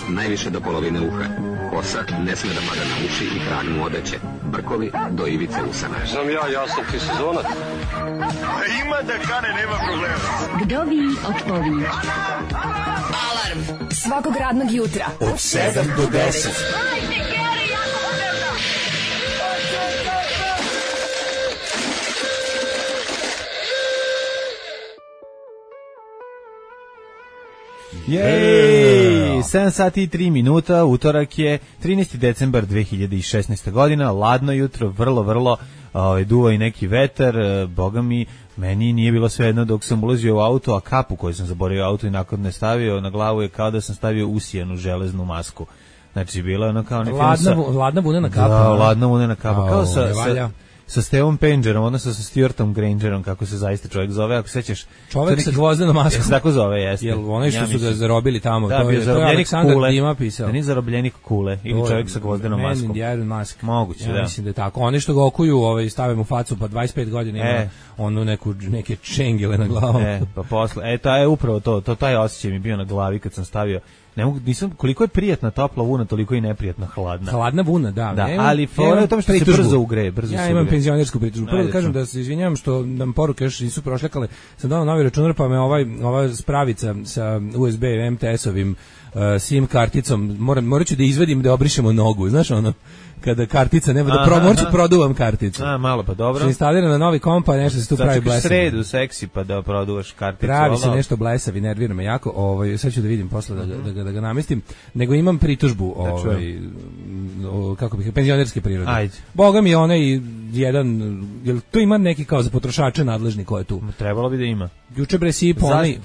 najviše do polovine uha. Kosa ne sme da pada na uši i krag mu odeće. Brkovi do ivice usana. Znam ja sam ti sezonac. Ima da kane, nema problema. Vdovi od pović. Alarm svakog radnog jutra od 7 do 10. Jej, 7 sati i 3 minuta, utorak je 13. decembar 2016. godina, ladno jutro, vrlo, duva i neki vetar, boga mi, meni nije bilo svejedno dok sam ulazio u auto, a kapu koju sam zaboravio auto i nakon ne stavio na glavu je kao da sam stavio usijanu železnu masku. Znači, bila je ono kao neki ladna vunena kapa. Da, ladna vunena kapa, kao sa Stevom Pengerom, odnosno sa Stuartom Grangerom, kako se zaista čovjek zove, ako sećaš. Čovjek sa gvozdenom maskom. Se tako zove, jeste. Jel onaj što su ga zarobili tamo, da, to je Aleksandar Dima pisao. Da nije zarobljenik kule, ili čovjek sa gvozdenom maskom. Man in the Iron Mask. Moguće, ja mislim da je tako. Oni što ga okuju, stave mu facu, pa 25 godina ima onu neke čengile na glavu. Pa posle, to je upravo to, taj osjećaj mi bio na glavi kad sam stavio. Nisam, koliko je prijatna topla vuna, toliko i neprijatna hladna. Hladna vuna, da. Ali fora je u tome što se brzo ugreje. Ja imam penzionersku pritužbu. Prvo da kažem da se izvinjavam što nam poruke još nisu prošljakale. Sam dao novi računar, pa me ova spravica sa USB MTS-ovim SIM karticom, morat ću da izvedim da obrišemo nogu, znaš ono, kada kartica nema da morat ću produvam karticu. Malo pa dobro. Što instalira na novi komp, pa nešto se tu pravi blesavi. Sredu seksi pa da produvaš karticu. Pravi se nešto blesavi, nervira me jako, sad ću da vidim posle da ga namestim, nego imam pritužbu, kako bih, penzionerske prirode. Ajde. Boga mi je onaj jedan, jel tu ima neki kao za potrošače nadležni ko je tu? Trebalo bi da ima. Juče bre sipo onaj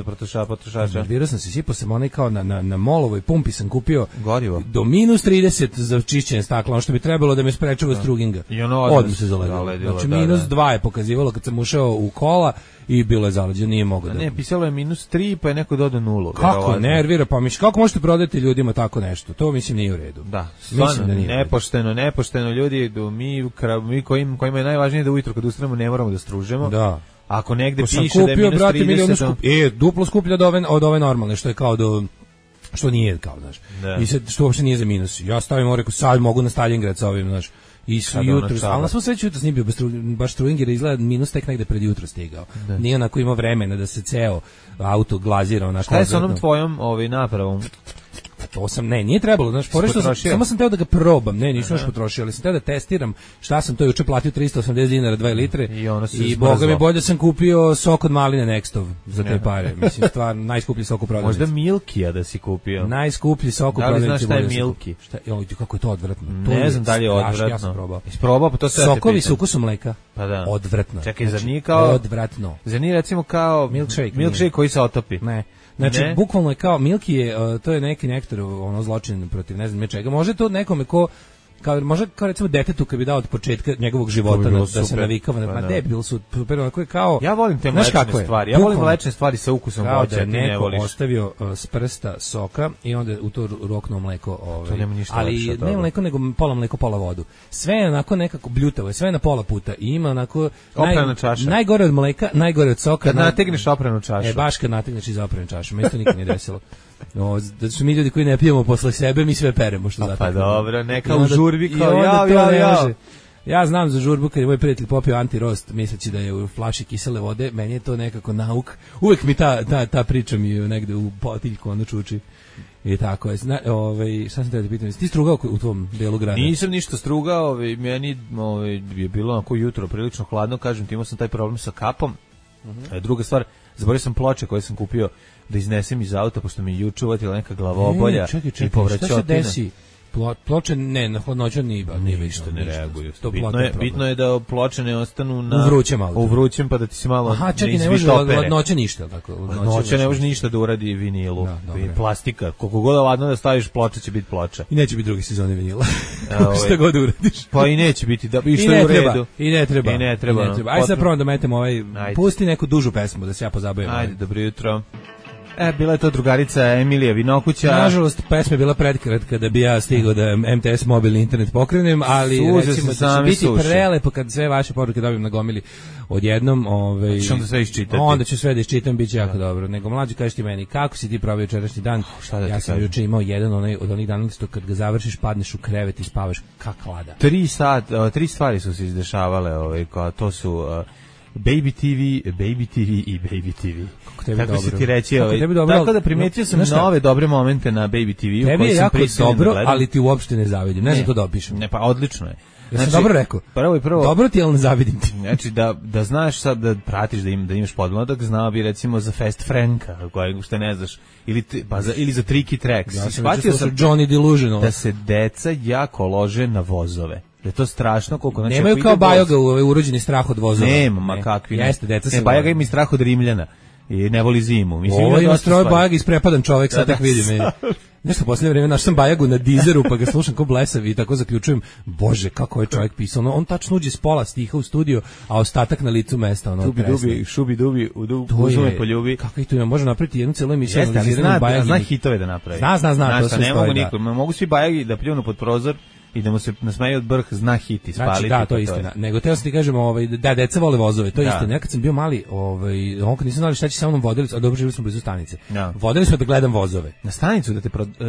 potrošača. Nervirao sam se, sipo sam onaj kao na molovoj pumpi sam kupio gorivo do -30 za čišćenje stakla, ono što bi trebalo da me sprečava struginga. I ono odmah se zaledilo. Znači -2 je pokazivalo kad sam ušao u kola i bilo je zaleđeno, nije mogao da. Ne, pisalo je -3 pa je neko dodao 0. Kako nervira, pa mislim kako možete prodati ljudima tako nešto? To mislim nije u redu. Da, mislim da nije nepošteno ljudi, mi kojima je najvažnije da ujutro kad ustanemo ne moramo da stružemo. Da. Ako negde piše da je -30, duplo skuplja od ove normalne, što je kao što nije kao, znaš. I sad što uopšte nije za minus. Ja stavim reku sad mogu na Stalingrad sa ovim, znaš. I jutro, ali na svu sreću jutros nije bio baš Struinger, izgleda minus tek negde pred jutro stigao. Nije onako imao vremena da se ceo auto glazira onako. Šta je sa onom tvojom napravom? To sam, nije trebalo, znaš, samo sam teo da ga probam, nisam još potrošio, ali sam teo da testiram šta sam to juče platio, 380 dinara 2 litre i boga mi bolje sam kupio sok od maline Nextov za te pare, mislim, stvarno, najskuplji sok u prodavnici. Možda Milkija da si kupio? Najskuplji sok u prodavnici. Da li znaš šta je Milki? Kako je to odvratno? Ne znam da li je odvratno. Ja sam probao. Isprobao, pa to sve sokovi s ukusom mleka. Pa da. Odvratno. Čekaj, zar nije kao... Odvratno. Zar nije recimo kao... Milkshake koji se otopi? Ne. Znači, bukvalno je kao, Milky je, to je neki nektor, zločin protiv ne znam čega. Može to nekome može kao recimo detetu kad bi dao od početka njegovog života da se navikava na debil su super, onako je kao. Ja volim te mlečne stvari. Ja volim mlečne stvari sa ukusom voća, ti ne voliš. Ostavio s prsta soka i onda u to roknuo mleko, to nema ništa ali ne mleko nego pola mleko, pola vodu. Sve je onako nekako bljutavo, sve je na pola puta i ima onako najgore od mleka, najgore od soka. Kad nategneš opranu čašu. Baš kad nategneš iz opranu čašu. Meni to nikad nije desilo. Da su mi ljudi koji ne pijemo posle sebe, mi sve peremo što zato. Pa dobro, neka u žurbi kao ja. Ja znam za žurbu kad je moj prijatelj popio antirost misleći da je u flaši kisele vode, meni je to nekako nauk. Uvek mi ta priča mi negde u potiljku ono čuči. I tako je. Šta sam te da pitam? Ti strugao u tvom delu grada? Nisam ništa strugao, meni je bilo onako jutro prilično hladno, kažem ti, imao sam taj problem sa kapom. Druga stvar, zaboravio sam ploče koje sam kupio da iznesem iz auta, pošto mi je juče uvatila neka glavobolja i povraćotina. Šta se desi? Ploče na hladnoću ništa ne reaguju. Bitno je da ploče ne ostanu u vrućem pa da ti se malo ne može hladnoća ništa. Hladnoća ne može ništa da uradi vinilu. Plastika, koliko god ladno da staviš ploča će biti ploča. I neće biti druge sezone vinila. Šta god uradiš. Pa i neće biti, i što je u redu. I ne treba. Ajde sad probam da metem pusti neku dužu pesmu da se ja pozabavim. Ajde, dobro jutro. Bila je to drugarica Emilija Vinokuća. Nažalost, pesma je bila predkratka da bi ja stigao da MTS mobilni internet pokrenem, ali Suze recimo da će biti prelepo kad sve vaše poruke dobijem na gomili odjednom. Onda sve iščitati. Onda ću sve da iščitam, bit će jako dobro. Nego mlađi, kažeš ti meni, kako si ti proveo jučerašnji dan? Ja sam juče imao jedan od onih dana što kad ga završiš, padneš u krevet i spavaš kak lada. 3 stvari su se izdešavale, to su... Baby TV i Baby TV. Kako se ti reći, tako da primetio sam nove dobre momente na Baby TV-u. Tebi je jako dobro, ali ti uopšte ne zavidim. Ne znam to da opišem. Ne, pa odlično je. Znači, dobro rekao. Prvo, dobro ti, ali ne zavidim ti. Znači, da znaš sad, da pratiš, da imaš podmladak, znao bi recimo za Fast Franka, što ne znaš, ili za Tricky Tracks. Ja sam Johnny Delusional. Da se deca jako lože na vozove. Da je to strašno koliko... Znači, nemaju kao Bajoga urođeni strah od vozova. Nema, ma kakvi. Jeste, deca se... Bajoga ima i strah od Rimljana. I ne voli zimu. Ovo ima stroj Bajaga isprepadan čovek, sad tak vidim. Nešto poslednje vreme našao sam Bajagu na Deezeru, pa ga slušam ko blesav i tako zaključujem, bože, kako je čovjek pisao. On tačno uđe s pola stiha u studio, a ostatak na licu mesta. Dubi, šubi, dubi, uzume poljubi. Kako ih tu ima, može napraviti jednu celu emisiju. Jeste, ali zna hitove da napravi. Zna, to sve stoji, da. Mogu svi Bajagi da pljunu pod prozor i da mu se nasmeje od brh, zna hit i spaliti. Znači, da, to je istina. Nego teo sam ti kažem, da, deca vole vozove, to je istina. Ja kad sam bio mali, kad nisam znali šta će sa mnom vodili, a dobro, živili smo blizu stanice. Vodili smo da gledam vozove. Na stanicu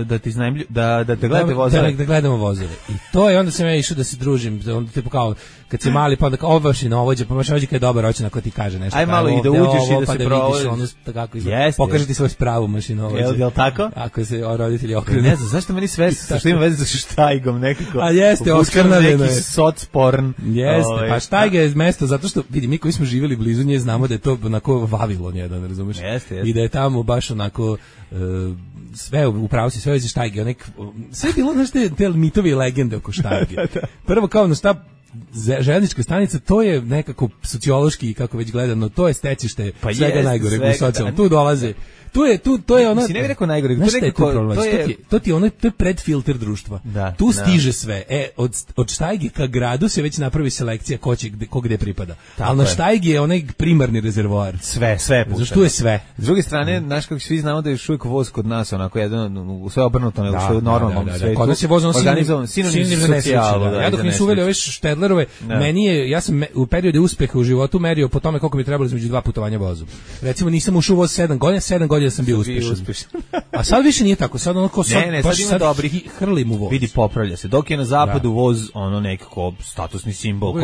da ti iznajmljuju, da te gledate vozove. Da gledamo vozove. I to je, onda sam ja išao da se družim, onda te kao, kad si mali, pa onda kao mašinovođa, pa mašinovođa kad je dobar, hoće na ko ti kaže nešto. Aj malo i da uđeš i da se provodiš. Pokaže ti svoj spravu mašinovođa. Jel tako? Ako se roditelji okrenu. Ne znam, zašto meni sve što ima veze sa Štajgom nekako. A jeste, oskarnavljeno je. Soc porn. Jeste, pa Štajga je mesto, zato što, vidi, mi koji smo živjeli blizu nje, znamo da je to onako Vavilon jedan, razumeš? Jeste. I da je tamo baš onako, sve, upravo si, sve vezi Štajge, sve je bilo, znaš, te mitovi i legende oko Štajge. Prvo kao na šta, željeznička stanica, to je nekako sociološki, kako već gledano, to je stecište svega najgoreg u socijalnom. Tu dolaze. To je ona. Si ne bih rekao najgore, to je predfilter društva. Tu stiže sve. Od Štajge ka gradu se već napravi selekcija ko gde pripada. Ali na Štajgi je onaj primarni rezervoar. Sve puta. Zašto je sve. S druge strane, znaš kako svi znamo da je uvijek voz kod nas onako jedan sve obrnuto nego što je u normalnom svetu. Kod nas je voz sinonim socijalu. Ja dok nisu uveli ove Štedlerove, ja sam u periodu uspeha u životu merio po tome koliko mi trebalo između 2 putovanja vozom. Recimo nisam ušao u voz 7 godina sam bio uspešan. A sad više nije tako, sad onako sad ima dobrih, hrlim u voz. Vidi, popravlja se. Dok je na zapadu voz nekako statusni simbol,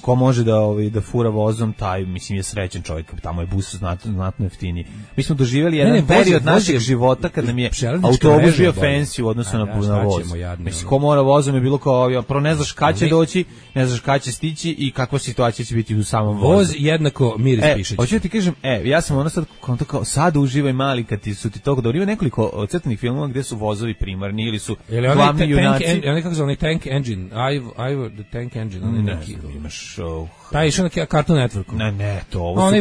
ko može da fura vozom, taj mislim je srećan čovjek, tamo je bus znatno jeftiniji. Mi smo doživjeli jedan period našeg života kad nam je autobus bio fancy u odnosu na voz. Mislim, ko mora vozom je bilo kao, prvo ne znaš kad će doći, ne znaš kad će stići i kakva situacija će biti u samom vozu. Voz jednako miris pišeć. Hoću da ti kažem, ja sam ono sad uživaj mali kad su ti toliko dobro. Ima nekoliko crtanih filmova gdje su vozovi primarni ili su glavni junaci. Oni kako zove, Tank Engine, Ivor the Tank Engine. Ne znam, imaš... Taj išao na Cartoon Networku. Ne, to ovo su... Oni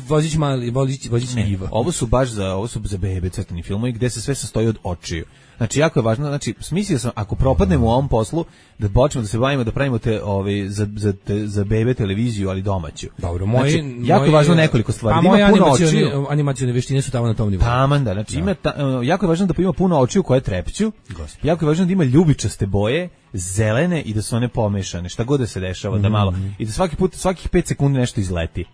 vozić mali, vozić Iva. Ovo su baš za bebe crtani filmovi gdje se sve sastoji od očiju. Znači, jako je važno, znači, smislio sam, ako propadnemo u ovom poslu, da počnemo da se bavimo, da pravimo za bebe televiziju, ali domaću. Dobro, jako je važno nekoliko stvari. A moje animacione veštine su tamo na tom nivou. Tamanda, znači, jako je važno da ima puno očiju koje trepću, jako je važno da ima ljubičaste boje, zelene i da su one pomešane, šta god da se dešava, da malo, i da svakih 5 sekundi nešto izleti.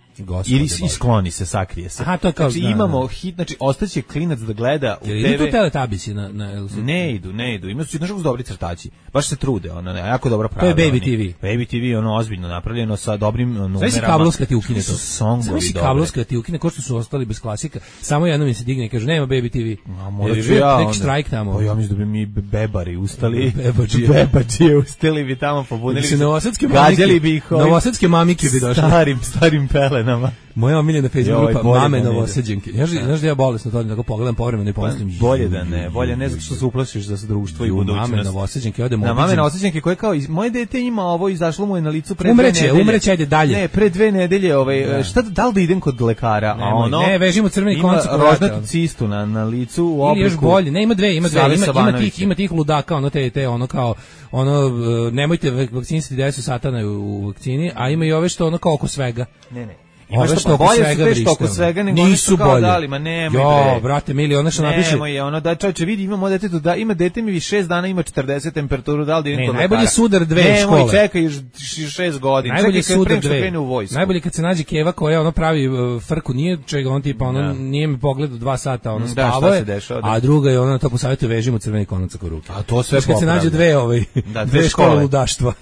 Ili iskloni se, sakrije se. Aha, to kao, znači imamo hit, znači ostaće klinac da gleda u TV. Ili tu Teletubbiesi na Ne idu. Ima su znaš dobri crtači. Baš se trude, jako dobro prave. To je Baby TV. Baby TV ozbiljno napravljeno sa dobrim numerama. Sve si kablovska ti ukine to. Sve si kablovska ti ukine, ko što su ostali bez klasika. Samo jednom mi se digne i kaže nema Baby TV. Tek štrajk tamo. Pa ja mislim da bi mi bebari ustali. Bebađije ustali bi tamo pobunili. Novosadske mamike bi došle. Starim pelenama. Moja omiljena Facebook grupa Mame Novosađenke. Znaš da ja bolesno to da pogledam povremeno i pomislim. Bolje ne zato što se uplašiš za društvo i budućnost. Mame Novosađenke odemo. Na Mame Novosađenke koje kao moje dete ima ovo, izašlo mu je na licu pre 2 nedelje. Umreće, ajde dalje. Ne, pre 2 nedelje, šta da li da idem kod lekara, a ono ne, vežimo crveni konac rožnatu cistu na licu u obliku. Ili još bolje, ne, ima dve, ima tih ludaka, ono kao nemojte vakcinisati decu satana u vakcini, a ima i ove što ono kao oko svega. Ne. Imaš što bolje su što oko svega nego nisu kao bolje. Dali, ma nemoj jo, brate, mili, ona što napiše. Nemoj, ono da čovječe vidi, imamo detetu, da ima dete mi 6 dana ima 40 temperaturu, da li idem kod lekara. Najbolji sudar dve škole. Nemoj, čekaj 6 godina. Najbolji sudar dve. Najbolje kad se nađe keva koja ono pravi frku, nije čega on tipa ono nije mi pogledao 2 sata, ono spavao je, a druga je ona to po savjetu vežimo crveni konac oko ruke. A to sve kad se nađe dve škole ludaštva.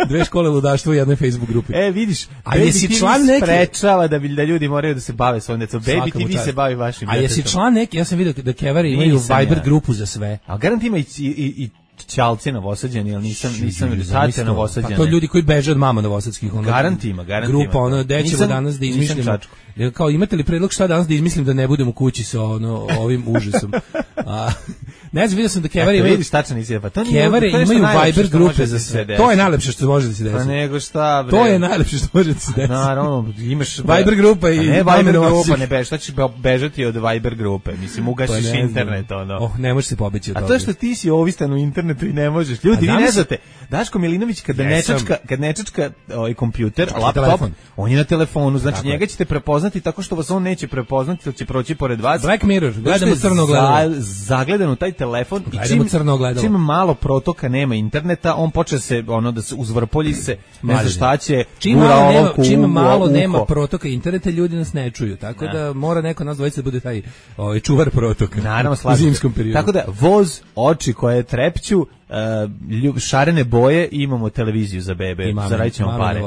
Dve škole ludaštva u jednoj Facebook grupi. Vidiš, a jesi član neke sprečava da ljudi moraju da se bave svojim decom. Baby TV se bavi vašim detetom. A jesi član neki? Ja sam vidio da kevari imaju Viber grupu za sve. A garant ima i ćalci novosađeni, ali nisam tate novosađeni. Pa to ljudi koji beže od mama novosadskih. Garant ima. Grupa, ono, gde ćemo danas da izmišljamo. Kao, imate li predlog šta danas da izmislim da ne budem u kući sa ovim užasom? Ne znam, vidio sam da kevari imaju... Vidiš, tačno nisi, pa to nije... Kevare imaju Viber grupe za sve. To je najlepše što može da se desi. Pa nego šta, bre. To je najlepše što može da se desi. Naravno, imaš... Viber grupa i... Ne, Viber grupa, ne beži, šta ćeš bežati od Viber grupe? Mislim, ugasiš internet, ono. Ne možeš se pobeći od toga. A to što ti si ovistan u internetu i ne možeš. Ljudi, vi ne znate, Daško Milinović kad ne čačka kompjuter, laptop, on je na telefonu, znači njega ćete prepoznati tako što vas on neće prepoznati, ili će proći pored vas. Black Mirror, gledamo crno ogledalo. Zagledan u taj telefon i čim malo protoka nema interneta, on počne se da se uzvrpolji se, ne zna šta će. Čim malo nema protoka interneta, ljudi nas ne čuju, tako da mora neko nas dvojica da bude taj čuvar protoka. Naravno, u zimskom periodu. Tako da voz, oči koje trepću, šarene boje i imamo televiziju za bebe, zaradit ćemo pare.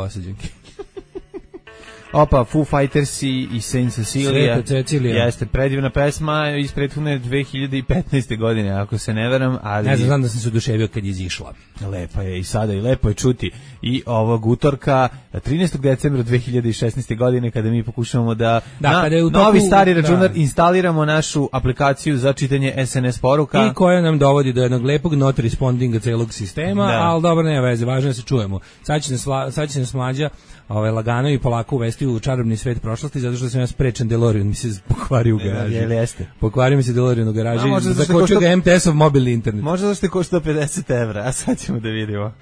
Opa, Foo Fighters i Saint Cecilia. Jeste predivna pesma iz prethodne 2015. godine, ako se ne veram. Ali... Ne znam da sam se oduševio kad je izišla. Lepa je i sada i lepo je čuti. I ovog utorka, 13. decembra 2016. godine, kada mi pokušavamo da na novi stari računar instaliramo našu aplikaciju za čitanje SNS poruka. I koja nam dovodi do jednog lepog not respondinga celog sistema, ali dobro, nema veze, važno da se čujemo. Sad će nas Mlađa lagano i polako uvesti u čarobni svet prošlosti, zato što sam ja sprečen DeLorean, mi se pokvario u garaži. Jeste. Pokvario mi se DeLorean u garaži i zakočio ga MTS-ov mobilni internet. Možda zašto je košta 50 evra, a sad ćemo da vidimo.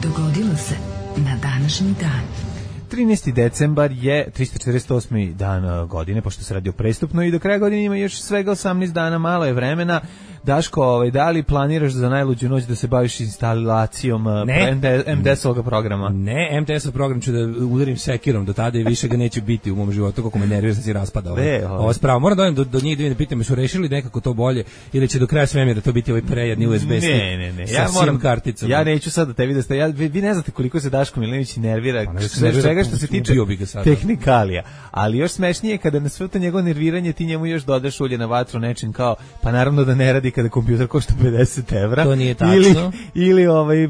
Dogodilo se na današnji dan. 13. decembar je 348. dan godine, pošto se radi o prestupnoj i do kraja godine ima još svega 18 dana, malo je vremena. Daško, da li planiraš za najluđu noć da se baviš instalacijom MDS-ovog programa? Ne, MTS-ov program ću da udarim sekirom do tada i više ga neće biti u mom životu, kako me nervira da se raspada ovo spravo. Moram da odem do njih da pitam, su rešili nekako to bolje ili će do kraja svemira to biti ovaj prejedni USB stick? Ne. Ja moram karticom. Ja neću sad da tebi da ste, vi ne znate koliko se Daško Milinović nervira, svega što se tiče tehnikalija, ali još smešnije kada na sve to njegovo nerviranje ti njemu još dodaš ulje na vatru nečim kao, pa naravno da ne radi kada kompjuter košta 50 evra. To nije tačno. Ili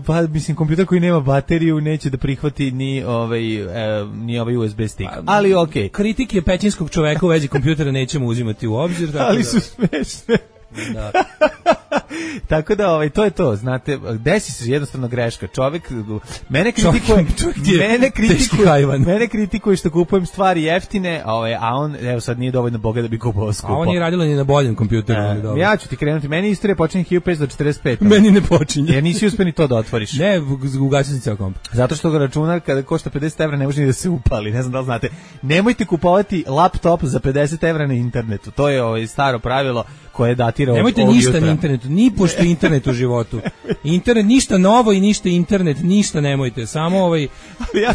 pa mislim kompjuter koji nema bateriju neće da prihvati ni ovaj USB stick. Ali okej. Kritike pećinskog čoveka u vezi kompjutera nećemo uzimati u obzir, ali su smešne. Da. Tako da to je to, znate, desi se jednostavno greška. Čovjek mene kritikuje što kupujem stvari jeftine, a on evo sad nije dovoljno bogat da bi kupovao skupo. A on je radilo ni na boljem kompjuteru, ja ću ti krenuti, meni istorija počinje 1545. Meni ne počinje. Jer nisi uspio ni to da otvoriš. Ne, ugasio sam ceo komp. Zato što ga računar kada košta 50 evra ne može ni da se upali. Ne znam da li znate. Nemojte kupovati laptop za 50 evra na internetu. To je staro pravilo koje datira od Nemojte ništa na internetu, ni pošto internet u životu. Internet, ništa novo i ništa internet, ništa nemojte, samo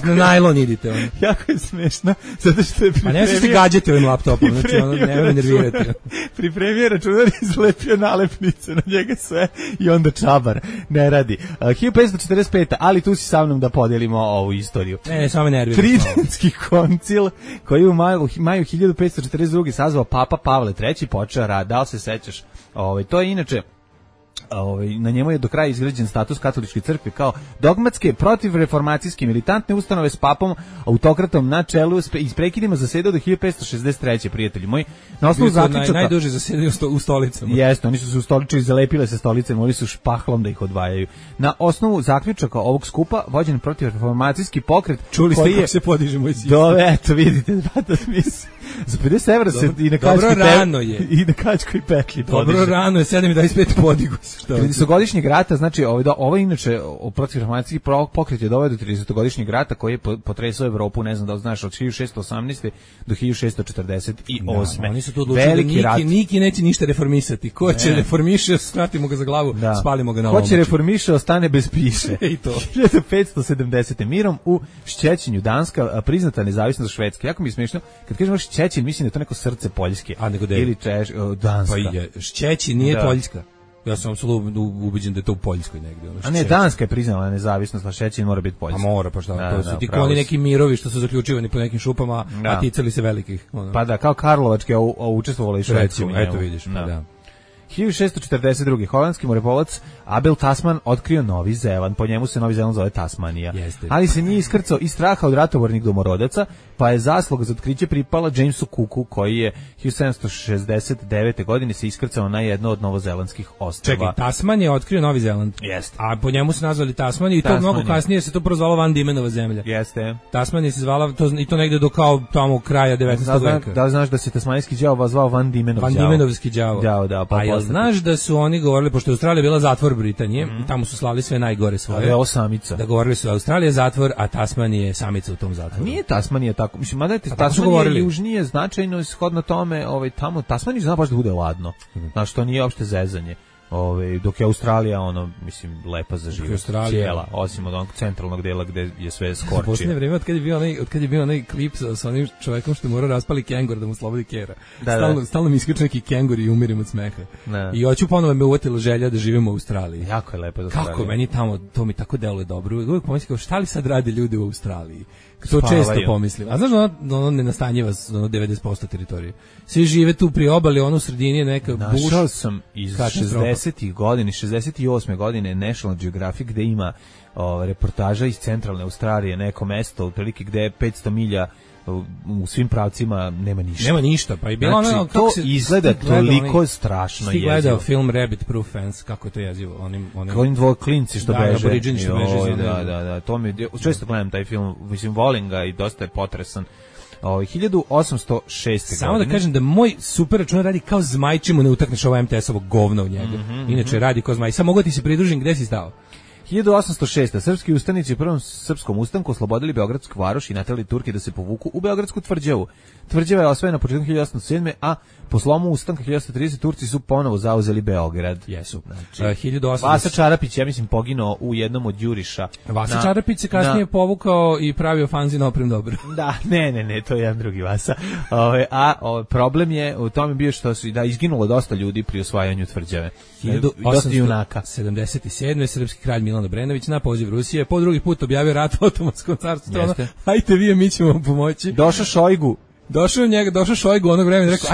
na najlon idite. Jako je smešno, zato što je pripremio... A ne se gađati ovim laptopom, znači ne nervirate. Pripremio računar i izlepio nalepnice na njega sve i onda čabar, ne radi. 1545. Ali tu si sa mnom da podijelimo ovu istoriju. Ne, samo nervirate. Tridentski koncil koji u maju 1542. sazvao Papa Pavle III. Počeo rad, da li se sećaš? To je inače na njemu je do kraja izgrađen status katoličke crkve kao dogmatske protivreformacijske militantne ustanove s papom autokratom na čelu i s prekidima zasedao do 1563. prijatelji moji. Na osnovu zaključaka najduže zasedaju u stolicama. Jeste, oni su se ustoličili, zalepile se stolice, morali su špahlom da ih odvajaju. Na osnovu zaključaka ovog skupa vođen protivreformacijski pokret. Čuli ste kako se podiže moj sin. Eto vidite, Za 50 evra se i na kačkoj petlji. I na kačkoj petlji podiže. Dobro rano je, 7,25 podigu se. 30-godišnjeg rata, znači ovo inače protivreformacijski pokret je doveo do 30-godišnjeg rata koji je potresao Evropu, ne znam da li znaš, od 1618. do 1648. Oni su tu odlučili da Niki neće ništa reformisati. Ko će reformiše, skratimo ga za glavu, spalimo ga na omoči. Ko će reformiše, ostane bez piše. I to. 1570. Mirom u Šćećinju Danska priznata nezavisnost Švedske. Jako mi je smiješno, kad kažemo Šćećin, mislim da je to neko srce Poljske. A nego ili Danska. Pa je, Šćećin nije Poljska. Ja sam apsolutno ubeđen da je to u Poljskoj negdje. A ne, Danska je priznala nezavisnost, a Šćećin mora biti Poljska. A mora, pa šta? To su ti koni neki mirovi što su zaključivani po nekim šupama, a ticali se velikih. Pa da, kao Karlovačke, a učestvovala i Švedska. Eto vidiš, pa da. 1642. holandski moreplovac Abel Tasman otkrio Novi Zeland. Po njemu se Novi Zeland zove Tasmanija. Ali se nije iskrcao iz straha od ratobornih domorodaca, pa je zasluga za otkriće pripala Jamesu Cooku, koji je 1769. godine se iskrcao na jedno od novozelandskih ostrva. Čekaj, Tasman je otkrio Novi Zeland. Jeste. A po njemu se nazvali Tasmanija i to mnogo kasnije se to prozvalo Van Diemenova zemlja. Jeste. Tasmanija se zvala i to negde do kao tamo kraja 19. veka. Da li znaš da se tasmanijski đavo zvao Van Diemenov đavo? Van Diemenovski đavo. Da, pa jel znaš da su oni govorili, pošto je Australija bila zatvor Britanije, tamo su slali sve najgore svoje. Da je samica. Da govorili su Australija je zatvor, a Tasmanija je samica u tom zatvoru. A nije Tasmanija tako. Mislim, mada je Tasmanija južnije značajno shodno tome, tamo Tasmanija zna baš da bude ladno. Znaš, to nije uopšte zezanje. Dok je Australija mislim lepa za život, cijela, osim od onog centralnog dela gde je sve skorčio. U posljednje vreme, od kad je bio onaj klip sa onim čovekom što je morao raspali kengur da mu slobodi kera. Stalno mi iskače neki kengur i umirim od smeha. I hoću ponovo me uvatila želja da živimo u Australiji. Jako je lepo za Australiju. Kako meni tamo, to mi tako deluje dobro. Uvijek pomislim kao šta li sad rade ljudi u Australiji? To često pomislim. A znaš, ono ne nastanjiva 90% teritorije. Svi žive tu pri obali, ono u sredini je neka buš. Našao sam iz 60-ih godina, 68. godine National Geographic gde ima reportaža iz centralne Australije, neko mesto, otprilike gde je 500 milja u svim pravcima nema ništa. Nema ništa, pa i bilo znači, to izgleda toliko strašno jezivo. Ti gledao film Rabbit Proof Fence, kako je to jezivo? Onim dvoklinci što beže. Aboriđini što beže. Da, to mi često gledam taj film, mislim, volim ga i dosta je potresan. 1806. Samo da kažem da moj super računar radi kao zmaj, čemu ne utakneš ovo MTS-ovo govno u njega. Inače radi kao zmaj. Samo mogu ti se pridružim, gde si stao? 1806. Srpski ustanici u prvom srpskom ustanku oslobodili Beogradsku varoš i naterali Turke da se povuku u Beogradsku tvrđavu. Tvrđava je osvojena početkom 1807. a po slomu ustanka 1830 Turci su ponovo zauzeli Beograd. Jesu. Znači, Vasa Čarapić, ja mislim, poginuo u jednom od juriša. Vasa Čarapić se kasnije povukao i pravio fanzin Oprem dobro. Da, ne, to je jedan drugi Vasa. Problem je u tome bio što su izginulo dosta ljudi pri osvajanju tvrđave. 1877. srpski kralj Milan Obrenović na poziv Rusije po drugi put objavio rat Otomanskom carstvu. Hajte vi, mi ćemo vam pomoći. Došao Šojgu. Došao Šojgu onog vremena i rekao,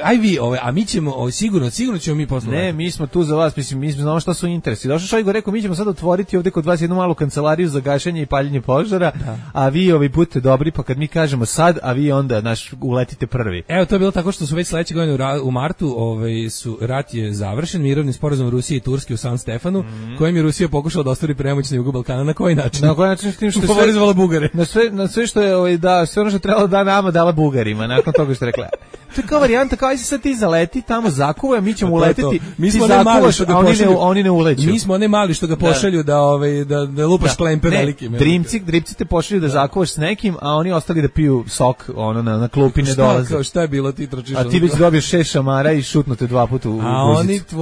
aj vi, a mi ćemo, sigurno ćemo mi poslovati. Ne, mi smo tu za vas, mislim, mi znamo šta su interesi. Došao Šojgu, rekao, mi ćemo sad otvoriti ovdje kod vas jednu malu kancelariju za gašenje i paljenje požara, a vi budete dobri, pa kad mi kažemo sad, a vi onda uletite prvi. Evo, to je bilo tako što su već sledeće godine u martu, rat je završen, mirovni sporazum Rusije i Turske u San Stefanu, kojim je Rusija pokušala da ostvari premoć na jugu Balkana. Na koji način? Na koji način, s tim što favorizovala Bugare. Na sve što je sve ono što trebalo da nama dala Bugarima, nakon toga što je rekla. To je kao varijanta, kao se sad ti zaleti, tamo zakuvaj, mi ćemo uleteti, mi smo ne mali što ga pošalju, oni ne uleću. Mi smo ne mali što ga pošalju da lupaš klempe velikim. Dripci te pošalju da zakuvaš s nekim, a oni ostali da piju sok, na klupi ne dolaze. Šta je bilo, ti trčiš? A ti već dobiješ 6 šamara i šutnute 2 puta u guzicu.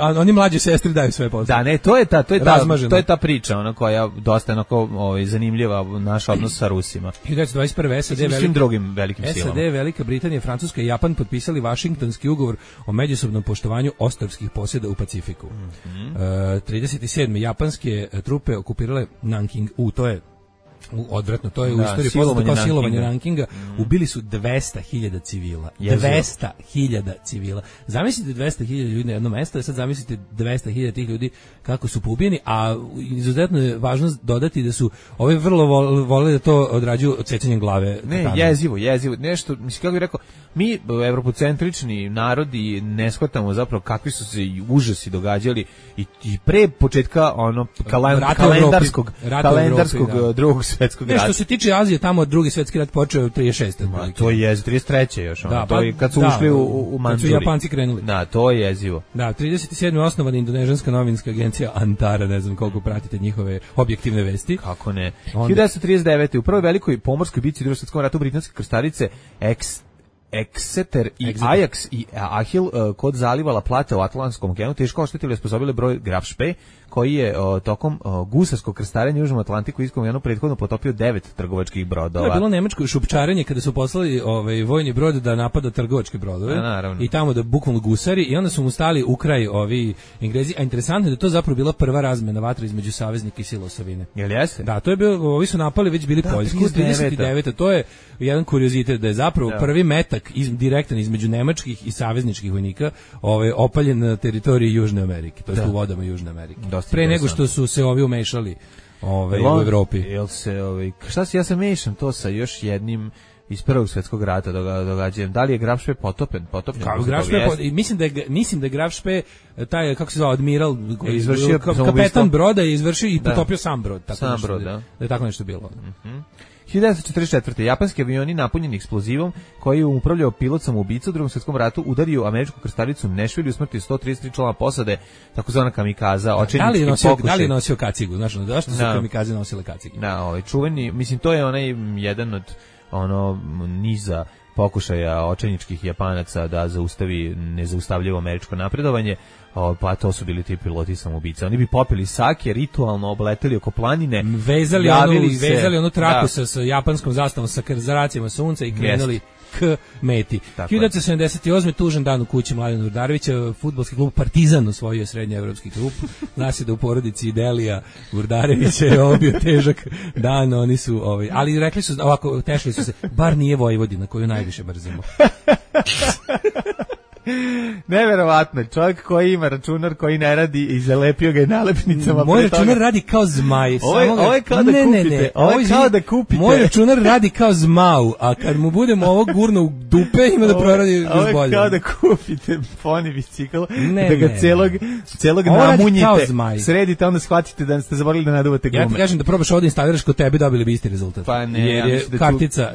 A oni mlađi sestri daju sve posle. Da, ne, to je ta priča, koja dosta onako zanimljiva, naš odnos sa Rusima. 1921. SAD drugim velikim silama. SAD, Velika Britanija, Francuska i Japan potpisali Vašingtonski ugovor o međusobnom poštovanju ostrvskih posjeda u Pacifiku. 37. japanske trupe okupirale Nanking. To je odvratno, to je u istoriji poznato kao silovanje Nankinga. Ubili su 200.000 civila. 200.000 civila. Zamislite 200.000 ljudi na jedno mesto, sad zamislite 200.000 tih ljudi kako su poubijeni, a izuzetno je važno dodati da su ovi vrlo voleli da to odrađuju odsecanjem glave. Ne, jezivo. Nešto, mislim, kako bih rekao, mi, evropocentrični narodi, ne shvatamo zapravo kakvi su se užasi događali i pre početka kalendarskog drugog svetskog rata. Što se tiče Azije, tamo drugi svetski rat počeo 36. Ma, to je 33. još. Da, to je kad su ušli u Manđuri. Kad su Japanci krenuli. Da, to je jezivo. Da, 37. osnovana indonežanska novinska agencija Antara, ne znam koliko pratite njihove objektivne vesti. Kako ne. 1939. u prvoj velikoj pomorskoj bici u Drugom svetskom ratu britanske krstarice Exeter i Ajax i Ahil kod zaliva La Plata u Atlantskom okeanu teško oštetili i osposobili broj Graf Spee, koji je tokom gusarskog krstarenja u Južnom Atlantiku i Indijskom okeanu prethodno potopio 9 trgovačkih brodova. To je bilo nemačko šupčarenje kada su poslali vojni brod da napada trgovačke brodove i tamo da bukvalno gusari i onda su mu stali u kraj ovi Englezi, a interesantno je da to zapravo bila prva razmena vatre između saveznika i sila osovine. Jel jeste? Da, to je bilo, ovi su napali, već bili Poljsku, 39. To je jedan kuriozitet da je zapravo prvi metak direktan između nemačkih i savezničkih vojnika opaljen na teritoriji Južne Amerike, to je u vodama Južne Amerike. Pre nego što su se ovi umešali u Evropi. Jel se šta se ja se mešam to sa još jednim iz Prvog svjetskog rata događajem. Da li je Graf Spee potopen? Mislim da je Graf Spee taj, kako se zvao, admiral, kapetan broda je izvršio i potopio sam brod. Sam brod, da je tako nešto bilo. 1944. japanski avioni napunjeni eksplozivom koji je upravljao pilot samoubica u Drugom svjetskom ratu udario američku krstaricu Nešvilju, usmrtio 133 člana posade, takozvana kamikaza, očajnički pokušaj. Da li je nosio kacigu? Znaš, zašto su kamikaze nosile kacigu? Da, čuveni, mislim, to je onaj jedan od niza pokušaja očajničkih Japanaca da zaustavi nezaustavljivo američko napredovanje, pa to su bili ti piloti samoubica. Oni bi popili sake, ritualno obleteli oko planine, vezali onu traku sa japanskom zastavom, sa zracijama sunca i krenuli k meti. 1978. tužan dan u kući Mladena Urdarevića, fudbalski klub Partizan osvojio srednjeevropski klub. Zna se da u porodici Delija Urdarevića je ovo bio težak dan, oni su, ali rekli su, ovako, tešli su se, bar nije Vojvodina koju najviše mrzimo. Neverovatno, čovjek koji ima računar koji ne radi i zalepio ga je nalepnicama. Moj računar radi kao zmaj. Ovo je kao da kupite. Ovo je kao da kupite. Moj računar radi kao zmau, a kad mu budemo ovo gurno u dupe, ima da proradi još bolje. Ovo je kao da kupite poni bicikl, da ga celog namunjite, sredite, onda shvatite da ste zaboravili da naduvate gume. Ja ti kažem da probaš ovdje instaliraš kod tebe, dobili bi isti rezultat. Pa ne, jer je kartica,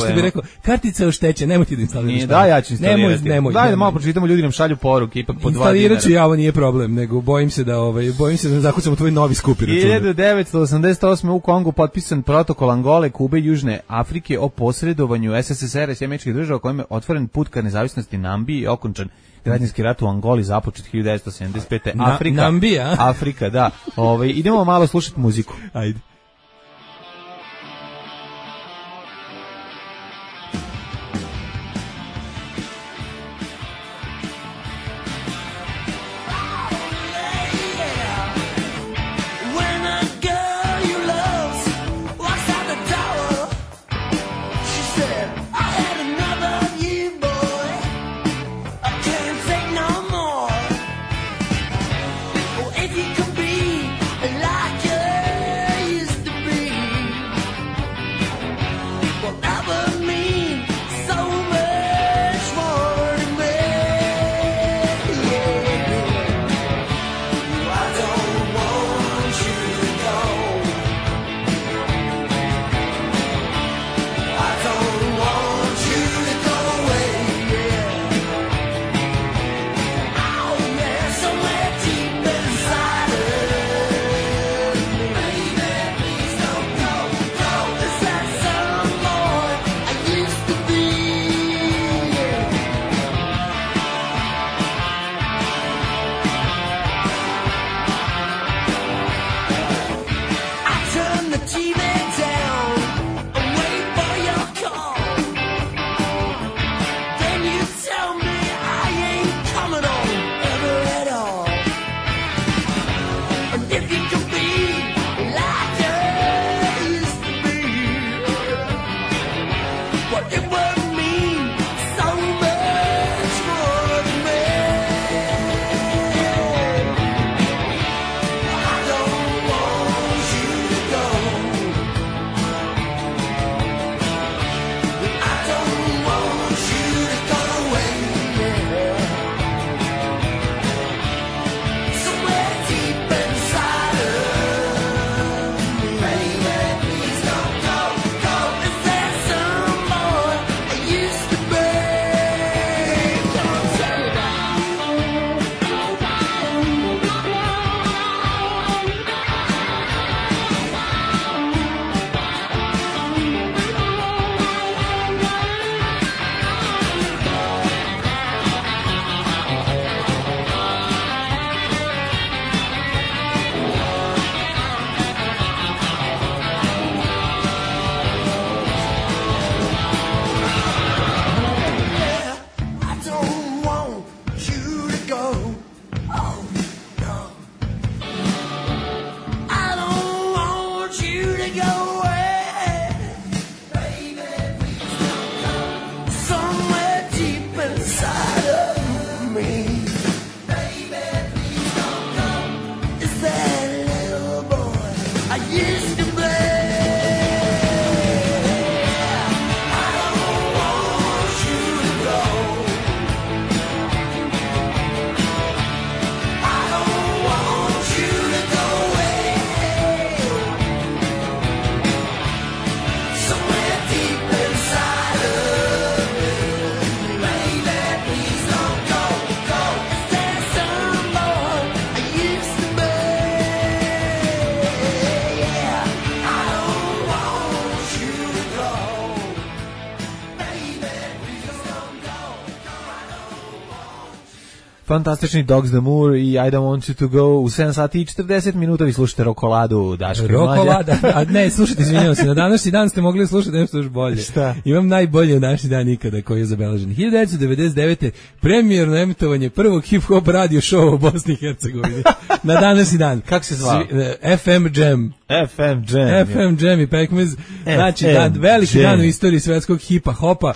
što bi rekao, kartica je oštećena, nemoj ti da instaliraš. Da, ja ću instalirati. Nemoj. Pročitamo, ljudi nam šalju poruke, ipak po 2 dinara. Instalirat ću ja, ovo nije problem, nego bojim se da zakucam u tvoj novi skupi računar. 1988. u Kongu potpisan protokol Angole, Kube i Južne Afrike o posredovanju SSSR-a i Sjemeničkih država kojim je otvoren put ka nezavisnosti Nambiji i okončan građanski rat u Angoli započet 1975. Nambija? Afrika, da. Idemo malo slušati muziku. Ajde. Fantastični Dogs the Moor i I Don't Want You to Go u 7 sati i 40 minuta vi slušate Rokoladu Daška i Mlađa. Rokolada, a ne, slušajte, izvinjavam se, na današnji dan ste mogli slušati nešto još bolje. Šta? Imam najbolji današnji dan ikada koji je zabeležen. 1999. premijerno emitovanje prvog hip-hop radio showa u Bosni i Hercegovini. Na današnji dan. Kako se zvao? FM Jam. FM Jam i Pekmez. Znači, veliki dan u istoriji svetskog hipa-hopa.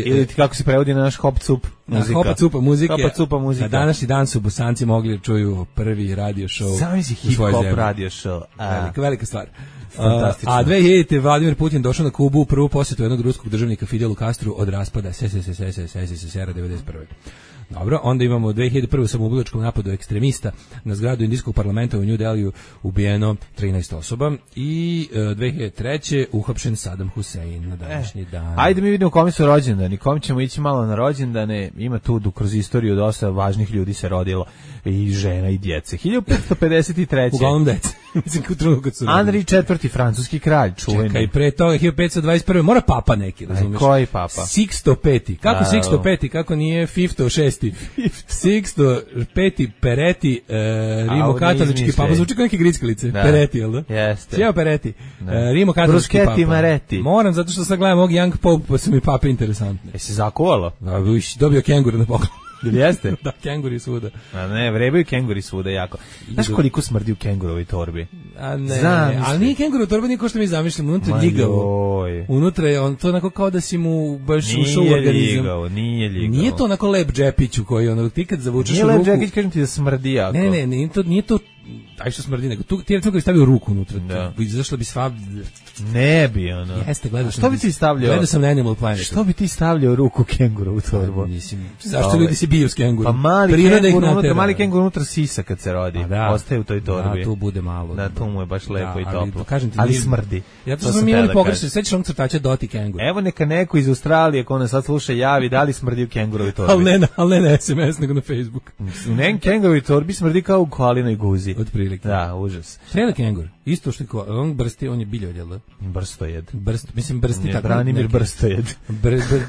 Ili ti kako se prevodi na naš hop-cup muzika. Hop-cupa muzike. Hop-cupa muzika. Na današnji dan su Bosanci mogli da čuju prvi radio show. Sami si hip-hop radio show. Velika stvar. A 2000. Vladimir Putin došao na Kubu u prvu posjetu jednog ruskog državnika Fidelu Castru od raspada SSSR 91. Dobro, onda imamo 2001. samoubilačkom napadu ekstremista na zgradu indijskog parlamenta u New Delhiju ubijeno 13 osoba i 2003. uhapšen Saddam Hussein na današnji dan. Ajde mi vidimo kome su rođendani, kom ćemo ići malo na rođendane, ima tu kroz istoriju dosta važnih ljudi se rodilo i žena i djece. 1553. Uglavnom djece. Mislim, Henri IV. Francuski kralj, čuveni. Čekaj, pre toga 1521. Mora papa neki, razumiješ? Koji papa? Sixto V. Kako Sixto V? Kako nije Fifto VI? Sixto V. Peretti, rimokatolički papa. Zvuči kao neke grickalice. Peretti, jel da? Jeste. Sjeo Peretti. Rimokatolički papa. Maretti. Moram, zato što sad gledam ovog Young Pope, pa su mi pape interesantne. Jesi zakuvalo? Dobio kenguru na poklon. Ili jeste? Da, kenguri svuda. A ne, vrebaju kenguri svuda jako. Znaš koliko smrdi u kengurovoj torbi? A ne, ali nije kengurova torba, nije ko što mi zamišljamo, unutra je ljigavo. Unutra je to onako kao da si mu baš ušao u organizam. Nije ljigavo. Nije to onako lep džepić u koji ono, ti kad zavučeš ruku... Nije lep džepić, kažem ti da smrdi jako. Ne, nije to aj što smrdi, nego tu ti je bi stavio ruku unutra. Zašto bi sva... Ne bi ono. Jeste, gledao sam. Što bi ti stavljao? Gledao sam na Animal Planet. Što bi ti stavljao ruku kenguru u torbu? Zašto ljudi se biju s kenguru? Pa mali kengur unutra sisa kad se rodi. Ostaje u toj torbi. Da, tu bude malo. Da, tu mu je baš lepo i toplo. Kažem ti, ali smrdi. Ja to sam imali pogrešno, sećaš onog crtača Doti kengur. Evo neka neko iz Australije ko nas sad sluša javi da li smrdi u kengurovi torbi. Ali ne na SMS nego na Facebook. U nekim kengurovi torbi smrdi kao u koalinoj guzi. Otprilike. Da, užas. Strela kengur. Isto što on brsti, on je biljojed, jel da? Brstojed. Mislim brsti tako. Branimir Brstojed.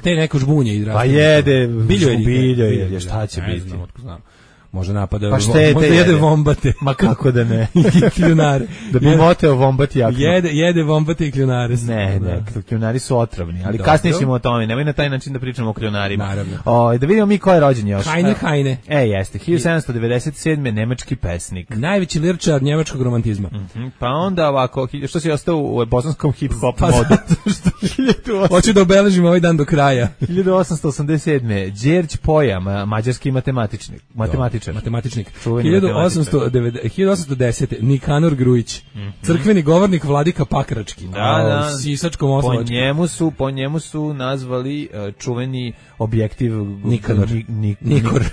Te neko žbunje i pa jede biljojed. Šta će biti? Znam. Može napada, pa možda jede vombate. Ma kako da ne? I kljunare. Da bi moteo vombati jako. Jede vombate i kljunare. Ne, kljunari su otrovni, ali kasnije ćemo o tome. Nemoj na taj način da pričamo o kljunarima. Naravno. Da vidimo mi ko je rođen još. Heine. Jeste, 1797. nemački pesnik. Najveći lirčar njemačkog romantizma. Pa onda ovako, što si ostao u bosanskom hip-hop modu? Hoću da obeležim ovaj dan do kraja. 1887. Đerđ Poja, mađarski matematičnik. 1810. Nikanor Grujić, crkveni govornik Vladika Pakrački. Da. Sisačkom osnovačkom. Po njemu su nazvali čuveni objektiv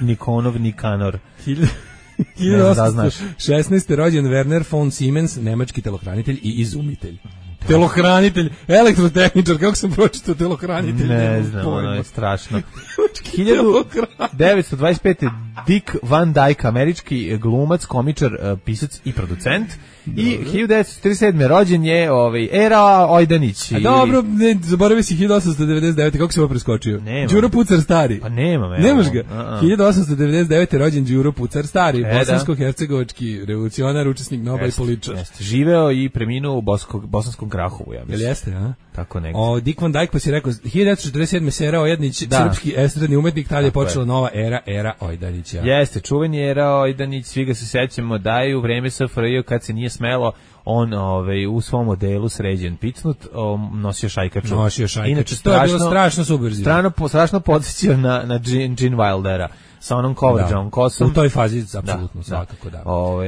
Nikonov Nikanor. 1816. rođen Werner von Siemens, nemački telohranitelj i izumitelj. Telohranitelj, elektrotehničar, kako sam pročitao telohranitelj? Ne znam, ono je strašno. 1925. Dick Van Dyke, američki glumac, komičar, pisac i producent. I 1937. rođen je Era Ojdanić. A dobro, ne, zaboravio si 1899. Kako se ovo preskočio? Đuro Pucar stari. Pa nemam. Nemaš ga. 1899. rođen Đuro Pucar stari, bosansko-hercegovački revolucionar, učesnik Nobla i političar. Živeo i preminuo u bosanskom Grahovu, ja mislim. Jel jeste, a? Tako negdje. Dick Van Dyke, pa si rekao, 1947. Sera Ojdanić, srpski estradni umetnik, tada je počela nova era Ojdanića. Jeste, čuveni Era Ojdanić, svi ga se sećamo da je u vreme SFRJ kad se nije smelo, on u svom modelu sređen picnut, nosio šajkaču. Inače, to je bilo strašno subverzivno. Strašno podsjećao na Gene Wildera sa onom coverđom kosom. U toj fazi, apsolutno, svakako da.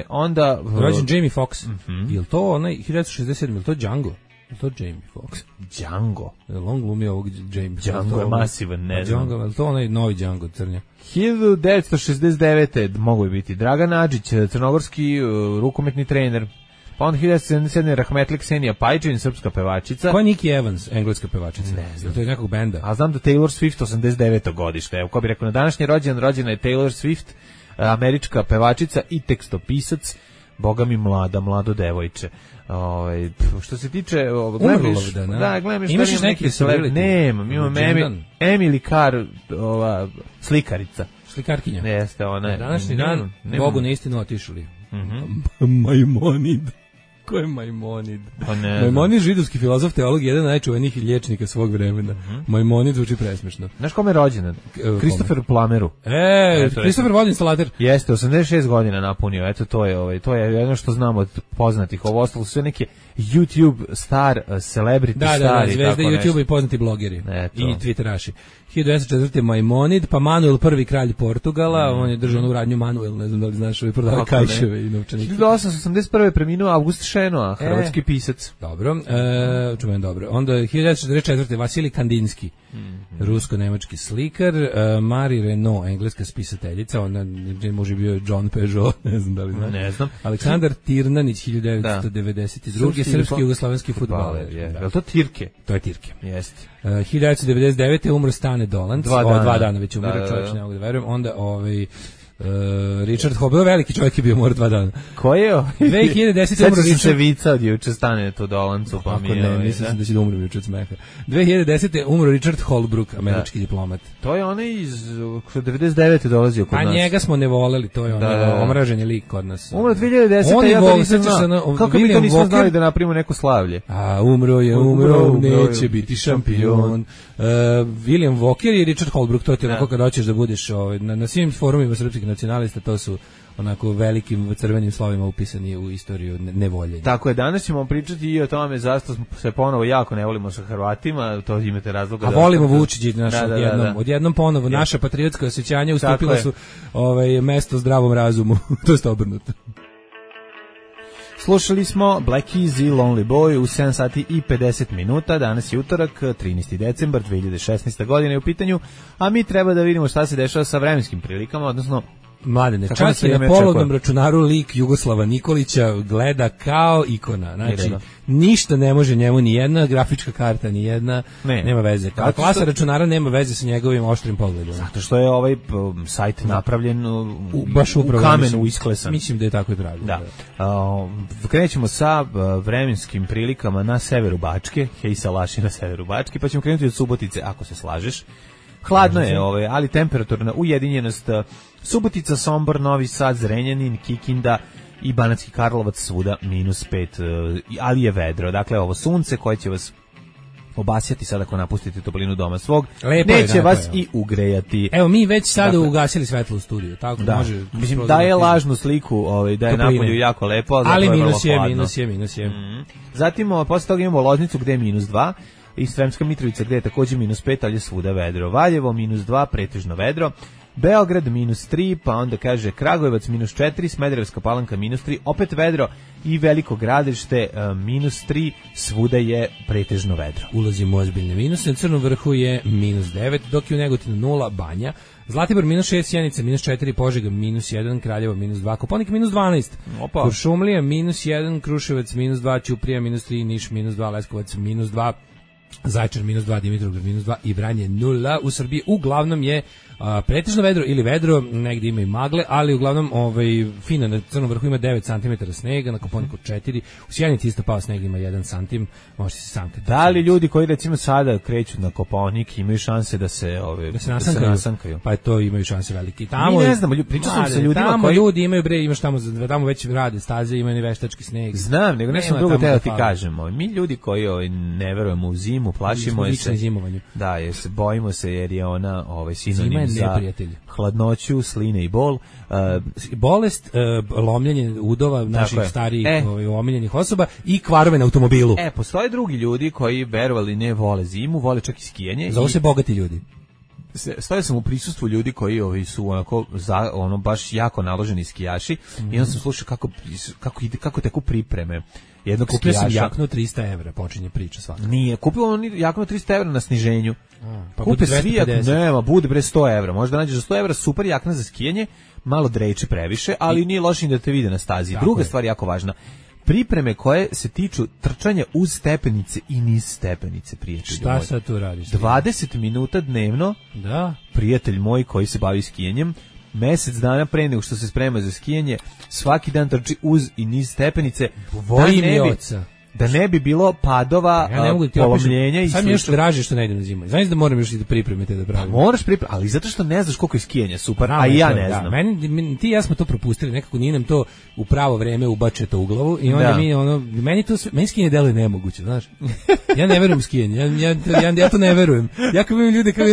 Onda... Rođen Jamie Foxx. Je li to onaj 1967, je li to Django? Je to Jamie Foxx? Django? On glumi ovog Jamie. Django je masivan, ne znam. Django, je to onaj novi Django crnja? 1969. mogu je biti Dragan Adžić, crnogorski rukometni trener. Pa onda 1977. Rahmetli Ksenija Pajčin, srpska pevačica. Ko je Nikki Evans, engleska pevačica? Ne znam. To je nekog benda. A znam da Taylor Swift 89. godište. Evo, ko bi rekao, na današnji rođena je Taylor Swift, američka pevačica i tekstopisac. Boga mi mlado devojče. Što se tiče gledam imaš još neki celebrity? Nemam, imam Emily Carr, slikarica. slikarkinja. Jeste, ona je. Današnji dan, Bogu na istinu otišli. Maimonid. Ko je Maimonid? Maimonid, židovski filozof, teolog, jedan od najčuvenijih liječnika svog vremena. Maimoniד zvuči presmešno. Znaš kome je rođendan? Kristofer Plameru. Kristofer vodoinstalater. Jeste, 86 godina napunio. Eto, to je jedno što znamo od poznatih. Ovo ostalo su sve neke YouTube star, celebrity stari. Zvezde YouTube i poznati blogeri. I Twitteraši. 1904. Maimonid, pa Manuel I kralj Portugala, on je držao u radnju Manuel, ne znam da li znaš, prodao kajševe i novčanike. 1881. preminuo August Šenoa, hrvatski pisac. Dobro, čujem dobro. Onda 1944. Vasilij Kandinski, rusko-nemački slikar, Marie Renaud, engleska spisateljica, ona može bio John Peugeot, ne znam da li znaš. Ne znam. Aleksandar Tirnanić, 1992. Srpski jugoslavenski fudbaler. Je li to Tirke? To je Tirke. Jeste. 1999. umro Stane Dolanc, 2 dana već umro, čovječ, ne mogu da verujem. Onda Richard Hobbe, veliki čovjek je bio, mora 2 dana. Ko je? 2010. umro Richard... se vica od juče Stane to Dolancu, pa mi je... ne, mislim da će da umre juče od smeha. 2010. umro Richard Holbrooke, američki diplomat. To je onaj iz 99. dolazio kod nas. A njega smo ne voleli, to je onaj omražen je lik kod nas. Umro 2010. Ja to nisam znao. Kako mi to nismo znali da napravimo neko slavlje? A umro, neće biti šampion. William Walker i Richard Holbrooke, to ti onako kad hoćeš da budeš na svim forumima srpskih nacionalista, to su onako velikim crvenim slovima upisani u istoriju nevoljenja. Tako je, danas ćemo pričati i o tome zašto se ponovo jako ne volimo sa Hrvatima, to imate razloga. A volimo Vučića, odjednom ponovo, naša patriotska osjećanja ustupila su mesto zdravom razumu, to je obrnuto. Slušali smo Black Easy, Lonely Boy u 7 sati i 50 minuta, danas je utorak, 13. decembar 2016. godine u pitanju, a mi treba da vidimo šta se dešava sa vremenskim prilikama, odnosno Mladene, čak i na polovnom računaru lik Jugoslava Nikolića gleda kao ikona, znači ništa ne može njemu, ni jedna grafička karta, ni jedna, nema veze. Kao klasa računara nema veze sa njegovim oštrim pogledom. Zato što je ovaj sajt napravljen baš u kamenu isklesan. Mislim da je tako i pravi. Da. Krećemo sa vremenskim prilikama na severu Bačke, hej Salaši na severu Bačke, pa ćemo krenuti od Subotice, ako se slažeš. Hladno je, ali temperaturna ujedinjenost Subotica, Sombor, Novi Sad, Zrenjanin, Kikinda i Banatski Karlovac svuda -5, ali je vedro. Dakle, ovo sunce koje će vas obasjati sada ako napustite toplinu doma svog, neće vas i ugrejati. Evo, mi već sada ugasili svetlo u studiju, tako da može. Mislim, daje lažnu sliku, da je napolju jako lepo, ali minus je. Zatim, posle toga imamo Loznicu gde je -2, i Sremska Mitrovica gde je također -5, ali je svuda vedro. Valjevo -2, pretežno vedro. Beograd -3, pa onda kaže Kragujevac -4, Smederevska Palanka -3, opet vedro i Veliko Gradište -3, svuda je pretežno vedro. Ulazimo u ozbiljne minuse, na Crnom vrhu je -9, dok je u Negotinu 0, Banja, Zlatibor -6, Sjenica -4, Požega -1, Kraljevo -2, Koponik -12, Kuršumlija -1, Kruševac -2, Ćuprija -3, Niš -2, Leskovac -2, Zaječar -2, Dimitrovgrad -2 i Vranje 0. U Srbiji uglavnom je pretežno vedro ili vedro, negdje ima i magle, ali uglavnom fina na Crnom vrhu ima 9 cm snega, na Koponiku 4, u Sjenici isto pao sneg, ima 1 cm, možete se sam kreći. Da li ljudi koji recimo sada kreću na Koponik imaju šanse da se nasankaju? Pa to imaju šanse velike. Mi ne znamo, pričao sam sa ljudima tamo koji... ljudi imaju imaš tamo već rade staze, imaju veštački sneg. Znam, nego nešto drugo teo ti kažemo. Mi ljudi koji ne verujemo u zimu, plašimo se. Da, bojimo se jer je ona sinonim za hladnoću, sline i bol. Bolest, lomljenje udova naših starijih omiljenih osoba i kvarove na automobilu. Postoje drugi ljudi koji verovali ne vole zimu, vole čak i skijanje. Zovu se bogati ljudi. Stojao sam u prisustvu ljudi koji su onako baš jako naloženi skijaši i onda sam slušao kako teku pripreme. Kupio sam jaknu 300 evra, počinje priča svaka. Nije, kupio on jaknu 300 evra na sniženju. Pa kupe svi, nema, bude bre 100 evra. Možda nađeš za 100 evra super jakna za skijanje, malo drejče previše, ali nije loše da te vide na stazi. Druga stvar jako važna. Pripreme koje se tiču trčanja uz stepenice i niz stepenice, prijatelj moj. Šta sad tu radiš? 20 minuta dnevno, prijatelj moj koji se bavi skijanjem, mesec dana pre nego što se sprema za skijanje, svaki dan trči uz i niz stepenice. Vojim je oca. da ne bi bilo padova, polomljenja i sad mi još draže što ne idem na zimovanje. Znaš da moram još i da pripremite da pravim. Pa moraš pripremiti, ali zato što ne znaš koliko je skijanja super, a i ja ne znam. Meni, ti i ja smo to propustili, nekako nije nam to u pravo vreme ubačeto u glavu i onda meni skijanje deluje nemoguće, znaš. Ja ne verujem u skijanje, ja to ne verujem. Ja kad vidim ljude kako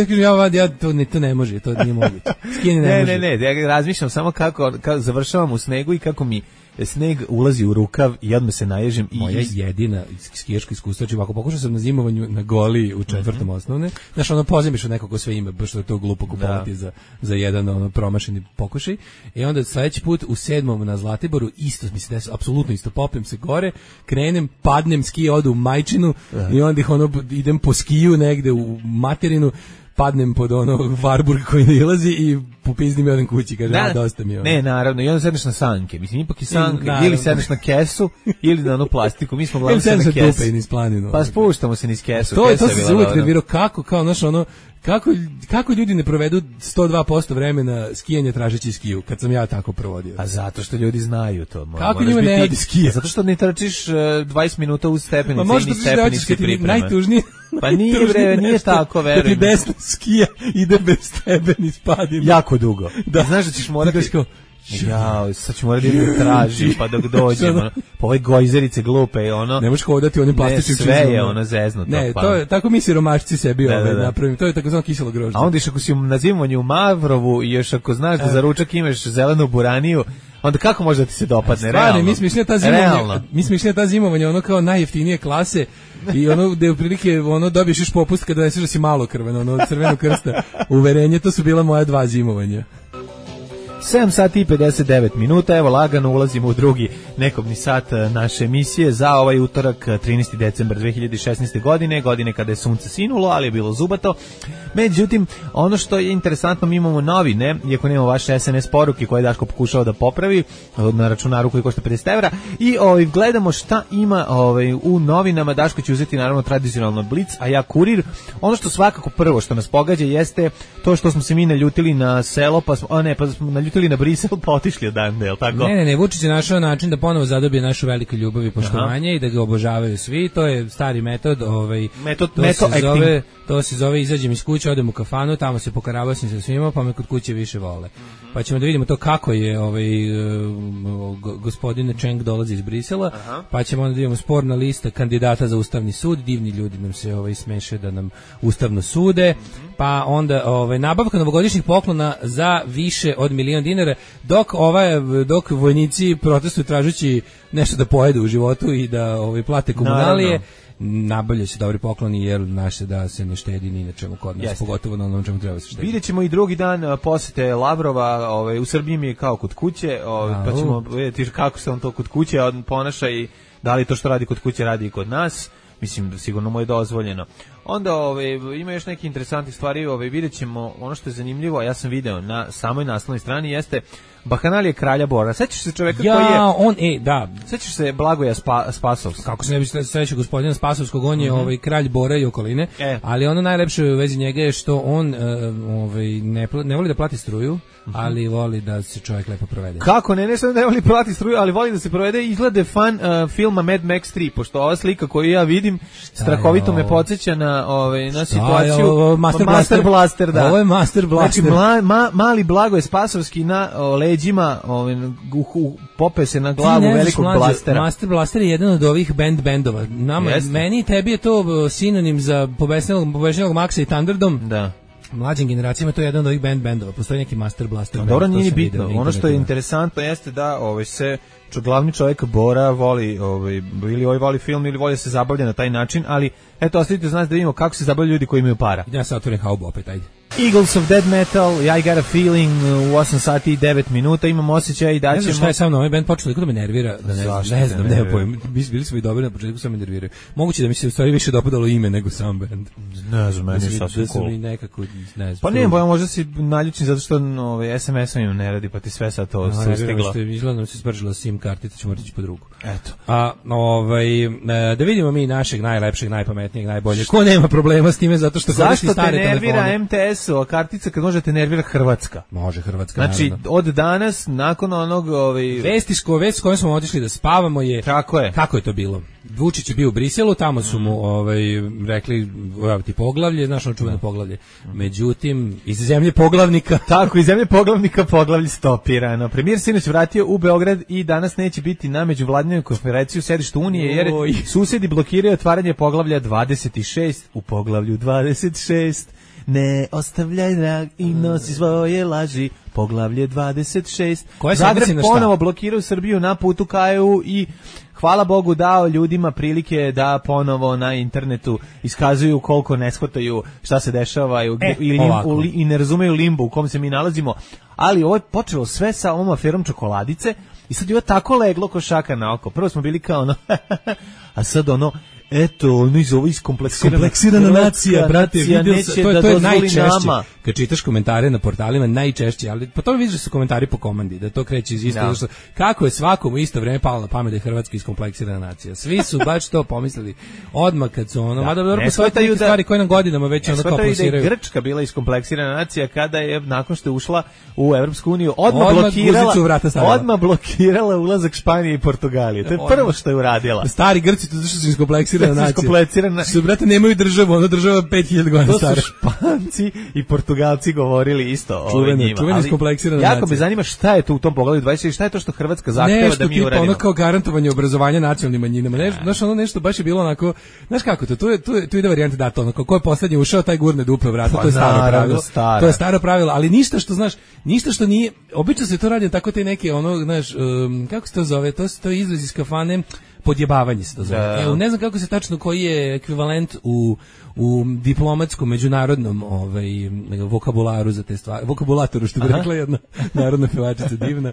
to ne može, to nije moguće. Skijanje ne može. Ne, ja razmišljam samo kako završavam u snegu i kako mi sneg ulazi u rukav i odmah se naježim. Moja jedina skijaška iskustva, ako pokušao sam na zimovanju na Goliji u 4. osnovne, znaš, pozemiš od nekog ko sve ime, baš što je to glupo kupovati za jedan promašeni pokušaj. I onda sledeći put u 7. na Zlatiboru isto mi se desilo, apsolutno isto, popnem se gore, krenem, padnem, skije odu u Majčinu i onda idem po skiju negde u materinu, padnem pod Varburg koji ne ilazi i popizdim jedan kući, kaže, dosta mi je. Ne, naravno, i onda sedneš na sanke. Mislim, ipak i sanke, ili sedneš na kesu, ili na onu plastiku. Mi smo glavno se na kesu. Pa spuštamo se niz kesu. To se uvijek nervirao, kako ljudi ne provedu 102% vremena skijanja tražeći skiju, kad sam ja tako provodio. A zato što ljudi znaju to. Kako njima ne radi skija? Zato što ne trčiš 20 minuta uz stepenice i ni stepenice pripreme. Najtužnije. Pa nije tako, verujem. Da ti desna skija ide bez tebe ni spadina. Jako dugo. Da. Znaš da ćeš morati... sad ću morati da tražim, pa dok dođemo. Po ove gojzerice glupe, ne možeš hodati onim plastičnim čizom. Ne, sve je zeznuto. Ne, to je, tako mi siromašci sebi napravim. To je takozvano kiselo grožđe. A onda ako si na zimovanju u Mavrovu i još ako znaš da za ručak imaš zelenu buraniju, onda kako može da ti se dopadne? Realno. Mi smo išli na ta zimovanja kao najjeftinije klase i gde u prilike dobiješ još popust kada doneseš da si malo krven, crveno krsta uverenje, to su bila moja 2 zimovanja. 7 sati i 59 minuta, evo lagano ulazimo u drugi nekobni sat naše emisije za ovaj utorak 13. decembar 2016. godine kada je sunce sinulo, ali je bilo zubato. Međutim, ono što je interesantno, mi imamo novine, iako nemamo vaše SNS poruke koje je Daško pokušao da popravi na računaru koji košta 50 evra, i gledamo šta ima u novinama. Daško će uzeti naravno tradicionalno Blic, a ja Kurir. Ono što svakako prvo što nas pogađa jeste to što smo se mi naljutili na selo, pa smo naljutili na Brisel, pa otišli odande, je li tako? Ne, Vučić je našao način da ponovo zadobije našu veliku ljubav i poštovanje i da ga obožavaju svi. To je stari metod, to se zove izađem iz kuće, odem u kafanu, tamo se pokaravasim sa svima, pa me kod kuće više vole. Pa ćemo da vidimo to kako je gospodine Čeng dolazi iz Brisela, pa ćemo onda da vidimo sporna lista kandidata za Ustavni sud, divni ljudi nam se smeše da nam ustavno sude, pa onda nabavka novogodišnjih poklona za više od $1.000.000, dok vojnici protestuju tražeći nešto da pojedu u životu i da plate komunalije. Nabavljaju se dobri pokloni jer naše da se ne štedi ni na čemu kod nas, pogotovo na onom čemu treba se štedi. Vidjet ćemo i drugi dan posete Lavrova, u Srbiji mi je kao kod kuće, pa ćemo vidjeti kako se on to kod kuće ponaša i da li to što radi kod kuće radi i kod nas. Mislim da sigurno mu je dozvoljeno. Onda ima još neke interesantne stvari, vidjet ćemo ono što je zanimljivo, ja sam video na samoj naslovnoj strani, jeste Bahanalije kralja Bora. Sećaš se čoveka koji je... Sećaš se Blagoja Spasovskog? Kako se ne bi sećao gospodina Spasovskog, on je kralj Bora i okoline, ali ono najlepše u vezi njega je što on ne voli da plati struju, ali voli da se čovjek lepo provede. Kako ne samo ne voli plati struju, ali voli da se provede, izglede fan filma Mad Max 3, pošto ova slika koju ja vidim strahovito me podsjeća na situaciju Master Blaster, da. Ovo je Master Blaster. Znači mali Blagoje Spasovski na leđima, pope se na glavu velikog blastera. Master Blaster je jedan od ovih bendova. Meni i tebi je to sinonim za pobešnjelog Maxa i Thunderdome. Da. Mlađim generacijama to je jedan od ovih bendova. Postoji neki Master Blaster. Dobro, nije bitno. Ono što je interesantno jeste da se glavni čovjek Bora voli, ili voli film ili voli se zabavlja na taj način, ali eto, ostavite za nas da vidimo kako se zabavljaju ljudi koji imaju para. Ja se otvorim haubu opet, ajde. Eagles of Dead Metal, I Got a Feeling, u 8 sati i 9 minuta, imam osjećaj da ćemo... Ne znam šta je sa mnom, ovaj band počeo da me nervira, ne znam, nema pojma, bili smo i dobri na početku, sad me nerviraju. Moguće da mi se u stvari više dopadalo ime nego sam band. Ne znam, meni je sasvim cool. Pa ne, možda si naljučen zato što SMS-om im ne radi, pa ti sve sad to sustiglo. Izgleda nam se spržila SIM kartica, ćemo reći po drugu. Eto. Da vidimo mi našeg najlepšeg, najpametnijeg, najboljeg. Ko nema problema s time zato što koristi stare telefone. Zašto te nervira MTS Đilasova kartica kad možete nervirati Hrvatska. Može Hrvatska, znači, naravno. od danas, nakon onog... Vest s kojom smo otišli da spavamo je... Tako je. Kako je to bilo? Vučić je bio u Briselu, tamo su mu rekli, evo ti poglavlje, znaš ono čuveno poglavlje. Međutim, iz zemlje poglavnika... Tako, iz zemlje poglavnika poglavlje stopirano. Premijer sinoć vratio u Beograd i danas neće biti na međuvladinoj konferenciji u sedištu Unije, jer susedi blokiraju otvaranje poglavlja 26 u poglavlju 26. Ne ostavljaj drag i nosi svoje laži. Poglavlje 26. Zagreb ponovo blokiraju Srbiju na putu ka EU i hvala Bogu dao ljudima prilike da ponovo na internetu iskazuju koliko ne shvataju šta se dešava i ne razumeju limbu u kom se mi nalazimo. Ali ovo je počelo sve sa ovom aferom čokoladice i sad je ovo tako leglo ko šaka na oko. Prvo smo bili kao ono, a sad ono, eto, ono iz ovo iskompleksirana nacija, brate, vidio se, to je najčešće. Kad čitaš komentare na portalima, najčešće, ali po tome vidiš da su komentari po komandi, da to kreće iz isto. No. Kako je svakom u isto vreme palo na pamet da je Hrvatska iskompleksirana nacija. Svi su baš to pomislili odmah kad su ono, mada dobro postoje neke stvari koje nam godinama već ono kao plasiraju. Da je Grčka bila iskompleksirana nacija kada je, nakon što je ušla u Evropsku uniju, odmah blokirala ulazak Španije i Portugalije. To je prvo što je uradila. Stari Grci, to su iskompleksirana nacija. Su, brate, nemaju državu, ono država 5000 godina stara. To su Španci i Portugalci govorili isto o njima. Čuveni iskompleksirana nacija. Jako me zanima šta je to u tom poglavlju 26, šta je to što Hrvatska zahteva da mi uradimo. Nešto tipa ono kao garantovanje obrazovanja nacionalnim manjinama. Znaš, ono nešto baš je bilo onako, znaš kako to, tu ide varijanta da to ono, ko je poslednji ušao, taj gurne dupe vrata, to je staro pravilo. To je staro pravilo, ali ništa što, znaš, ništa što nije, obično se to radi tako te neke, ono, znaš, kako se to zove, to je izraz iz kafane, podjebavanje se to zove. Evo, ne znam kako se tačno koji je ekvivalent u diplomatskom međunarodnom vokabularu za te stvari, vokabulatoru što bi rekla jedna narodna pevačica divna.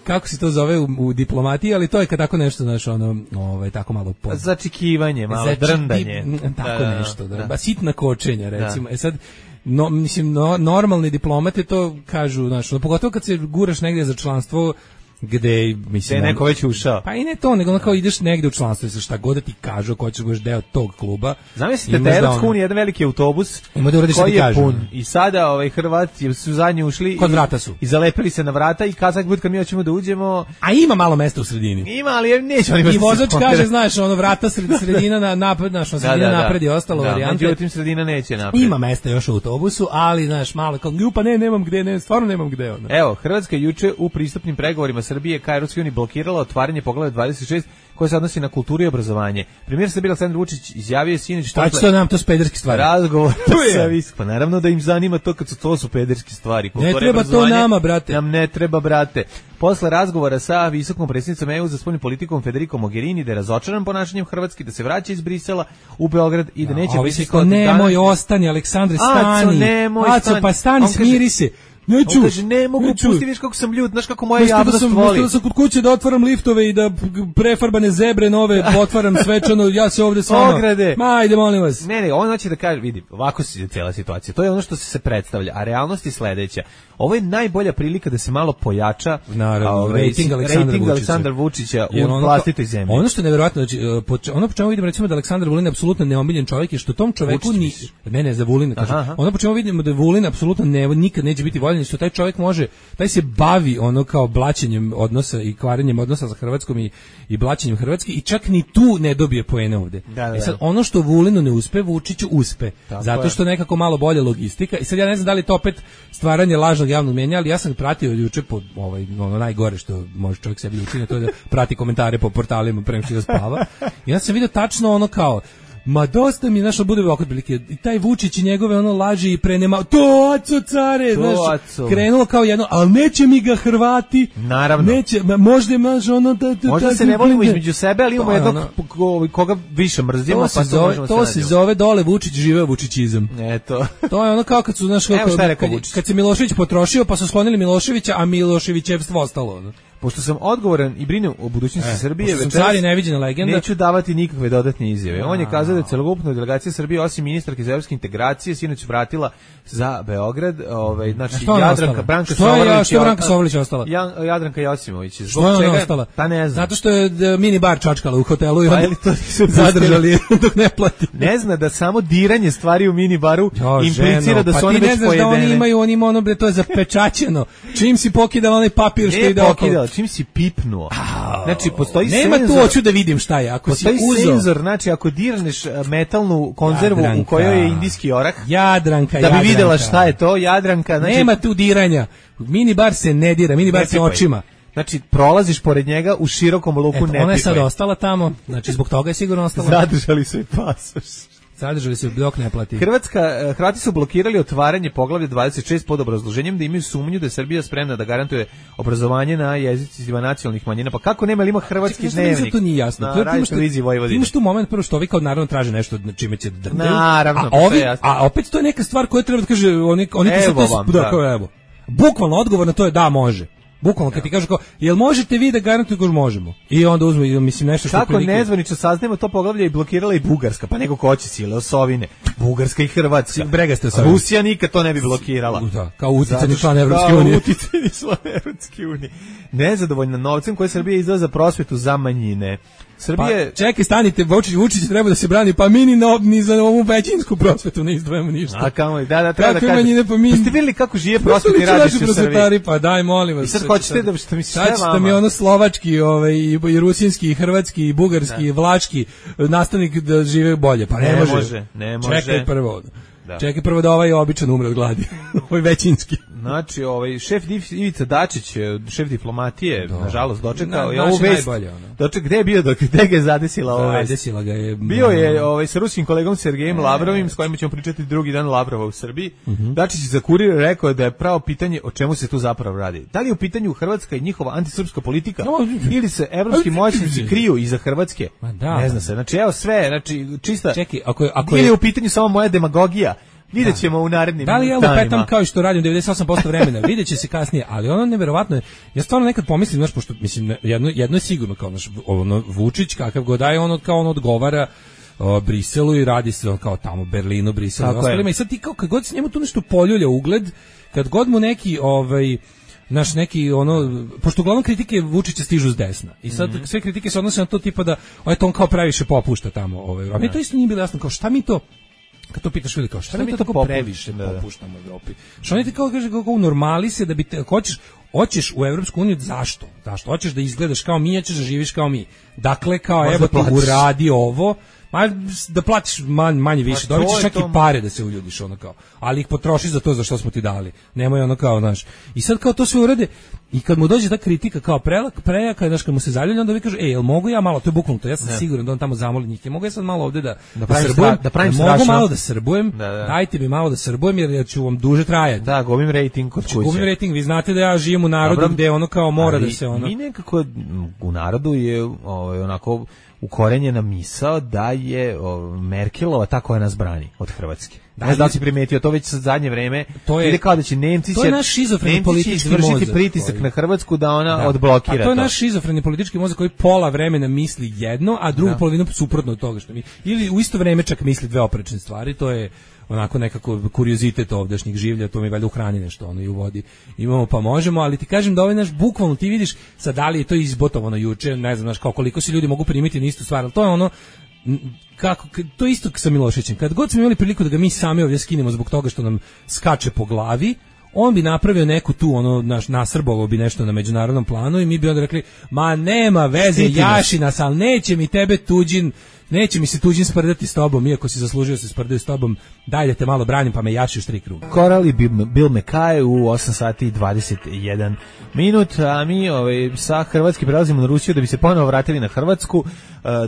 Kako se to zove u diplomatiji, ali to je kad tako nešto, znaš, ono, tako malo začekivanje, malo drndanje. Tako nešto, sitna kočenja, recimo. Sad mislim, normalni diplomate to kažu, znaš, pogotovo kad se guraš negdje za članstvo gde, mislim, neko već ušao. Pa i ne to, nego kao ideš negde u članstvo, šta god da ti kažu, ko ćeš budeš deo tog kluba. Zamislite da je Evropska unija jedan veliki autobus koji je pun. I sada Hrvati su zadnji ušli kod vrata su. I zalepili se na vrata i kazak bud kad mi hoćemo da uđemo. A ima malo mesta u sredini. Ima, ali neće oni. I vozač kaže, znaš, ono vrata sredina na napred, znaš, sredina napred je ostalo varijante. Međutim sredina neće napred. Ima mesta još u autobusu, ali znaš, malo kao pa nemam gde, stvarno nemam gde ona. Evo, Hrvatska juče u pristupnim pregovorima Srbije ka Evropskoj uniji blokirala otvaranje poglavlja 26 koje se odnosi na kulturu i obrazovanje. Premijer Srbije Aleksandar Vučić izjavio je sinoć šta će nam to s pederski stvari. Razgovor sa pa naravno da im zanima to kad to su pederski stvari. Ne treba to nama, brate. Nam ne treba, brate. Posle razgovora sa visokom predsjednicom EU za spoljnu politikom Federico Mogherini da je razočaran ponašanjem Hrvatske, da se vraća iz Brisela u Beograd i da neće biti nemoj ostani, Aleksandre, stani. Aco, pa stani, smiri se. Neću. Kaže, ne mogu, pusti, viš kako sam ljut, znaš kako moja javnost voli. Da sam kod kuće da otvaram liftove i da prefarbane zebre nove otvaram svečano, ja se ovde stvarno. Ograde. Ma, ajde, molim vas. Ne, on hoće da kaže, vidi, ovako se cijela situacija. To je ono što se predstavlja, a realnost je sledeća. Ovo je najbolja prilika da se malo pojača rating Aleksandra Vučića u vlastitoj zemlji. Ono što je neverovatno, znači, ono po čemu vidimo recimo da Aleksandar Vulin je apsolutno neomiljen čovjek je što tom čoveku ne za Vulina kaže. Ono po čemu vidimo da Vulin apsolutno nikad neće biti voljen, što taj čovjek može, taj se bavi ono kao blaćenjem odnosa i kvarenjem odnosa sa Hrvatskom i blaćenjem Hrvatske i čak ni tu ne dobije poene ovde. I sad ono što Vulinu ne uspe, Vučiću uspe. Zato što nekako malo bolja logistika i sad ja ne znam da li to opet stvaranje lažnog javnog mnjenja, ali ja sam pratio juče po ono najgore što može čovjek sebi učiniti, to je da prati komentare po portalima pre nego što ga spava. I ja sam vidio tačno ono kao ma dosta mi, znaš, bude ovako prilike, i taj Vučić i njegove ono laži i prenema, to aco care, znaš, krenulo kao jedno, ali neće mi ga Hrvati, naravno, neće, možda imaš ono, možda se ne volimo između sebe, ali imamo jednog koga više mrzimo, to se zove dole Vučić, živeo Vučićizam. Eto. To je ono kao kad su, znaš, kad se Milošević potrošio, pa su sklonili Miloševića, a Miloševićevstvo ostalo, ono. Pošto sam odgovoran i brinem o budućnosti Srbije, neću davati nikakve dodatne izjave. On je kazao da je celokupna delegacija Srbije, osim ministarke za evropske integracije, sinoć vratila za Beograd, znači Jadranka Branka Sovolić. Što je Branka Sovolić ostala? Jadranka Josimović. Zbog čega je ostala? Pa ne znam. Zato što je mini bar čačkala u hotelu i onda zadržali dok ne plati. Ne zna da samo diranje stvari u mini baru implicira da su one već pojedene. Da oni imaju ono, to je zapečaćeno. Čim si pokidao onaj papir što ide okolo. Čim si pipnuo. Znači, postoji nema senzor. Tu hoću da vidim šta je. Ako postoji si uzeo senzor, znači, ako dirneš metalnu konzervu u kojoj je indijski orah, Jadranka, da bi videla šta je to, Jadranka. Znači, nema tu diranja. Mini bar se ne dira, mini bar se očima. Znači, prolaziš pored njega u širokom luku, ne pipaj. Ona je sad ostala tamo, znači, zbog toga je sigurno ostala. Zadržali su i pasoš. Zadržali se dok ne plati. Hrvati su blokirali otvaranje poglavlja 26 pod obrazloženjem da imaju sumnju da je Srbija spremna da garantuje obrazovanje na jezicima nacionalnih manjina. Pa kako nema, ali ima hrvatski dnevnik? To nije jasno. Na radioteleviziji Vojvodine. Imaš tu moment prvo što ovi kao naravno traže nešto čime će drndaju. Naravno, a opet to je neka stvar koja treba da kaže oni evo. Bukvalno odgovor na to je da može. Bukvalno kad ti kažu kao, jel možete vi da garantujete kako možemo? I onda uzmu, mislim, nešto što... Kako nezvanično saznajemo to poglavlje i blokirala i Bugarska, pa nego ko hoće sile, osovine. Bugarska i Hrvatska. Bregaste osovine. Rusija nikad to ne bi blokirala. Da, kao uticajni član Evropske unije. Uticajni član Evropske unije. Nezadovoljna novcem koje Srbija izdvaja za prosvetu za manjine. Srbije... Pa, čekaj, stanite, Vučić treba da se brani, pa mi ni za ovu većinsku prosvetu ne izdvajamo ništa. A kamo, da, treba da kažem. Pa ste vidjeli kako žive prosvetni radnici u Srbiji? Pa daj, molim vas. I sad hoćete da što mi sve vama. Sad mi ono slovački, i rusinski, i hrvatski, i bugarski, i vlački nastavnik da žive bolje. Pa ne može. Čekaj prvo. Čekaj prvo da ovaj običan umre od gladi. Ovaj većinski. Znači, šef Ivica Dačić, šef diplomatije, nažalost dočekao je ovu vest. Gde je bio, gde ga je zadesila ova vest? Zadesila ga je. Bio je sa ruskim kolegom Sergejem Lavrovim, s kojim ćemo pričati drugi dan Lavrova u Srbiji. Dačić za Kurir rekao da je pravo pitanje o čemu se tu zapravo radi. Da li je u pitanju Hrvatska i njihova antisrpska politika ili se evropski moćnici kriju iza Hrvatske? Ne zna se. Znači, evo sve, znači čista. Čekaj, ako ili je u pitanju samo moja demagogija? Vidjet ćemo u narednim danima. Da li ja lupetam kao što radim 98% vremena, vidjet će se kasnije, ali ono neverovatno je, ja stvarno nekad pomislim, znaš, pošto, mislim, jedno je sigurno, kao naš, Vučić, kakav god daje, on odgovara Briselu i radi se kao tamo, Berlinu, Briselu i ostalima, i sad ti kao, kad god se njemu tu nešto poljulja ugled, kad god mu neki, neki pošto uglavnom kritike Vučića stižu s desna. I sad sve kritike se odnose na to tipa da on kao previše popušta tamo. A mi to isto nije bilo jasno, kao šta mi to, kad to pitaš kao šta mi to tako previše popuštamo u Evropi. Što oni ti kao kaže kako normali se da bi te hoćeš u Evropsku uniju, zašto? Hoćeš da izgledaš kao mi, hoćeš da živiš kao mi. Dakle, kao evo ti uradi ovo, da platiš manje više, dobit ćeš čak i pare da se uljudiš, ono kao, ali ih potroši za to za što smo ti dali. Nemoj ono kao, znaš. I sad kao to sve urade i kad mu dođe ta kritika kao prejaka, znaš, kad mu se zaljulja, onda vi kaže, jel mogu ja malo, to je bukvalno to, ja sam siguran da on tamo zamoli njih, mogu ja sad malo ovde da srbujem, mogu malo da srbujem, dajte mi malo da srbujem jer ću vam duže trajati. Da, gubim rating kod kuće. Gubim rating, vi znate da ja živim u narodu gde ono kao mora da se ono. Mi nekako u narodu je onako ukorenjena misao da je Merkelova ta koja nas brani od Hrvatske. Ne znam da li si primetio to već sa zadnje vreme. Ili kao da će Nemci izvršiti pritisak na Hrvatsku da ona odblokira to. To je naš šizofreni politički mozak koji pola vremena misli jedno, a drugu polovinu suprotno od toga što mi. Ili u isto vreme čak misli dve oprečne stvari. To je onako nekako kuriozitet ovdašnjih življa, to mi valjda u hrani nešto ono i u vodi imamo pa možemo, ali ti kažem da ovaj naš bukvalno ti vidiš sad da li je to izbotovano juče, ne znam, znaš, kao koliko se ljudi mogu primiti na istu stvar, ali to je ono kako, to je isto sa Miloševićem, kad god smo imali priliku da ga mi sami ovdje skinemo zbog toga što nam skače po glavi, on bi napravio neku tu, nasrbovao bi nešto na međunarodnom planu i mi bi onda rekli, ma nema veze, jaši nas, ali neće mi se tuđin sprdati s tobom, iako si zaslužio se sprdaju s tobom, daj da te malo branim pa me jaši u 3 kruga. Koral i Bill McKay u 8 sati i 21 minut, a mi sa Hrvatske prelazimo na Rusiju da bi se ponovo vratili na Hrvatsku.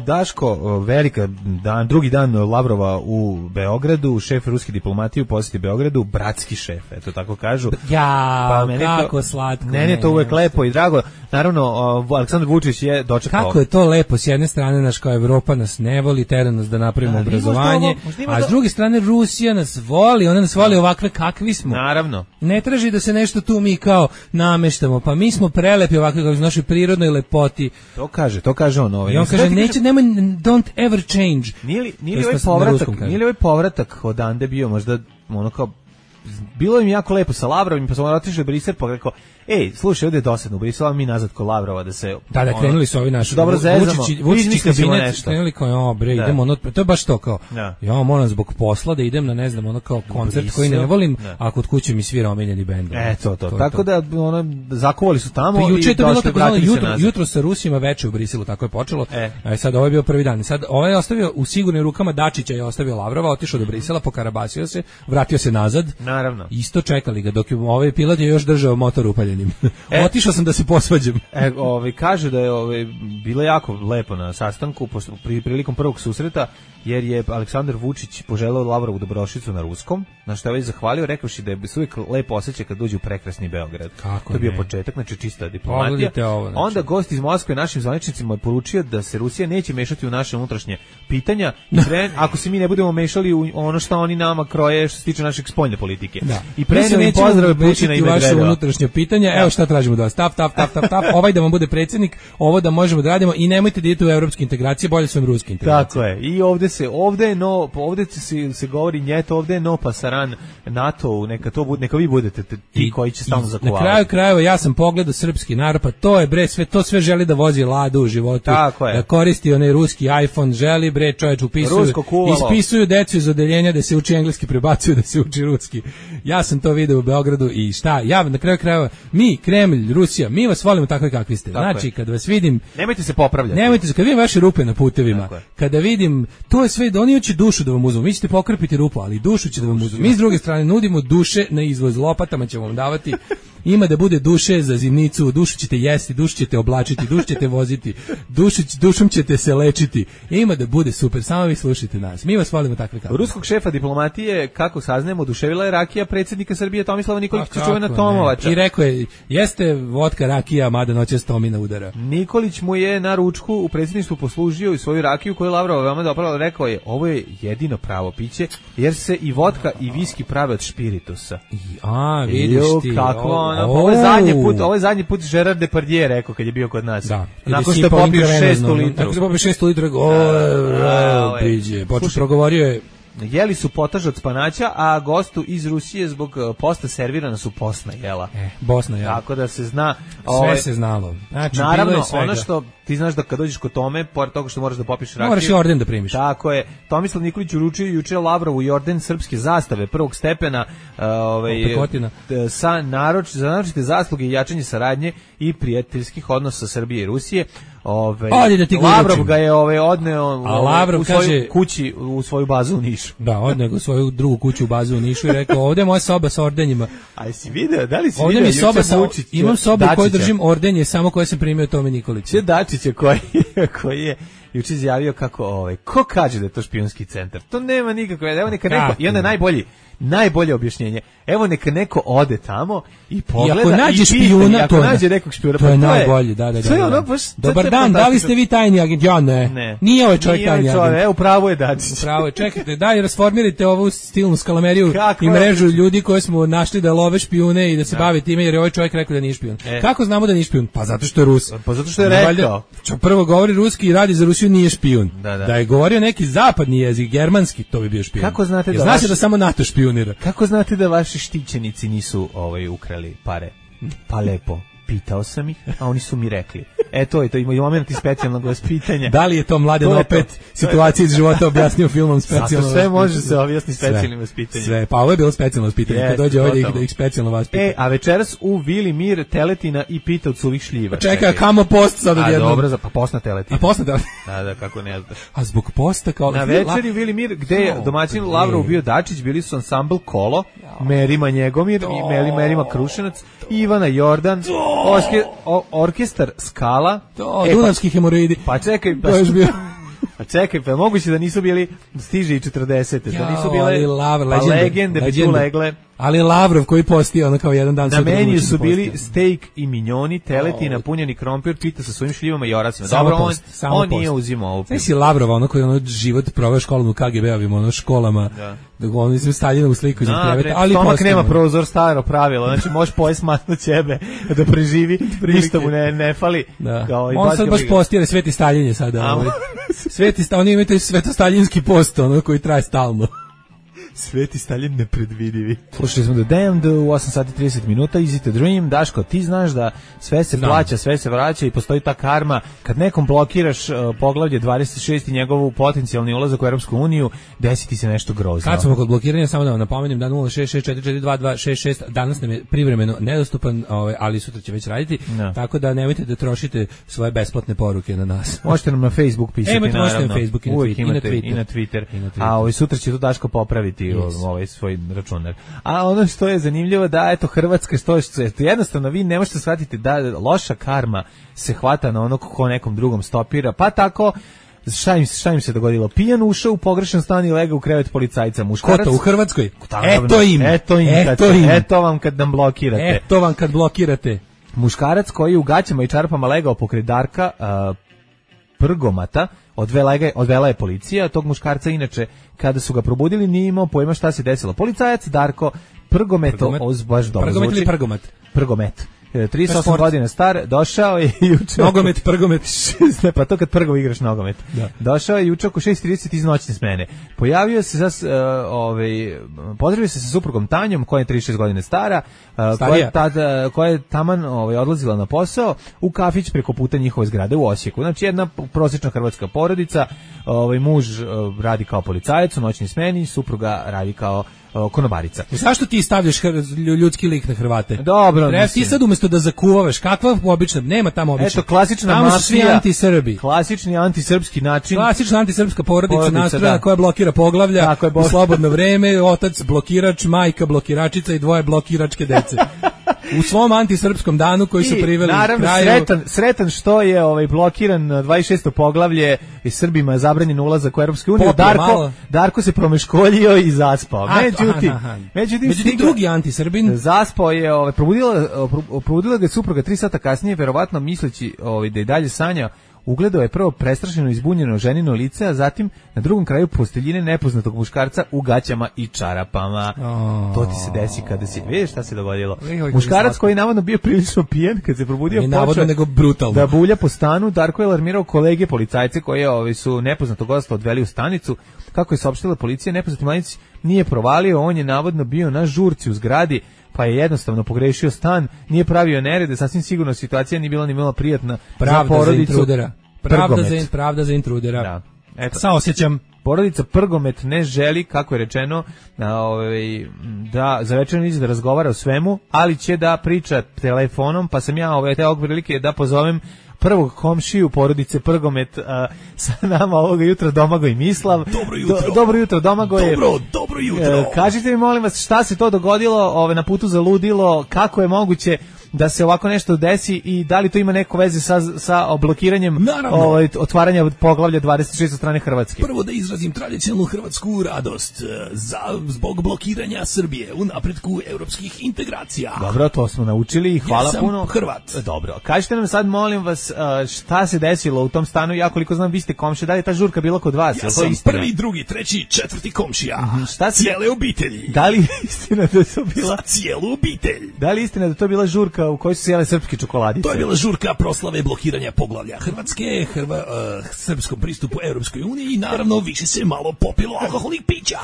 Daško, velika dan, drugi dan Lavrova u Beogradu, šef ruske diplomatije u posjeti Beogradu, bratski šef, eto tako kažu. Ja, kako slatko. Meni je to uvek lepo i drago. Naravno, Aleksandar Vučić je dočekao. Kako je to lepo, s jedne strane naš kao Evropa nas ne voli, tera nas da napravimo obrazovanje, a s druge strane Rusija nas voli, ona nas voli ovakve kakvi smo. Naravno. Ne traži da se nešto tu mi kao nameštamo, pa mi smo prelepi ovakve kao u našoj prirodnoj lepoti. To kaže on ovaj. I on kaže, nemoj, don't ever change. Nije li ovaj povratak odande bio možda ono kao, bilo im jako lepo sa Lavrovim, pa smo otišli u Brisel, pa rekao, slušaj, ovdje je dosadno u Briselu, mi nazad kod Lavrova da se... Da, krenuli su ovi naši... Dobro zezamo, Vučić kabinet, krenuli kao, idemo, to je baš to kao, ja moram zbog posla da idem na, ne znam, ono kao koncert koji ne volim, a kod kuće mi svira omiljeni bend. To. Tako da, zakovali su tamo i došli, vratili se nazad. Jutro sa Rusima, veče u Briselu, tako je počelo. Sad ovo je bio prvi dan. Sad ovaj je ostavio u sigurnim rukama Dačića, je ostavio Lavrova, otišao do Brisela, pokarabasio se, vratio se nazad. Naravno. Isto čekali ga, dok je ovaj pilot je još držao motor upaljenim. Otišao sam da se posvađam. Kaže da je bilo jako lepo na sastanku prilikom prvog susreta, jer je Aleksandar Vučić poželeo Lavrovu dobrodošlicu na ruskom, na što je već zahvalio, rekavši da je uvijek lepo osjećaj kad dođe u prekrasni Beograd. To je bio početak, znači čista diplomatija. Onda gost iz Moskve našim zvaničnicima je poručio da se Rusija neće mešati u naše unutrašnje pitanja, ako se mi ne budemo mešali u ono što oni nama kroje što se tiče našeg spoljne politike. I preneo im pozdrave Putina i Medvedeva. Unutrašnje pitanja, evo šta tražimo da vas tap, ovaj da vam bude predsjednik, ovo da možemo da radimo i nemojte da idete u evropske integracije, bolje su vam ruske integracije. Tako je. I ovdje se govori njeto, ovdje je no pasaran NATO, neka vi budete ti koji će stalno zakovavati. Na kraju krajeva ja sam pogledao srpski narod, pa to je bre sve želi da vozi Ladu u životu, da koristi onaj ruski iPhone, želi bre čovječ ispisuju decu iz odeljenja da se uči engleski, prebacuju da se uči ruski. Ja sam to video u Beogradu i ja na kraju krajeva, mi, Kremlj, Rusija, mi vas volimo takve kakvi ste. Znači, kad vas vidim... Nemojte se popravljati. Kad vidim vaše rupe na putevima, kada vidim, to je sve, da oni hoće dušu da vam uzmu. Vi ćete pokrpiti rupu, ali dušu će da vam uzmu. Mi s druge strane nudimo duše na izvoz, lopatama ćemo vam davati. Ima da bude duše za zimnicu, dušu ćete jesti, dušu ćete oblačiti, dušu ćete voziti, dušom ćete se lečiti. Ima da bude super, samo vi slušajte nas. Mi vas volimo takve kakve. Ruskog šefa diplomatije, kako saznajemo, oduševila je rakija predsjednika Srbije Tomislava Nikolića, čuvena Tomovača. I rekao je, jeste vodka rakija, mada noćas Tomina udara. Nikolić mu je na ručku u predsjedništvu poslužio i svoju rakiju koju je Lavrov veoma dobro rekao je, ovo je jedino pravo piće, jer se i vodka i viski prave od špiritusa. Vidiš ti. Ovo je zadnji put Gerard Depardieu rekao kad je bio kod nas. Da. Nakon što je popio 600 litru. Nakon što je popio 600 litru, počeo progovorio je. Jeli su potaž od spanaća, a gostu iz Rusije zbog posta servirana su postna jela. Bosna jela. Tako da se zna. Sve se znalo. Znači, naravno, ono što ti znaš da kad dođeš kod Tome, pored toga što moraš da popiš rakiju. Moraš i orden da primiš. Tako je. Tomislav Nikolić uručio juče Lavrovu i orden srpske zastave prvog stepena za naročite zasluge i jačanje saradnje i prijateljskih odnosa Srbije i Rusije. Lavrov ga je odneo u svoju kući, u svoju bazu u Nišu. Da, odneo u svoju drugu kuću u bazu u Nišu i rekao, ovdje je moja soba sa ordenjima. A si vidio, da li si ovdje vidio? Imam sobu u kojoj držim ordenje, samo koje sam primio Tome Nikolića. Dačića koji je juče izjavio kako ko kaže da je to špijunski centar? To nema nikakve, evo neka neko, i onda najbolje objašnjenje. Evo neka neko ode tamo i pogleda i ako nađe špijuna, nađe nekog špijuna, to je najbolje, da. Dobar dan, da li ste vi tajni agent? Ja ne. Nije ovaj čovjek tajni agent. Evo, pravo je Dačić. Pravo je, čekajte, daj rasformirajte ovu stilnu skalameriju i mrežu ljudi koje smo našli da love špijune i da se bave time, jer je ovaj čovjek rekao da nije špijun. Kako znamo da nije špijun? Pa zato što je Rus. Pa zato što je rekao. Prvo govori ruski i radi za Rusiju, nije špijun. Da je govorio neki zapadni jezik, germanski, to bi bio špijun. Kako znate da znači da samo NATO špijunira? Kako znate da vaši štićenici nisu ukrali pare? Pa lepo. Pitao sam ih, a oni su mi rekli. To je moment i specijalnog vaspitanja. Da li je to Mladen opet situacija iz života objasnio filmom specijalno? Zato sve može se objasniti specijalnim vaspitanjem. Sve, pa ovo je bilo specijalno vaspitanje, kad dođe ovdje da ih specijalno vaspita. A večeras u Vili Mir teletina i pita od suvih šljiva. Čekaj, kamo post sad odjednom? Dobro, pa postna teletina. A postna teletina? Da, kako ne znaš. A zbog posta kao... Na večeri u Vili Mir, gde je domaćin Lavrov bio Dačić, bili su ansambl Kolo, Merima Njegomir i Merima Krušenac, Ivana Jordan, orkestar Skala, Dunavski hemoroidi. Pa čekaj, Pa čekaj, pa moguće da nisu bili stiže i 40. Da nisu bile legende bi tu legle. Ali Lavrov koji postio ono kao jedan dan na meniju su bili steak i minjoni, teleti, napunjeni krompir, pita sa svojim šljivama i oracima. Dobro, on nije uzimao ovu. Znaš si Lavrova, ono koji ono život proveo školom u KGB-ovim, ono školama, da on izme Staljinovu sliku iza kreveta, ali stomak nema prozor, staro pravilo, znači možeš pojesti masno ćebe da preživi, ništa mu ne fali. On sad baš postira Sveti Staljin je sada. Oni imaju svetostaljinski post, ono koji traje stalno. Sveti Stalin nepredvidivi. Slušali smo The Damned u 8 sati 30 minuta, Easy to Dream. Daško, ti znaš da sve se plaća, sve se vraća i postoji ta karma. Kad nekom blokiraš poglavlje 26 i njegovu potencijalni ulazak u Europsku uniju, desi ti se nešto grozno. Kad smo kod blokiranja, samo da vam napomenem da 066442266 danas nam je privremeno nedostupan, ali sutra će već raditi, tako da nemojte da trošite svoje besplatne poruke na nas. Možete nam na Facebook pisati, naravno. Na Facebook i na Twitter. A sutra će to Daško popraviti ovaj svoj računar. A ono što je zanimljivo da eto Hrvatska što jednostavno vi ne možete shvatiti da loša karma se hvata na onog ko nekom drugom stopira. Pa tako šta im se dogodilo? Pijan ušao u pogrešan stan i legao u krevet policajca. Muškarac Ko to u Hrvatskoj? Eto vam kad nam blokirate. Eto vam kad blokirate. Muškarac koji je u gaćama i čarapama legao pokraj Darka Prgomata, odvela je policija. Tog muškarca inače kada su ga probudili nije imao pojma šta se desilo. Policajac Darko Prgometo, baš dobro zvuči. Prgomet ili Prgomet? 38 godina star, došao je juče... Nogomet, Prgomet. Pa to kad prgo igraš nogomet. Da. Došao je juče oko 6:30 iz noćne smene. Pojavio se pozdravio se sa suprugom Tanjom, koja je 36 godina stara, koja je taman odlazila na posao u kafić preko puta njihove zgrade u Osijeku. Znači jedna prosječna hrvatska porodica, muž radi kao policajac u noćnoj smeni, supruga radi kao konobarica. Zašto ti stavljaš ljudski lik na Hrvate? Dobro, ti sad umjesto da zakuvavaš, kakva obična, nema tamo obična. Eto, klasična tamo su svi anti-Srbi. Klasični antisrpski način. Klasična antisrpska porodica nastrojena koja blokira poglavlja u slobodno vreme, otac blokirač, majka blokiračica i dvoje blokiračke dece. U svom antisrpskom danu koji su priveli naravno, kraju... sretan što je blokiran 26. poglavlje i Srbima je zabranjen ulazak u Europsku uniju. Darko se promeškoljio i zaspao. Međutim, drugi antisrbin zaspao je, probudila ga supruga 3 sata kasnije, verovatno misleći da je dalje sanja. Ugledao je prvo prestrašeno izbunjeno ženino lice, a zatim na drugom kraju posteljine nepoznatog muškarca u gaćama i čarapama. To ti se desi kada si... Vidiš šta se dogodilo? Muškarac koji je navodno bio prilično pijen, kad se probudio počeo da bulja po stanu. Darko je alarmirao kolege policajce koji su nepoznatog gosta odveli u stanicu. Kako je saopštila policija, nepoznati mladić nije provalio, on je navodno bio na žurci u zgradi, pa je jednostavno pogrešio stan, nije pravio nerede, sasvim sigurno situacija nije bila ni malo prijatna za porodicu. Pravda za intrudera. Da. Eto. Saosjećam. Porodica Prgomet ne želi, kako je rečeno, da za večernju iza da razgovara o svemu, ali će da priča telefonom, pa sam ja te prilike da pozovem prvog komšiju porodice Prgomet sa nama ovoga jutra Domagoj Mislav. Dobro jutro Domagoj. Dobro jutro. Kažite mi molim vas šta se to dogodilo na putu za ludilo, kako je moguće da se ovako nešto desi i da li to ima neko veze sa blokiranjem otvaranja poglavlja 26 od strane Hrvatske? Prvo da izrazim tradicionalnu hrvatsku radost zbog blokiranja Srbije u napretku europskih integracija. Dobro, to smo naučili i hvala puno. Ja sam Hrvat. Dobro, kažite nam sad molim vas šta se desilo u tom stanu, ja koliko znam vi ste komšije, da li je ta žurka bila kod vas? Ja sam prvi, drugi, treći, četvrti komšija. Cijele obitelji. Da li je istina da to bila? Za cijelu obitelj. Da li je istina da to bila žurka u kojoj su se jele srpske čokoladice? To je bila žurka proslave blokiranja poglavlja Hrvatske, srpskom pristupu Europskoj uniji i naravno više se malo popilo alkoholnih pića.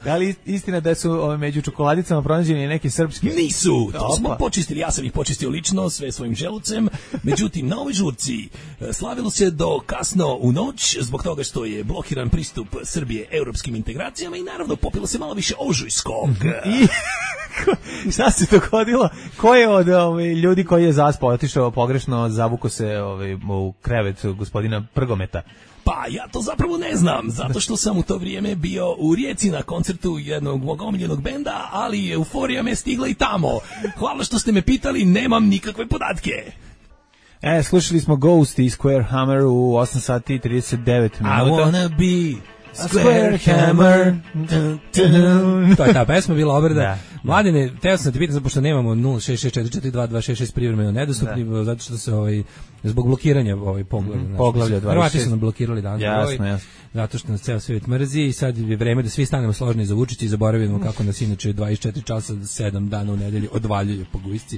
Da li istina da su među čokoladicama pronađeni neki srpski? Nisu, to smo počistili, ja sam ih počistio lično, sve svojim želucem. Međutim, na ovoj žurci slavilo se do kasno u noć zbog toga što je blokiran pristup Srbije europskim integracijama i naravno popilo se malo više ožujskog. I šta se dogodilo? Ko je od ljudi koji je zaspao, otišao pogrešno, zavuko se u krevet gospodina Prgometa? Pa ja to zapravo ne znam, zato što sam u to vrijeme bio u Rijeci na koncertu jednog mog omiljenog benda, ali euforija me stigla i tamo. Hvala što ste me pitali, nemam nikakve podatke. Slušali smo Ghost i Square Hammer u 8 sati i 39 minuta. I wanna be Square Hammer. To je ta pesma bila obrada. Da. Mladine, teo sam te pitan, pošto nemamo 066442266 privremeno nedostupni, zato što se zbog blokiranja poglavlja 26. Hrvati su nam blokirali danas. Jasno. Zato što nas ceo svijet mrzi i sad je vreme da svi stanemo složni za Vučića i zaboravimo kako nas inače 24 časa 7 dana u nedelji odvaljuje po gujsci.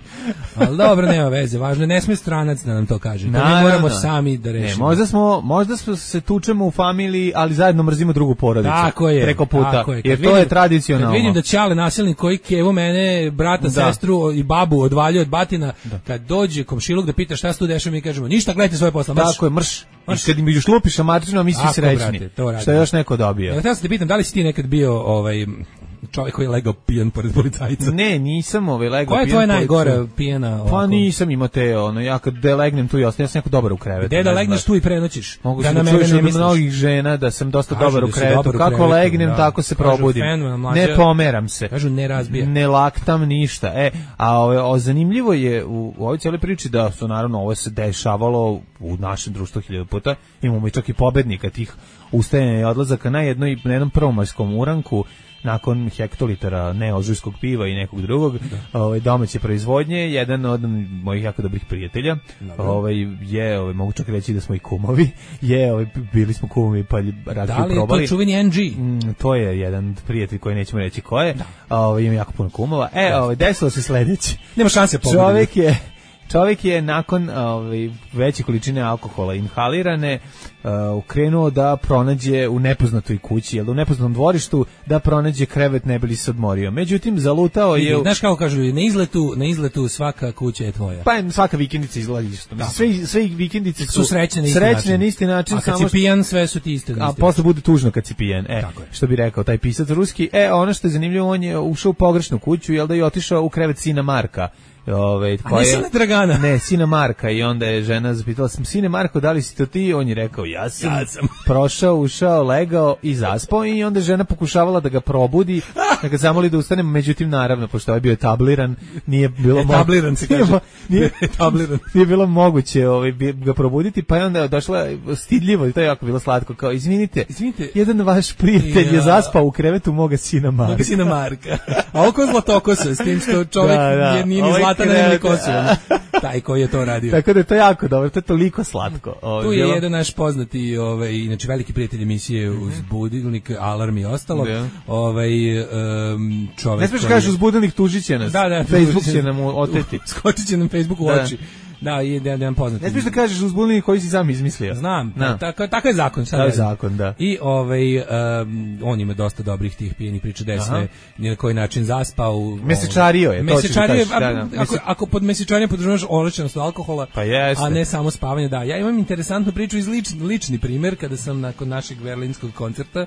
Ali dobro, nema veze, važno je, ne sme stranac da nam to kaže. To mi moramo sami da rešimo. Možda se tučemo u familiji, ali zajedno mrzimo drugu porodicu. Tako je. Preko puta. Jer to je tradicionalno. Kad vidim da Ćale nasilnik koji kevo mene, brata, sestru i babu odvaljuje od batina, kad dođe komšiluk da pita šta se tu dešava, mi kažemo ništa, gledajte svoje posla, marš. Tako je, marš. I kad im još lupiš amatrično, mi svi srećni. Što je još neko dobio. Ja se te pitam, da li si ti nekad bio čovjek koji je legao pijan pored policajca? Ne, nisam legao pijan. Koja je tvoja najgora pijena? Pa nisam imao te, ja kad legnem tu i ostajem, ja sam neko dobar u krevetu. Gde da legneš tu i prenoćiš? Mogu se da čuješ od mnogih žena da sam dosta dobar u krevetu. Kako legnem, tako se probudim. Ne pomeram se. Kažu ne razbija. Ne laktam ništa. Zanimljivo je u ovoj cijeloj priči da su naravno ovo se dešavalo u našem društvu 1000 puta. Imamo i čak i pobednika tih ustajanja i odlazaka na jednom prvomajskom uranku nakon hektolitara neožujskog piva i nekog drugog domaće proizvodnje. Jedan od mojih jako dobrih prijatelja mogu čak reći da smo i kumovi, bili smo kumovi pa rakiju probali. Da li je to čuveni NG? To je jedan prijatelj koji nećemo reći ko je. Ima jako puno kumova. Desilo se sledeće. Nema šanse pobediti. Čovjek je nakon veće količine alkohola inhalirane krenuo da pronađe u nepoznatoj kući, u nepoznatom dvorištu, da pronađe krevet ne bi li se odmorio. Međutim, zalutao je... Znaš kako kažu, na izletu svaka kuća je tvoja. Pa svaka vikendica izgleda isto. Sve vikendice su srećne na isti način. A kad si pijan, sve su ti iste. A posle bude tužno kad si pijan. Što bi rekao taj pisac ruski. Ono što je zanimljivo, on je ušao u pogrešnu kuću, da je otišao u krevet sina Marka. A ne sina Dragana? Ne, sina Marka. I onda je žena zapitala, sine Marko, da li si to ti? On je rekao, ja sam. Prošao, ušao, legao i zaspao i onda je žena pokušavala da ga probudi, da ga zamoli da ustane, međutim, naravno, pošto je bio etabliran, nije bilo etabliran se kaže. Nije bilo moguće ga probuditi, pa je onda došla stidljivo i to je jako bilo slatko, kao, izvinite, jedan vaš prijatelj je zaspao u krevetu moga sina Marka. A oko zlatokosa, s tim što čovjek nije ni zlatan, nema ni kosu. Taj koji je to radio. Tako da je to jako dobro, to je toliko slatko. Tu je jedan naš poznati, inače veliki prijatelj emisije uz budilnik, alarm i ostalo. Čovjek. Ne smiješ kažeš uz budilnik, tužit će nas. Da. Facebook će nam oteti. Skočit će nam Facebook u oči. Da, i jedan poznati. Ne smiješ da kažeš uzbunjeni koji si sam izmislio. Znam, tako je zakon. To je zakon, da. I on ima dosta dobrih tih pijenih priča, desne, na koji način zaspao. Mesečario je. Ako pod mesečarijom podržavaš olečenost alkohola, pa jeste, a ne samo spavanje, da. Ja imam interesantnu priču iz lični primjer, kada sam nakon našeg berlinskog koncerta,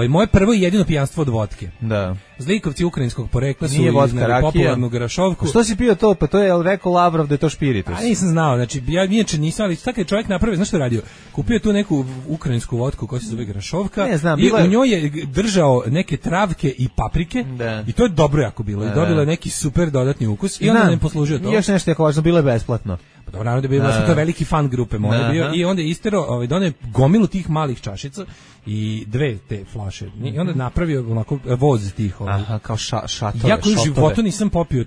moje prvo i jedino pijanstvo od vodke. Da. Zlikovci ukrajinskog porekla su iznali popularnu grašovku. Što si pio to? Pa to je rekao Lavrov da je to špiritus. A nisam znao, znači ja inače nisam, ali tako je čovjek napravio, znaš što je radio? Kupio tu neku ukrajinsku vodku koja se zove grašovka i u njoj je držao neke travke i paprike i to je dobro jako bilo i dobilo je neki super dodatni ukus i onda nam poslužio to. I još nešto jako važno, bilo je besplatno. Pa dobro, naravno da je bilo, to veliki fan grupe moje bio i onda je istero, donio gomilu tih malih čašica i dve te flaše i onda napravio onako voz tih. Kao šatove. Ja koji u životu nisam popio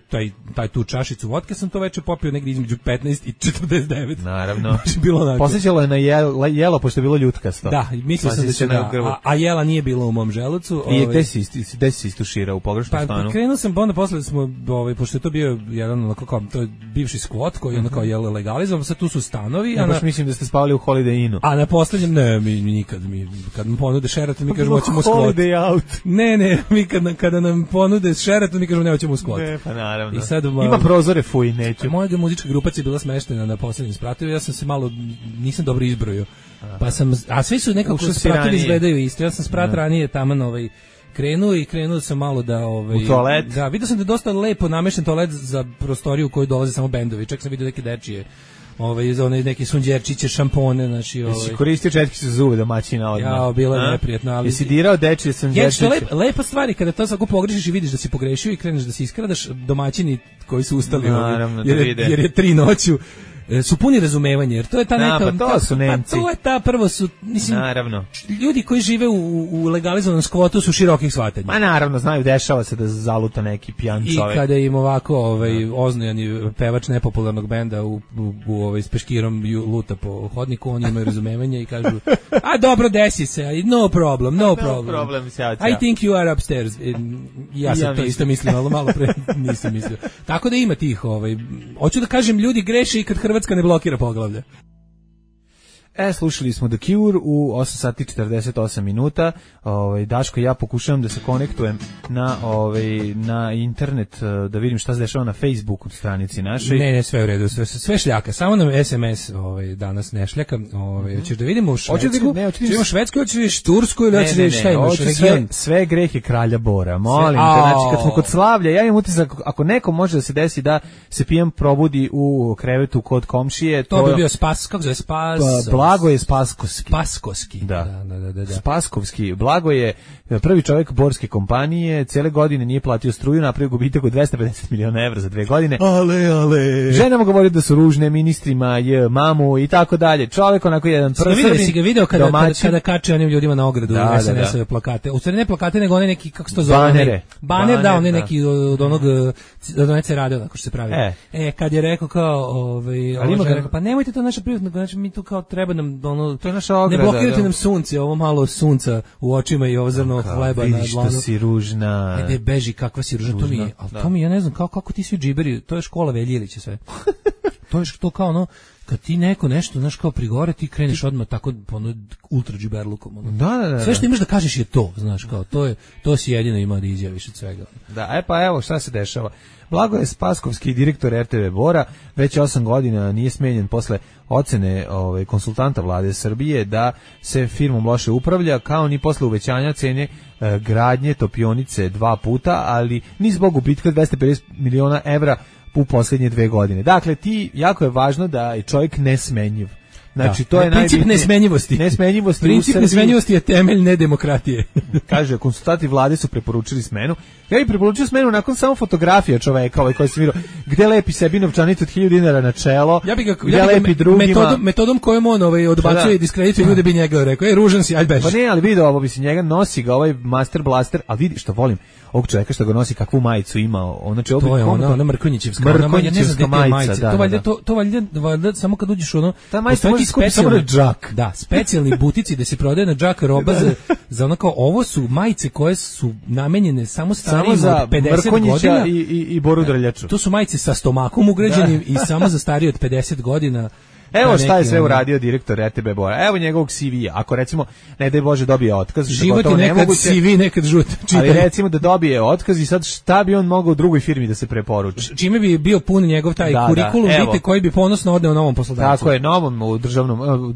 tu čašicu vodke, sam to veče popio negdje između 15 i 49. Naravno. Posjećalo je na jelo, pošto je bilo ljutkasto. Da, mislio sam da će a jela nije bilo u mom želucu. I gde si istuširao u pogrešnom stanu? Pa krenuo sam, onda posle smo, pošto je to bio jedan, to je bivši skvot koji je ono kao jelo legalizovan, sad tu su stanovi. Ja baš mislim da ste spavali u Holiday Innu. A na poslednjem, ne, mi nikad, kad nam ponude Sheraton, mi kažemo hoćemo skvot. Holiday out. Ne, mi kada nam ponude Sheraton, mi kažemo ne, hoćemo skvot. Ne, pa naravno. I sad, ima prozore, fuj, neću. Moja muzička grupacija je bila smeštena na poslednjem spratu, ja sam se malo, nisam dobro izbrojio. Pa sam, a svi su nekako spratovi izgledaju isto. Ja sam sprat ranije taman krenuo sam malo da u toalet. Da, vidio sam da je dosta lepo namešten toalet za prostoriju u kojoj dolaze samo bendovi. Čak sam vidio neke dečije neki sunđerčiće, šampone, znači Jesi koristio četkice za zube domaćina odmah? Ja, bilo je neprijatno, ali jesi dirao dečije sunđerčiće? Lepa stvari kada to svako pogrešiš i vidiš da si pogrešio i kreneš da se iskradaš, domaćini koji su ustali naravno, jer je 3 noću su puni razumevanja, jer to je ta neka... to su Nemci. To je ta, prvo su, mislim, naravno. Ljudi koji žive u legalizovanom skvotu su širokih shvatanja. Ma naravno, znaju, dešava se da zaluta neki pijan čovek. I kada im ovako oznojani pevač nepopularnog benda u s peškirom luta po hodniku, oni imaju razumevanje i kažu, a dobro, desi se, no problem. I think you are upstairs. Ja sam to isto mislim, ali malo pre nisam mislio. Tako da ima tih, hoću da kažem, ljudi greše i kad Hrvatska ne blokira poglavlje. Slušali smo The Cure u 8 sati 48 minuta. Daško i ja pokušavam da se konektujem na internet, da vidim šta se dešava na Facebooku stranici našoj. Ne, sve u redu, sve šljaka. Samo nam SMS danas ne šljaka. Hoćeš da vidimo Švedsku? Hoćemo Švedsku, hoćeš Tursku ili hoćeš šta imaš? Sve grehe kralja Bora. Molim te, znači kad smo kod slavlja, ja imam utisak ako neko može da se desi da se pijan probudi u krevetu kod komšije, to bi bio spas, kako zove spas? Blagoje Spaskovski. Da. Spaskovski. Blagoje, prvi čovjek borske kompanije, cele godine nije platio struju, napravio gubitak od 250 miliona evra za 2 godine. Ale. Ženama govori da su ružne, ministrima je mamu i tako dalje. Čovjek onako jedan prvstveni. Si ga video kada kače onim ljudima na ogradu SNS-ove plakate. U stvari ne plakate, nego one neki, kako se to zove? Baner, da, one neki od onog, od one radio, ako što se pravi. Kad je rekao kao, ali ima ga rekao, pa nemojte to naša privatno, znači mi tu kao treba nam to je naša ograda. Ne blokirajte nam sunce, ovo malo sunca u očima i ovo zrno hleba na dlanu. Vidiš što si ružna. Ajde, beži, kakva si ružna. To mi, ja ne znam, kako ti svi džiberi, to je škola Veljilića sve. To je to kao ono, kad ti neko nešto, znaš, kao prigore, ti kreneš odmah tako, ultra džiberlukom. Da. Sve što imaš da kažeš je to, znaš, kao, to si jedino ima da izjaviš od svega. Da, pa evo šta se dešava. Blagoje Spaskovski, direktor RTV Bora, već 8 godina nije smenjen posle ocene konsultanta vlade Srbije da se firmom loše upravlja, kao ni posle uvećanja cene gradnje topionice 2 puta, ali ni zbog gubitka 250 miliona evra u posljednje 2 godine. Dakle, jako je važno da je čovjek nesmenjiv. Znači, to je princip nesmenjivosti. Princip nesmenjivosti je temelj nedemokratije. Kaže, konsultanti vlade su preporučili smenu. Ja bih preporučio smenu nakon samo fotografija čoveka koji se vidio, gde lepi sebi novčanicu od 1000 dinara na čelo, gde lepi drugima. Metodom kojom on odbacuje i diskredituje ljude bi njega rekao, ružan si, ajde beži. Pa ne, ali vidio ovo, njega nosi ga ovaj Master Blaster, ali vidi što volim ovog čovjeka što ga nosi, kakvu majicu ima. Znači, to je ona Mrkonjićevska majica. To valjda samo kad uđeš ta majica može skupiti samo na džak. Da, specijalni butici da se prodaje na džak roba za ono kao, ovo su majice koje su namenjene samo starijim od 50 godina. I Boru Drljaču. To su majice sa stomakom ugrađenim i samo za starije od 50 godina. Evo šta je sve uradio direktor RTB Bora. Evo njegovog CV-a. Ako recimo, ne daj Bože, dobije otkaz. Život je nekad CV, nekad žut. Ali recimo da dobije otkaz i sad šta bi on mogao u drugoj firmi da se preporuči? Čime bi bio pun njegov taj kurikulum, vidite, koji bi ponosno odneo novom poslodavcu. Tako je, novom u državnom,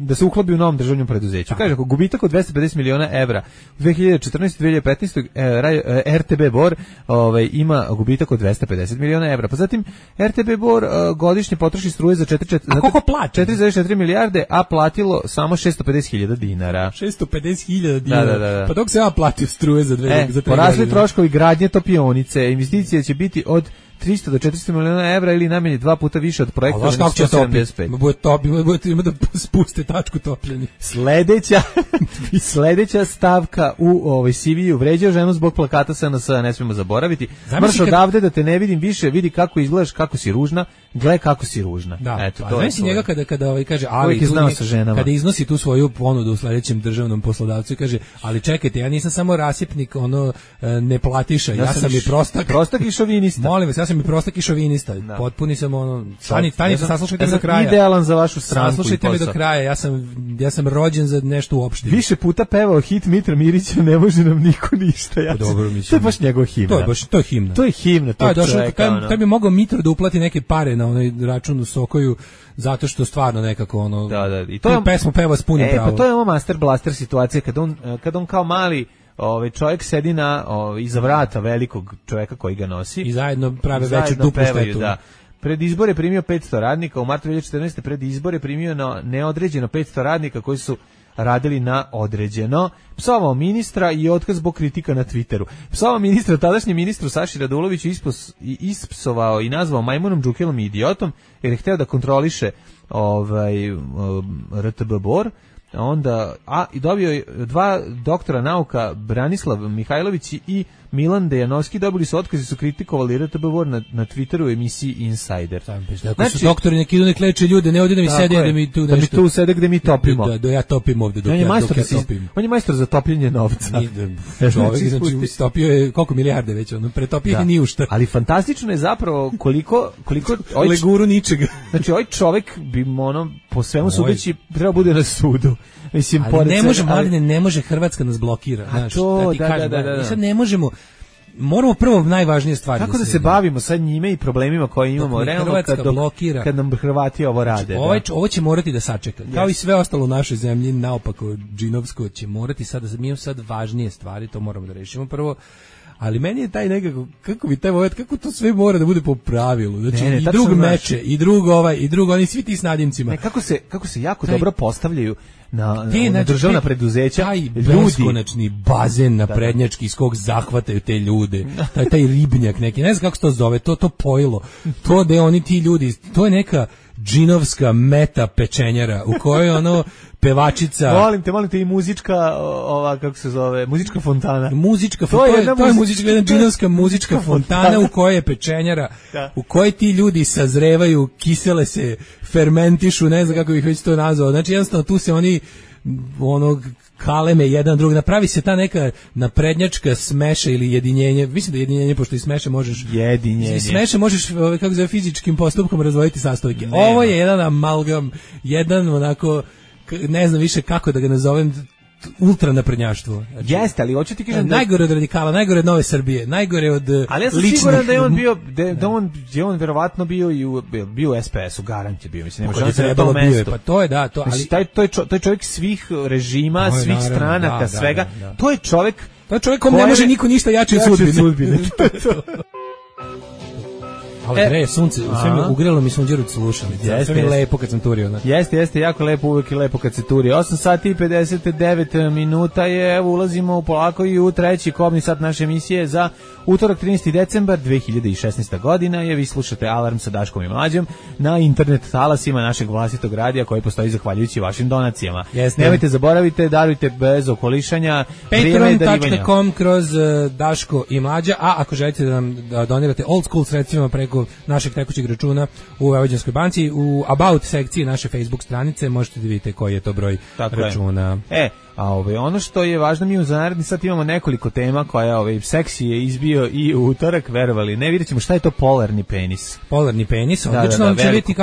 da se uklopi u novom državnom preduzeću. Kaže, gubitak od 250 miliona evra. U 2014-2015 RTB Bor ima gubitak od 250 miliona evra. Pa zatim RTB Bor godišnje potroši struje za 4,4 milijarde, a platilo samo 650.000 dinara. 650.000 dinara. Da. Pa dok se ja platio struje za 3 godine. Porasli troškovi gradnje topionice. Investicije će biti od 300 do 400 miliona evra ili najmanje 2 puta više od projekta. Znaš kako će topiti? Ima da spuste tačku topljenja. Sledeća stavka u CV-u: vređao ženu zbog plakata SNS, ne smemo zaboraviti. Mrš odavde da te ne vidim više, vidi kako izgledaš, kako si ružna, gle kako si ružna. Da, eto, to je njega kada kaže, ali kada iznosi tu svoju ponudu u sledećem državnom poslodavcu i kaže, ali čekajte, ja nisam samo rasipnik, ne platiša, ja sam i prostak i šovinista. Molim vas, ja sam i prostak i šovinista. Potpuni sam Tanite, saslušajte me do kraja. Idealan za vašu stranku. Saslušajte me do kraja. Ja sam rođen za nešto uopšte. Više puta pevao hit Mitra Mirića, ne može nam niko ništa. Dobro, mislim. To je baš njegov himna. To je himna. To je himna tog čoveka. Taj bi mogao Mitro da uplati neke pare na onaj račun u Sokoju, zato što stvarno nekako I to je pesmu peva s punim pravom. Pa to je ovo Master Blaster situacija kad on kao mali čovjek sedi iza vrata velikog čovjeka koji ga nosi i zajedno prave veću duplu štetu. Da. Pred izbore primio 500 radnika, u martu 2014. pred izbore primio na neodređeno 500 radnika koji su radili na određeno, psovao ministra i otkaz zbog kritika na Twitteru. Psovao ministra, tadašnji ministru Saši Raduloviću ispsovao i nazvao majmunom, džukelom i idiotom, jer je hteo da kontroliše RTB Bor. Onda i dobio je 2 doktora nauka, Branislav Mihajlović i Milan Dejanovski, dobili su otkaz i su kritikovali RTB Bor na Twitteru u emisiji Insider. Znači, su doktori neki idu nek leče ljude, ne ovdje da mi sede da mi tu nešto. Da mi tu sede gde mi topimo. Da ja topim ovdje dok ja topim. On je majstor za topljenje novca. Čovjek, znači, stopio je koliko milijarde već, pretopio je ni u šta. Ali fantastično je zapravo koliko leguru ničega. Znači, ovaj čovjek bi po svemu sudeći trebao bude na sudu. Mislim, ali ne može Hrvatska nas blokira, znaš. Da. Sad ne možemo. Moramo prvo najvažnije stvari. Kako da se bavimo sad njime i problemima koje imamo realno kad nam Hrvati ovo rade. Ovo će morati da sačeka. Kao i sve ostalo u našoj zemlji, naopako džinovsko će morati sad, mi imamo sad važnije stvari, to moramo da rešimo prvo. Ali meni je taj nekako, kako bi taj moment, kako to sve mora da bude po pravilu. Znači, i drug meče, i drug oni svi ti s nadimcima. Kako se jako dobro postavljaju na državna preduzeća. Taj beskonačni bazen na prednjački iz kog zahvataju te ljude. Taj ribnjak neki, ne znam kako se to zove, to pojilo. To da oni ti ljudi, to je neka džinovska meta pečenjara u kojoj pevačica. Molim te i muzička kako se zove, muzička fontana. To je muzička, jedna džinovska muzička fontana u kojoj je pečenjara, u kojoj ti ljudi sazrevaju, kisele se, fermentišu, ne znam kako bih već to nazvao. Znači jednostavno tu se oni kaleme jedan drug, napravi se ta neka naprednjačka smeša ili jedinjenje, mislim da jedinjenje, pošto i smeše možeš smeše možeš, kako zove, fizičkim postupkom razvojiti sastojke. Ovo je jedan amalgam, jedan onako, ne znam više kako da ga nazovem, ultra naprednjaštvo. Znači, jeste, ali hoću ti kažem najgore od radikala, najgore od Nove Srbije, najgore od ali ja sam siguran da je on bio, da on verovatno bio i bio u SPS-u, garant je bio, mislim, nema šanse na tom mestu. Pa to je to, ali to je čovjek svih režima, svih stranaka, svega. To je čovjek kom ne može niko ništa jače od sudbine. Ali sunce, sve mi ugrelo mi sunđeru slušalice. Sve mi lepo kad sam turio. Jeste, jako lepo, uvijek je lepo kad se turi. 8 sati i 59 minuta je, evo ulazimo polako i u treći kobni sat naše emisije za utorak 13. decembar 2016. godina je. Vi slušate Alarm sa Daškom i Mlađom na internet talasima našeg vlastitog radija koji postoji zahvaljujući vašim donacijama. Nemojte zaboravite, darujte bez okolišanja. Patreon.com kroz Daško i Mlađa, a ako želite da nam donirate old school sredstvima preko našeg tekućeg računa u Vojvođanskoj banci, u About sekciji naše Facebook stranice možete da vidite koji je to broj računa. Ono što je važno, mi za naredni sat imamo nekoliko tema koja seksi je izbio i u utorak, verovali. Ne, vidjet ćemo šta je to polarni penis. Polarni penis, odlično, će vidjeti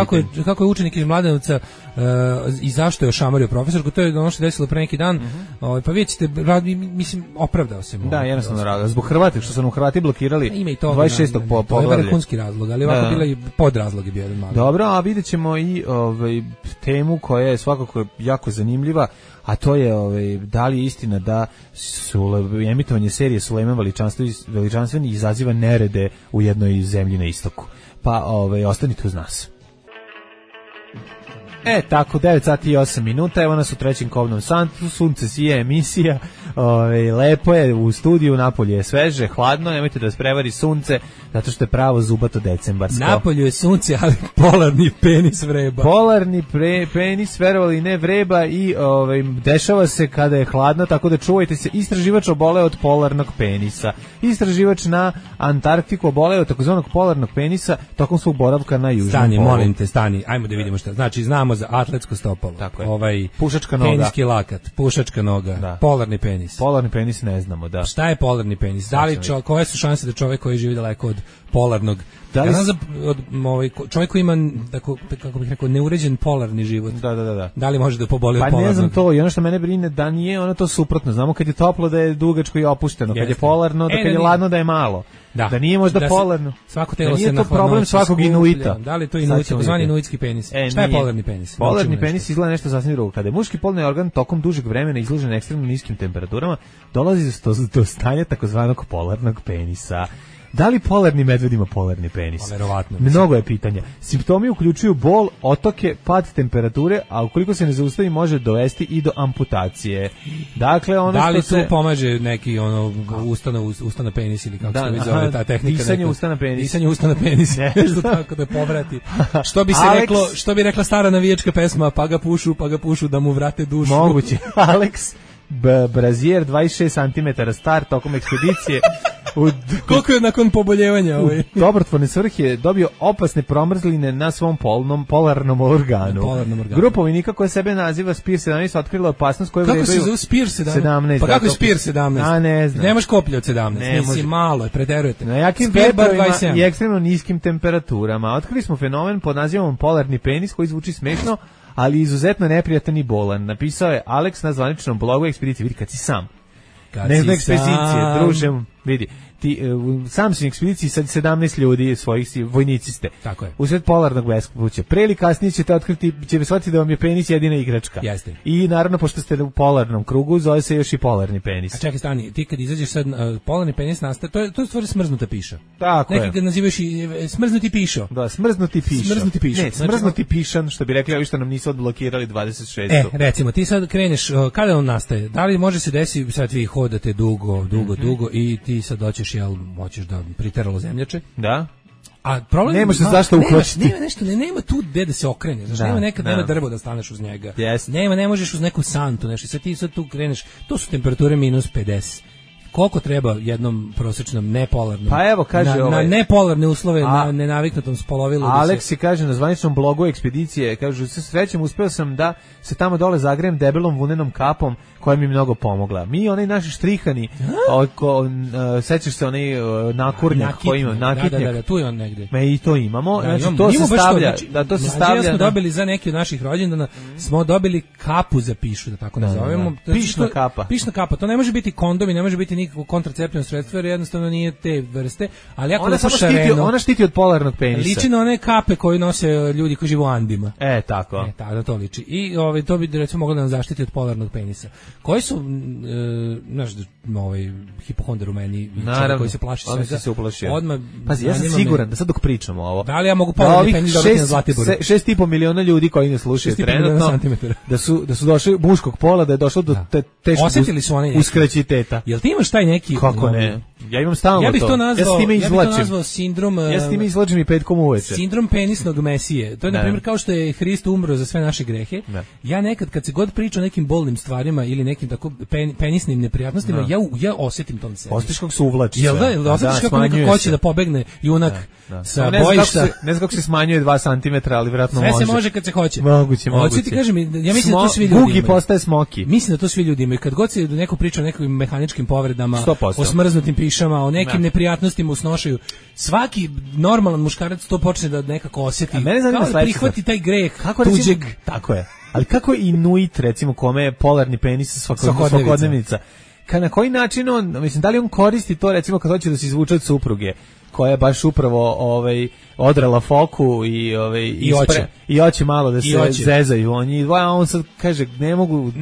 kako je učenik iz Mladenovca i zašto je ošamario profesorku, to je ono što je desilo pre neki dan, pa vidjet ćete, mislim, opravdao se. Da, jednostavno rada. Zbog Hrvati, što su nam Hrvati blokirali 26. poglavlja. To je vrhunski razlog, ali ovako bila i podrazlog je bio jedan mali. Dobro, a vidjet ćemo i temu koja je svakako jako zanimljiva, a to je da li je istina da emitovanje serije Sulejman Veličanstveni izaziva nerede u jednoj zemlji na istoku. Pa ostanite uz nas. Tako, 9 sati i 8 minuta, evo nas u trećem kobnom santu, sunce sije, emisija, lepo je u studiju, napolje je sveže, hladno, nemojte da vas prevari sunce, zato što je pravo zubato decembarsko. Napolju je sunce, ali polarni penis vreba. Polarni penis, verovali ne, vreba i dešava se kada je hladno, tako da čuvajte se. Istraživač oboleo od polarnog penisa. Istraživač na Antarktiku oboleo od takozvanog polarnog penisa tokom svog boravka na južnom polu. Stani, molim te, ajmo da vidimo šta. Znači, znamo za atletsko stopalo. Tako je. Pušačka noga. Peniski lakat, pušačka noga, da. Polarni penis. Polarni penis ne znamo, da. Šta je polarni penis? Da li koje su šanse da čovjek koji živi daleko od polarnog, ja znam za čovjek koji ima, kako bih rekao, neuređen polarni život. Da li može da poboli od polarnog? Pa ne znam to, i ono što mene brine da nije ono to suprotno. Znamo kad je toplo da je dugačko i opušteno, kad je polarno, da kad je ladno da je malo. Da nije možda polarno. Svako telo se na problem svakog inuita. Da li to inuit, takozvani inuitski penis? Šta je polarni penis? Polarni penis izgleda nešto sasvim drugo. Kada je muški polni organ tokom dužeg vremena izložen ekstremno niskim temperaturama, dolazi do stanja takozvanog polarnog penisa. Da li polarni medved ima polarni penis? Pa, verovatno. Mnogo je pitanja. Simptomi uključuju bol, otoke, pad temperature, a ukoliko se ne zaustavi može dovesti i do amputacije. Dakle, ono da li što tu se... pomaže neki ustana penis ili kako se već zove ta tehnika? Disanje ustana penis. Disanje ustana penis. Nešto tako da povrati. Što bi rekla stara navijačka pesma, pa ga pušu da mu vrate dušu. Moguće. Alex Brazier, 26 cm star, tokom ekspedicije. Koliko je nakon poboljevanja ovaj? U dobrotvorne svrhe dobio opasne promrzline na svom polarnom organu. Grupa vojnika koja sebe naziva Spear 17 otkrila opasnost koju vredaju... Kako se zove Spear 17? Pa kako je Spear 17? A ne znam. Nemaš koplje od 17. Mislim, malo je, preterujete. Na jakim vetrovima i ekstremno niskim temperaturama. Otkrili smo fenomen pod nazivom polarni penis koji zvuči smešno, ali izuzetno neprijatan i bolan. Napisao je Alex na zvaničnom blogu ekspedicije. Vidi kad si sam. Ne znam ekspedicije, druže, vidi. Ti sam si u ekspediciji sa 17 ljudi svojih vojnici ste. Tako je. Usred polarnog bespuća. Pre ili kasnije ćete otkriti, ćete shvatiti da vam je penis jedina igračka. Jeste. I naravno pošto ste u polarnom krugu, zove se još i polarni penis. A čekaj, stani, ti kad izađeš sad polarni penis nastaje, to je stvari smrznuta piša. Tako neki ga nazivaš i smrznuti pišo. Da, smrznuti pišo. Smrznuti pišo. Ne, smrznuti pišan, što bi rekli ovi što nam nisu odblokirali 26. Recimo, ti sad kreneš, kada on nastaje? Da li može se desiti, sad vi hodate dugo i ti sad doćeš, hoćeš da priteralo zemljače. Da. A problem nema se zašto uhvatiti. Nema tu gde da se okrene. Znači nema drvo da staneš uz njega. Yes. Ne možeš uz neku santu, nešto. Sad ti tu kreneš. To su temperature minus 50. Koliko treba jednom prosječnom nepolarnom? Pa evo kaže na nepolarne uslove na nenaviknutom spolovilu. Aleksi kaže na zvaničnom blogu ekspedicije, kaže se srećem uspeo sam da se tamo dole zagrejem debelom vunenom kapom koja mi mnogo pomogla. Mi onaj naši štrihani, sećaš se onaj nakurnjak koji ima, nakitnjak. Da, tu je on negde. I to imamo, znači to se stavlja, to se stavlja. Smo dobili za neki od naših rođendana, smo dobili kapu za pišu, da tako nazovemo. Pišna kapa. Pišna kapa, to ne može biti kondom i ne može biti nikakvo kontraceptivno sredstvo, jer jednostavno nije te vrste, ali jako lepo šareno. Ona štiti od polarnog penisa. Liči na one kape koje nose ljudi koji žive u Andima. Tako. Da to liči. I to bi recimo moglo da nam zaštiti od polarnog penisa. Koji su hipohondar u meni, koji se plaši svega. Se uplašio. Odmah. Pazi, ja sam siguran da sad dok pričamo ovo. Da li ja mogu polarni penis dobiti na Zlatiboru? 6,5 miliona ljudi koji ne slušaju trenutno. Da su došli muškog pola, da je došlo do teškog uskraćiteta. Jel ti imaš taj neki... Kako ne? Ja imam stalno to. Ja bih to nazvao sindrom... Ja s time izvlačim i petkom uveče. Sindrom penisnog mesije. To je, na primjer, kao što je Hrist umro za sve naše grehe. Ja nekad, kad se god priča o nekim bolnim stvarima ili nekim tako penisnim neprijatnostima, ja osjetim to na sebi. Osjetiš kako se uvlači. Jel da? Osjetiš kako nekako hoće da pobegne junak sa bojišta. Ne znam kako se smanjuje 2 cm, ali vjerojatno može. Sve se može kad se hoće. Moguće. Hoću ti kažem, ja mislim da to svi ljudi imaju. Gugi postaje smoki. Mislim da to svi ljudi imaju. Kad god se neko priča o nekim mehaničkim povredama, o smrznutim pišama, o nekim neprijatnostima u snošaju, svaki normalan muškarac to počne da nekako osjeti. Kao da prihvati taj greh tuđeg. Tako je. Ali kako je Inuit, recimo, kome je polarni penis svakodnevnica? Na koji način on, mislim, da li on koristi to, recimo, kad hoće da se izvuče od supruge, koja je baš upravo odrala foku i oće malo da se zezaju. On sad kaže, ne mogu,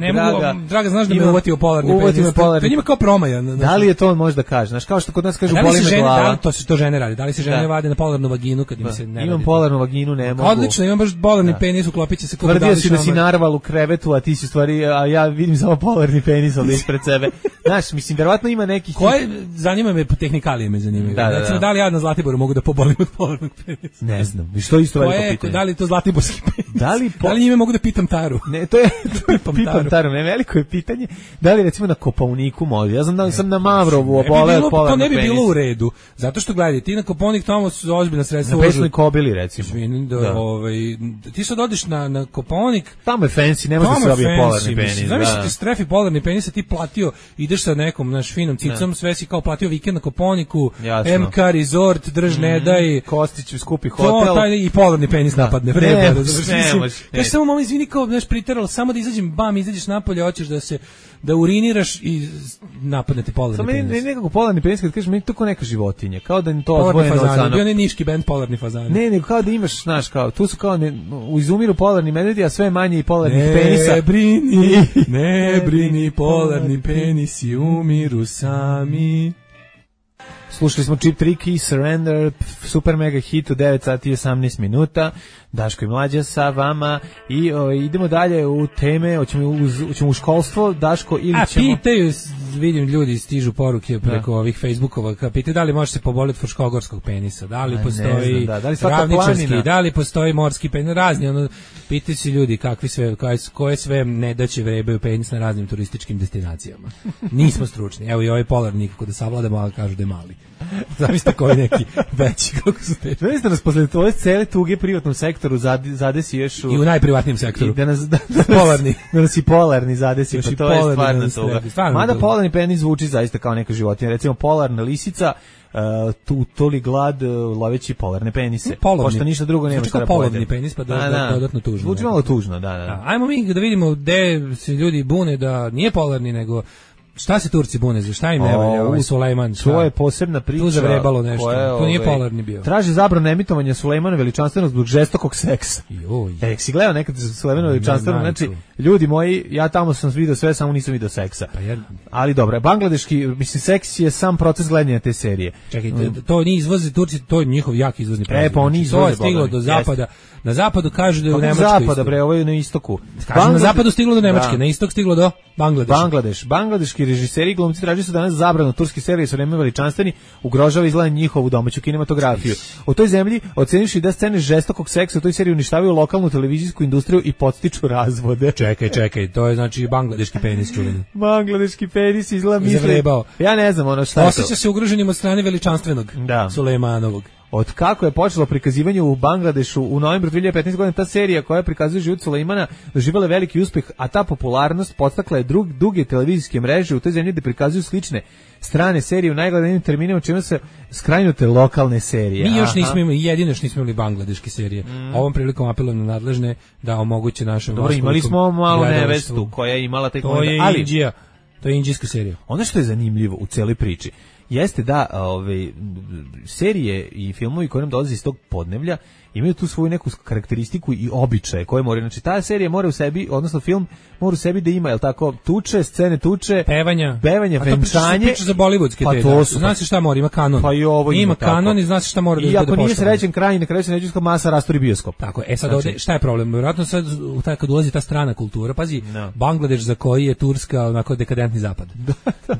draga, znaš da me uvatio polarni penis. To njima kao promaja. Da li je to on možda kaže? Znaš, kao što kod nas kažu, boli me glava. Da li to se to žene radi? Da li se žene vade na polarnu vaginu kad im se ne radi? Imam polarnu vaginu, ne mogu. Odlično, imam baš polarni penis, uklopit će se kod tvrdio si da si narval u krevetu, a ti si stvari, a ja vidim samo polarni penis ovdje ispred sebe. Znaš, mislim, verovatno ima nekih... Zanima me, tehnikalije me zanimaju. Da li ja na Zlatiboru mogu da pobolim od polarnog penisa? Ne znam. Što isto veliko pitanje? Da li je to zlatiborski penis? Da li njime mogu da pitam Taru? Ne, to je pitam Taru. Ne, veliko je pitanje. Da li recimo na Kopaoniku može? Ja znam da sam na Mavrovu obole od polarnog penisa. To ne bi bilo u redu. Zato što gledaj, ti na Kopaonik tamo su ozbiljna sredstva. Na Pesnoj Kobili recimo. Ti sad odiš na Kopaonik. Tamo je fancy, ne može se dobije polarni penis. Znaš ti strefi polarni penis, ti platio, ideš sa nekom naš finom cicom, sve si kao platio vikend na Kopaoniku, MK Resort, drž ne daj, Kostić skupi hotel. To i polarni penis napadne. Vreme. Kaži samo malo izvini kao znaš priteralo, samo da izađeš napolje, hoćeš da uriniraš i napadnete polarni penis. Samo nekako polarni penis, kad kažeš, meni to kao neka životinja, kao da je to odvojeno od sana. Bio ne niški bend polarni fazani. Ne, nego kao da imaš, znaš, kao, tu su kao, izumiru polarni medvedi, a sve manje i polarnih penisa. Ne brini, polarni penisi umiru sami. Slušali smo Cheap Trick i Surrender, super mega hit u 9 sati i 18 minuta. Daško i Mlađa sa vama i idemo dalje u teme, hoćemo u školstvo, Daško, ili ćemo... Pitaju, vidim ljudi stižu poruke preko ovih Facebookova, pitaju da li može se poboliti fruškogorskog penisa, da li postoji ravničarski, da li postoji morski penis, razni, pitaju se ljudi kakvi sve, koje sve nedaće vrebaju penis na raznim turističkim destinacijama. Nismo stručni, evo i ovaj polar nikako da savladamo, ali kažu da je mali. Zamislite koji neki veći, kako su te. Zamislite nas posle tvoje cele tuge privatnom sektoru zadesi još i u najprivatnijem sektoru. Da nas polarni. Da nas i polarni zadesi, pa to je stvarno tuga. Mada polarni penis zvuči zaista kao neka životinja. Recimo polarna lisica, toli glad loveći polarne penise. Pošto ništa drugo nema šta da pojede. Polarni penis, pa dodatno tužno. Zvuči malo tužno, da. Ajmo mi da vidimo gde se ljudi bune da nije polarni, nego šta se Turci bune, za šta im ne valja u Sulejman? To je posebna priča. Tu zavrebalo nešto, to nije polarni bio. Traži zabranu emitovanja Sulejmana veličanstvenog zbog žestokog seksa. Si gledao nekad Sulejmana veličanstvenog? Znači, ljudi moji, ja tamo sam vidio sve, samo nisam vidio seksa. Ali dobro, bangladeški, mislim, seks je sam proces gledanja te serije. Čekajte, to nije izvozi Turci, to je njihov jak izvozni proizvod. Pa oni izvoze. To je stiglo do zapada. Na zapadu kažu da je u Nemačkoj. Zapada, bre, ovo je na istoku. Na zapadu stiglo do Nemačke, na istok stiglo do Bangladeša. Bangladeški režiseri i glumci traže su danas zabranu turske serije su vreme veličanstveni, ugrožava izgleda njihovu domaću kinematografiju. U toj zemlji ocenivši da scene žestokog seksa u toj seriji uništavaju lokalnu televizijsku industriju i podstiču razvode. Čekaj, to je znači bangladeški penis čuveni. Bangladeški penis izgleda misli. Ja ne znam ono šta je to. Osjeća se ugroženim od strane veličanstvenog Sulejmanovog. Od kako je počelo prikazivanje u Bangladešu u novembru 2015. godine, ta serija koja prikazuje život Sulejmana doživjela veliki uspeh, a ta popularnost podstakla je duge televizijske mreže u toj zemlji da prikazuju slične strane serije u najgledanijim terminima, čime se skrajnute lokalne serije. Mi još nismo imali, jedino što nismo imali bangladeške serije. Ovom prilikom apelujem na nadležne da omoguće našem Dobro, imali smo malu nevestu koja je imala taj komentar. To je indijska serija. Ono što je zanimljivo u celoj priči jeste da serije i filmovi koji nam dolaze iz tog podneblja imaju tu svoju neku karakteristiku i običaje koje moraju, znači ta serija mora u sebi, odnosno film mora u sebi da ima, jel tako, scene tuče, pevanja, venčanje. Priča za bollywoodske te, znaš šta mora, ima kanon. Pa i ovo ima kanon i znaš šta mora da bude poštovano. I ako nije srećen kraj, na kraju se neđuska masa rastori bioskop. Tako, sad ovde, šta je problem? Vjerojatno sad, kad ulazi ta strana kultura, pazi, Bangladeš za koji je Turska onako dekadentni zapad.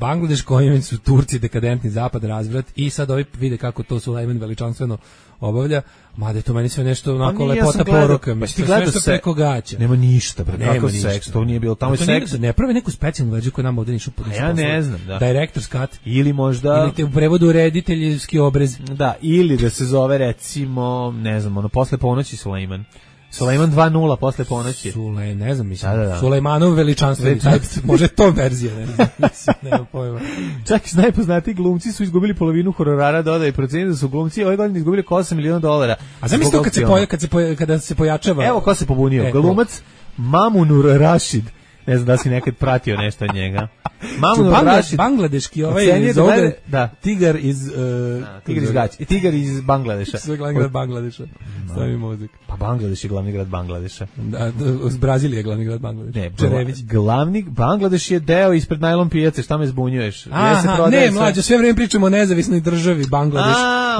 Bangladeš kojim su Turci dekadentni zapad, razvrat, i sad ovi vide kako to Sulejman veličanstveno obavlja, mada je to meni sve nešto onako lepota poruka, mislim, sve nešto preko gaća. Nema ništa, kakav seks, to nije bilo tamo seks. Ne prave neku specijalnu verziju koja nam ovdje nišu podnositi. Ja ne znam, da. Director's cut. Ili možda... Ili te u prevodu rediteljski obrez. Da, ili da se zove recimo, ne znam, posle ponoći Sulejman. Sulejman 2.0 posle ponoći. Ne znam, mislim. Sulejmanov veličanstveni, može to verzija, ne znam, nema pojma. Čak i najpoznatiji glumci su izgubili polovinu honorara, dodaje proceni da su glumci ove godine izgubili oko $8 miliona. A zamisli to kada se pojačava. Evo ko se pobunio, glumac Mamunur Rashid. Ne znam da si nekad pratio nešto od njega. Bangladeški tigar iz Tigar iz Bangladeša. Sve glavni grad Bangladeša. Stavi muzik. Pa Bangladeš je glavni grad Bangladeša. Da, Brazilija je glavni grad Bangladeša. Ne, Bangladeš je deo ispred najlon pijace, šta me zbunjuješ? Ne, mlađo, sve vrijeme pričamo o nezavisnoj državi Bangladeš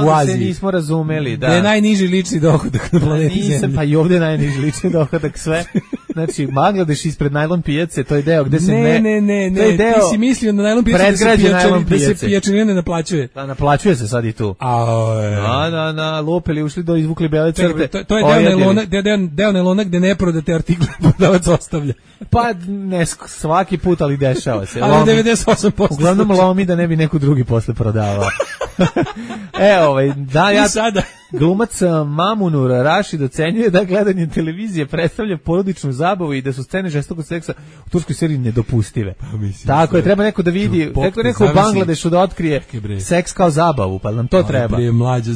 u Aziji. Se nismo razumeli, da. Da je najniži lični dohodak na planeti Zemlji. Pa i ovdje je najniži lični dohodak, sve. Znači, Bangladeš ispred najlon pijace, to je deo gde se Ne, ti si mislio na najlon pijace da se pijačarina ne naplaćuje. Da, naplaćuje se sad i tu. Na lopeli ušli do izvukli bele crte. To je deo nelona gde neprodate artikle prodavac ostavlja. Pa ne svaki put, ali dešava se. Ali 98%. Uglavnom lomi da ne bi neko drugi posle prodavao. Glumac Mamunur Rashid ocenjuje da gledanje televizije predstavlja porodičnu zabavu i da su scene žestokog seksa u turskoj seriji nedopustive. Tako je, treba neko da vidi, neko u Bangladešu da otkrije seks kao zabavu, pa nam to treba. Mlađo,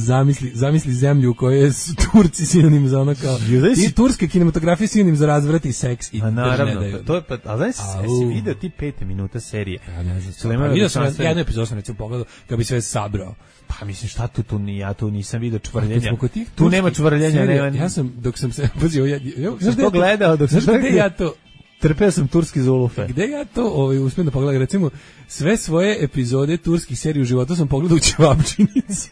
zamisli zemlju u kojoj su Turci sinonim za ono kao i turske kinematografije sinonim za razvrat i seks i naravno, to je, a znaš, si vidio ti 5 minuta serije? Ja ne znam, vidio sam jednu epizodu, sam recimo pogledao kako bi sve sabrao. Pa mislim, šta ja tu nisam vidio čvrljenja. Tu nema čvrljenja. Ja sam, dok sam se... Znaš to gledao? Znaš gde ja to... Trpeo sam turski zulufe. Gde ja to uspijem da pogledam, recimo, sve svoje epizode turskih serija u životu sam pogledao u Ćevapčinici.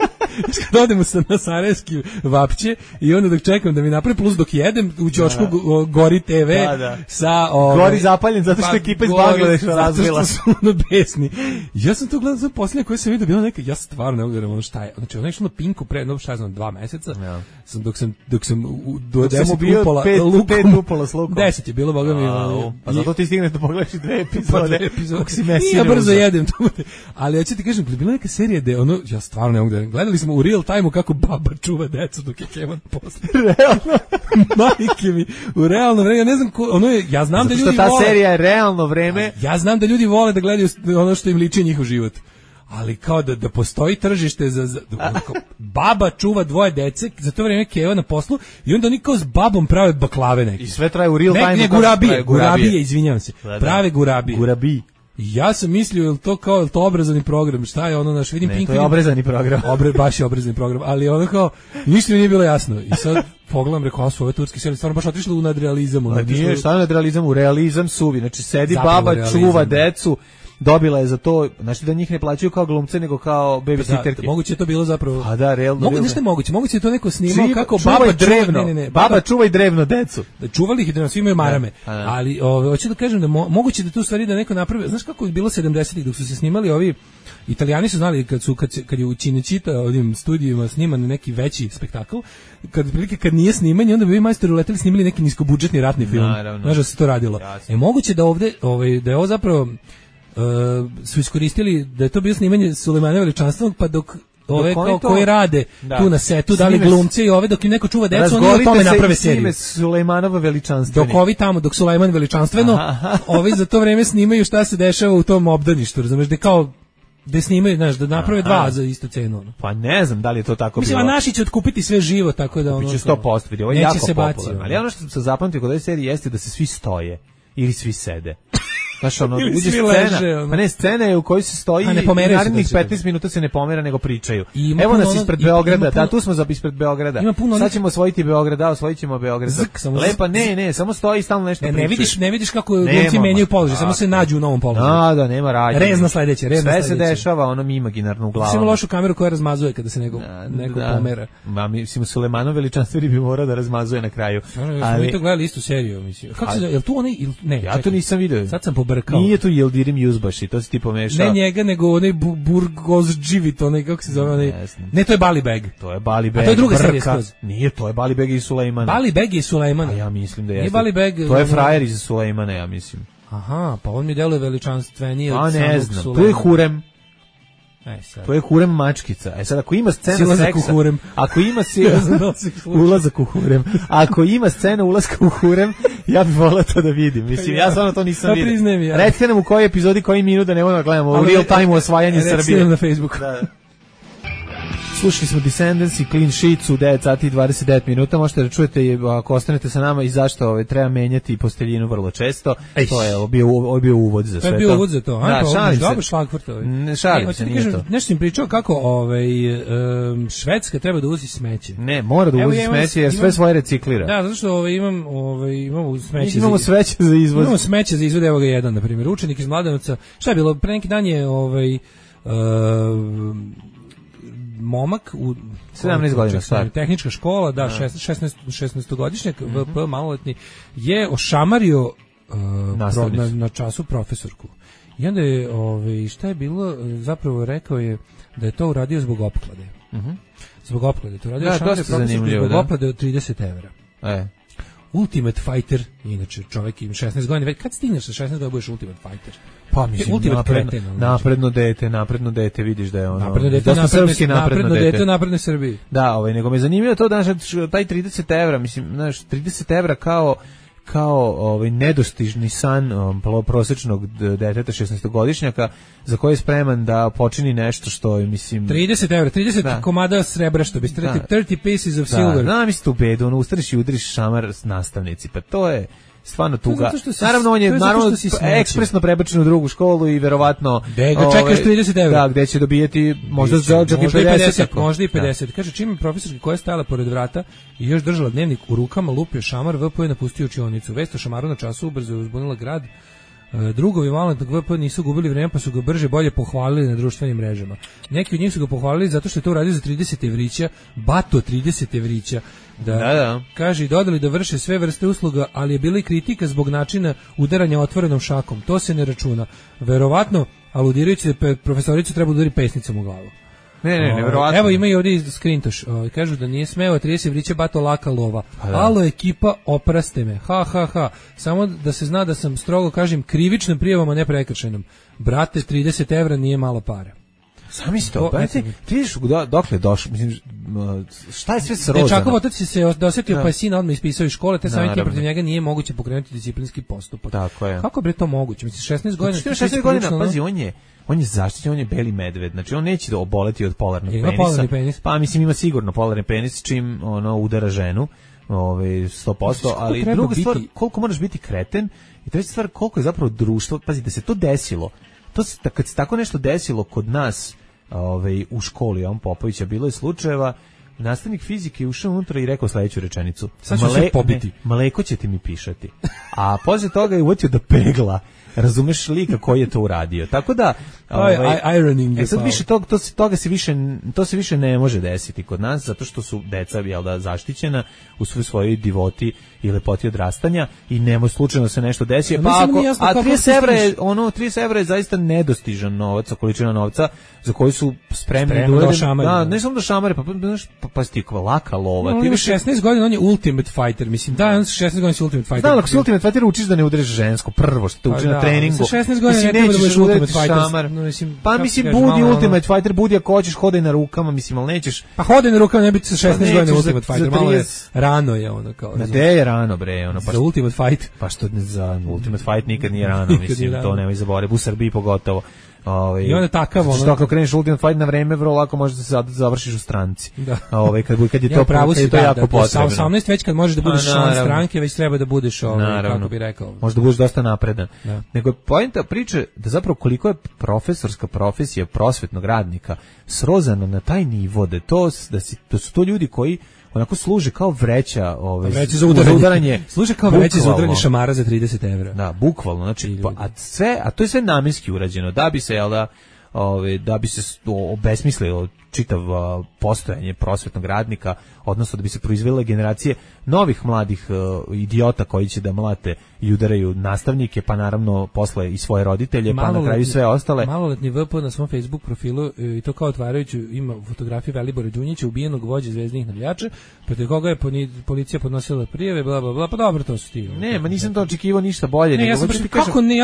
Kad odemo na sarajevski Vapće i onda dok čekam da mi napravi plus dok jedem u ćošku gori TV sa... Gori zapaljen zato što ekipa iz Bangladeša razvila. Zato što su ono besni. Ja sam to gledao za posljednje koje sam vidio, bilo neka, ja stvarno ne uvijem ono šta je. Znači, ono je na Pinku pre, no šta znam, 2 meseca, dok sam do 10 upola lukom. 5 upola s lukom. 10 je bilo, boga mi. Pa zato ti stigneš da pogledaš 2 epizode. Kako si mesine. Ja brzo jedem to. Ali ja ću ti kažem, bila neka serija gde ono, ja stvarno ne mogu da gledali smo u real time-u kako baba čuva decu dok je Kevan posle. Realno? Majke mi, u realno vreme, ja ne znam ko, ono je, ja znam zato da ljudi vole. Zato što ta serija je realno vreme. Ja znam da ljudi vole da gledaju ono što im liči njihov život. Ali kao da postoji tržište za baba čuva 2 dece, za to vreme Keva na poslu i onda oni kao s babom prave baklave neke. I sve traje u real time. Ne, gurabije, izvinjavam se. Prave gurabije. Gurabije. Ja sam mislio, je to obrazovni program, šta je ono naš, vidim Pink. To je obrazovni program. Baš je obrazovni program, ali ono kao, ništa mi nije bilo jasno. I sad pogledam, rekao, ove turske serije, stvarno baš otišlo u nadrealizam. Nije, šta je nadrealizam? U realizam suvi. Znači, sedi baba, čuva decu, dobila je za to, znači da njih ne plaćaju kao glumce, nego kao babysitterke. Moguće je to bilo zapravo. A da, realno. Moguće je to neko snimao kako baba drevno. Baba čuva i drevno decu. Da čuvali ih i drevno, svi imaju marame. Ali hoću da kažem da moguće da tu stvari da neko napravi. Znaš kako je bilo 70-ih dok su se snimali ovi Italijani su znali kad je u Cinecittà ovim studijima sniman neki veći spektakl, kad nije snimanje, onda bi ovi majstori uleteli snimili neki niskobudžetni ratni film. Znaš da se to radilo. Moguće da ovde da je ovo zapravo su iskoristili da je to bilo snimanje Sulejmana Veličanstvenog, pa dok ove koji rade tu na setu, da li glumci i ove dok im neko čuva decu, oni o tome naprave seriju. Sulejmanova Veličanstveni. Dok ovi tamo, dok Sulejman Veličanstveno, ovi za to vreme snimaju šta se dešava u tom obdaništu, razumeš, da kao da snimaju, znaš, da naprave 2 za istu cenu. Pa ne znam da li je to tako bilo. Mislim, a naši će otkupiti sve živo, tako da ono... Biće 100%, vidi, ovo je jako popularno. Ali ono što sam zapamtio kod ove serije jeste da se svi stoje ili svi sede. Znaš, ono, uđe scena, pa ne, scena je u kojoj se stoji i narednih 15 minuta se ne pomera, nego pričaju. Evo nas ispred Beograda, tu smo ispred Beograda. Sad ćemo osvojiti Beograd, osvojit ćemo Beograd. Lepa, ne, samo stoji i stalno nešto pričaju. Ne vidiš kako glumci menjaju položaj, samo se nađu u novom položaju. Da, nema radnje. Rezno sledeće. Sve se dešava, ono imaginarno u glavu. Samo lošu kameru koja razmazuje kada se neko pomera. Ma, mislim, Sulejmanov Veličanstveni bi morao da razmazuje na kraju. Mi to gledali istu seriju, mislim. Kako se, je li tu onaj, ne, ja to nisam video. Sad sam pobrkao. Nije tu Yildirim Yuzbashi, to si ti pomešao. Ne njega, nego onaj Burgozđivit, onaj, kako se zove, onaj... Ne, to je Bali Beg. To je Bali Beg. A to je druga serija skroz. Nije, to je Bali Beg i Sulejman. Bali Beg i Sulejman. A ja mislim da jeste. Nije Bali Beg. To je frajer iz Sulejmana, ja mislim. Aha, pa on mi deluje veličanstvenije od samog Sulejmana. A ne znam, tu je Hurem. To je Hurem mačkica. Sad ako ima scena seksa, ako ima ulazak u Hurem, ako ima scena ulaska u Hurem, ja bih volao to da vidim. Mislim, ja stvarno to nisam vidio. Recite nam u kojoj epizodi, koji minut da ne možemo da gledamo u real time osvajanje Srbije. Recite nam na Facebooku. Slušali smo Descendants i Clean Sheets u 9 sati i 29 minuta. Možete da čujete ako ostanete sa nama i zašto treba menjati posteljinu vrlo često. To je bio uvod za sve to. To je bio uvod za to. Da, šalim se. Dobro šlagvort. Ne šalim se, nije to. Nešto sam pričao kako Švedska treba da uvozi smeće. Ne, mora da uvozi smeće jer sve svoje reciklira. Da, zato što imamo smeće. Imamo smeće za izvoz. Imamo smeće za izvoz, evo ga jedan, na primjer. Učenik iz Mladenovca. Šta je bilo? Pre neki dan je momak u 17 godina star. Tehnička škola, da, 16-godišnjak, VP, maloletni, je ošamario na času profesorku. I onda je, šta je bilo, zapravo rekao je da je to uradio zbog opklade. Zbog opklade. To uradio ošamario profesorku zbog opklade od 30 €. Ultimate Fighter, inače čovjek ima 16 godina, već kad stigneš sa 16 godina budeš Ultimate Fighter? Pa mislim, napredno dete, vidiš da je ono... Napredno dete u naprednoj Srbiji. Da, nego me zanimljivo to, znaš, taj 30 €, mislim, znaš, 30 € kao nedostižni san prosječnog deteta 16-godišnjaka za koji je spreman da počini nešto što je, mislim... 30 €, 30 komada srebra, što biste rekli, 30 pieces of silver. Da, mislim tu bedu, ustaneš i udriš šamar nastavnici, pa to je... stvarno tuga. Naravno, on je ekspresno prebačen u drugu školu i verovatno... Gde ga čekaš 30 €? Da, gde će dobijeti možda čak i 50. Možda i 50. Kaže, čim je profesorka koja je stajala pored vrata i još držala dnevnik u rukama, lupio šamar, VP je napustio učionicu. Vest o šamaru na času ubrzo je uzbunila grad. Drugovi maloletnog VP nisu gubili vreme, pa su ga brže bolje pohvalili na društvenim mrežama. Neki od njih su ga pohvalili zato što je to uradio za 30 evrića, bato 30 evrića. Da. Kaže i dodali da vrše sve vrste usluga, ali je bila i kritika zbog načina udaranja otvorenom šakom. To se ne računa. Verovatno, aludirajući da profesoricu treba udari pesnicom u glavu. Ne, verovatno. Evo ima i ovdje skrintoš. Kažu da nije smeo 30 vriće bato laka lova. Alo ekipa, opraste me. Ha. Samo da se zna da sam strogo kažem krivičnom prijavom, a ne prekršajnom. Brate, 30 € nije malo para. Sami sto, brate, ti vidiš dokle došao, mislim, šta je sve srozano? Dečakov otac se dosetio, pa je sina odmah ispisao iz škole, te samim tim protiv njega nije moguće pokrenuti disciplinski postupak. Tako je. Kako bre to moguće? Mislim, 16 godina... 16 godina, pazi, on je zaštićen, on je beli medved, znači on neće oboleti od polarnog penisa. Penis? Pa mislim ima sigurno polarni penis čim udara ženu, 100%, ali druga stvar, koliko moraš biti kreten i treća stvar, koliko je zapravo društvo, pazi, da se to desilo, kad se tako nešto desilo kod nas u školi, on Popovića, bilo je slučajeva, nastavnik fizike je ušao unutra i rekao sledeću rečenicu. Sad ću se pobiti. Mleko će ti mi pišati. A posle toga je uvatio da pegla. Razumeš lika koji je to uradio. Tako da sad više to se više ne može desiti kod nas zato što su deca zaštićena u svojoj divoti i lepoti odrastanja i ne može slučajno se nešto desi. Pa a 30 € je zaista nedostižan novac, količina novca za koju su spremni da šamare. Da, ne samo da šamare, pa stikva laka lova. Ti imaš 16 godina, on je ultimate fighter, mislim. Da, on 16 godina je ultimate fighter. Da, ako si ultimate fighter učiš da ne udariš žensko prvo što te uči na treningu. Sa 16 godina ne treba da budeš ultimate fighter. Pa mislim, budi ultimate fighter, budi ako hoćeš, hodaj na rukama, mislim, ali nećeš. Pa hodaj na rukama, ne biti sa 16 godina ultimate fighter, malo je rano je ono kao. Gde je rano bre, ono pa za ultimate fight. Pa što za ultimate fight nikad nije rano, mislim, to nemoj zaboraviti, u Srbiji pogotovo. I onda takav ono. Što ako kreneš ultimate fight na vreme, vrlo lako možeš da se završiš u stranci. Da. Kad je to pravo si to jako potrebno. Sa 18 već kad možeš da budeš član stranke, već treba da budeš kako bi rekao. Možda budeš dosta napredan. Da. Nego poenta priče da zapravo koliko je profesorska profesija prosvetnog radnika srozana na taj nivo da su to ljudi koji onako služe kao vreća, vreće za udaranje. Služe kao vreće za udaranje šamara za 30 €. Da, bukvalno, znači a to je sve namenski urađeno da bi se da bi se obesmislilo čitav postojanje prosvetnog radnika, odnosno da bi se proizvele generacije novih mladih idiota koji će da mlate i udaraju nastavnike, pa naravno posle i svoje roditelje, pa na kraju sve ostale. Maloletni VP na svom Facebook profilu, i to kao otvarajući, ima fotografiju Velibora Đunjića, ubijenog vođe zvezdinih navijača, protiv koga je policija podnosila prijave, bla bla bla, pa dobro, to su ti. Ne, ma nisam to očekivao ništa bolje. Ne, ja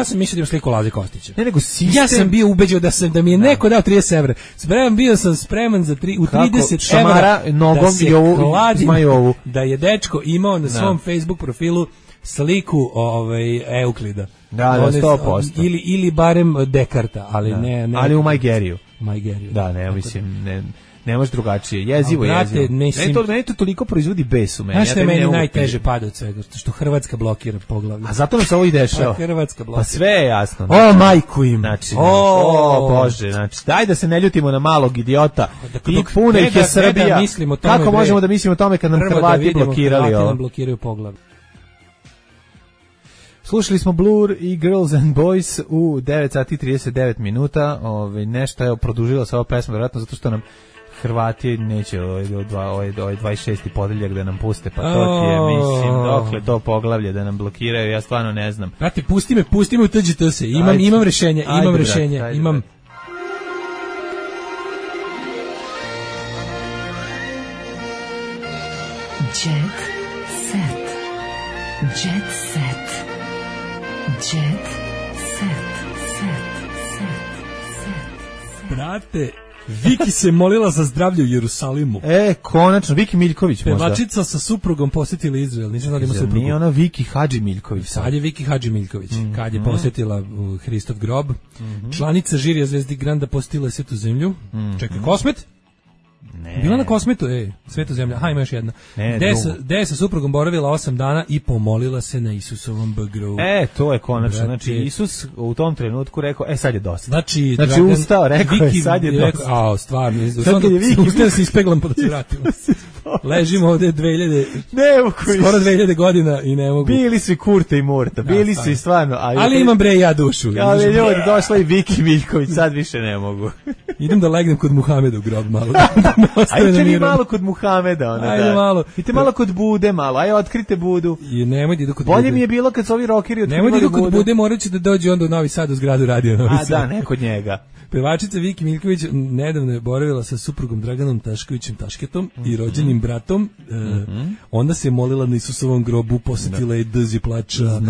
sam mislio da im sliku Laze Kostića. Ne, nego sistem. Ja sam bio ubeđen da mi je neko dao 30 €. Bio sam spreman za 30 šamara nogom i ovu da je dečko imao na svom Facebook profilu sliku Euklida. Da, 100%. Ili barem Dekarta, ali ne. Ali u Majgeriju. Da, ne, mislim, ne može drugačije. Jezivo. Meni to toliko proizvodi bes u meni. Znaš što je meni najteže pada od svega? Što Hrvatska blokira poglavlje. A zato nam se ovo i dešava. Hrvatska blokira. Pa sve je jasno. O, majku im. Znači, Bože, znači, daj da se ne ljutimo na malog idiota. I puna ih je Srbija. Kako možemo da mislimo o tome kad nam Hrvati blokirali ovo? Hrvati nam blokiraju poglavlje. Slušali smo Blur i Girls and Boys u 9:39. Nešto je produžila se ova pesma, vjerojatno zato što nam Hrvati neće ovaj 26. podeljak da nam puste, pa to ti je, mislim, dokle to poglavlje da nam blokiraju, ja stvarno ne znam. Brate, pusti me u TGT se, imam rešenje, imam. Jet set. Jet set. Jet set. Brate, Viki se molila za zdravlje u Jerusalimu. Konačno, Viki Miljković možda. Pevačica sa suprugom posjetila Izrael. Nisam znao da ima suprugu. Nije ona Viki Hadži Miljković. Sad je Viki Hadži Miljković. Kad je posjetila Hristov grob. Članica žirija Zvezdi Granda posjetila Svetu zemlju. Čekaj, Kosmet? Bila na Kosmetu, Sveta zemlja. Aha, ima još jedna. Gde sa suprugom boravila 8 dana i pomolila se na Isusovom bagru. To je konačno. Znači, Isus u tom trenutku rekao, sad je dosta. Znači ustao, rekao je, sad je dosta. Stvarno. Ustao se ispeglam pa da se vratimo. Ležimo ovde 2000 godina i ne mogu. Bili su i Kurta i Murta, bili su i stvarno. Ali imam ja dušu. Ali ljudi, došla i Viki Miljković, sad više ne mogu. Idem da legnem kod Muhameda u grob malo. Ajde mi malo kod Muhameda. Ajde malo. Idite malo kod Bude malo, ajde otkrite Budu. Nemoj da idu kod Bude. Bolje mi je bilo kad su ovi rokeri otkrivali Budu. Nemoj da idu kod Bude, morat će da dođe onda u Novi Sad u zgradu radio Novi Sad. Da, ne kod njega. Pevačica Viki Miljković nedavno je boravila sa suprugom Draganom Taškovićem Tašketom i rođenim bratom. Onda se molila na Isusovom grobu, posetila je dzi plača,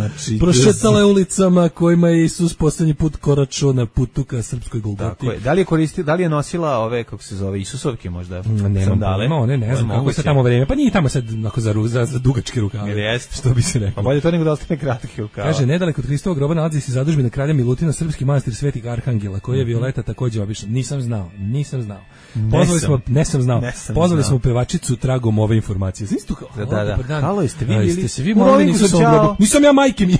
prošetala je ulicama kojima je Isus poslednji put koračao na putu ka srpskoj Golgoti. Da li je nosila ove, kako se zove, Isusovke možda? Ne znam, kako se tamo vreme, pa nije tamo sad za dugačke rukave. Što bi se rekao. Pa bolje to nego da ostane kratke rukave. Kaže, nedaleko od Hristovog groba nalazi se zadužbina kralja Milutina, srpski manastir Svetih Arhangela, koji je Violeta takođe obišla. Nisam znao. Pozvali smo pevačicu tragom ove informacije. Da. Halo, jeste vi bili? Se vi molili na Isusovom grobu? Nisam ja, majke mi.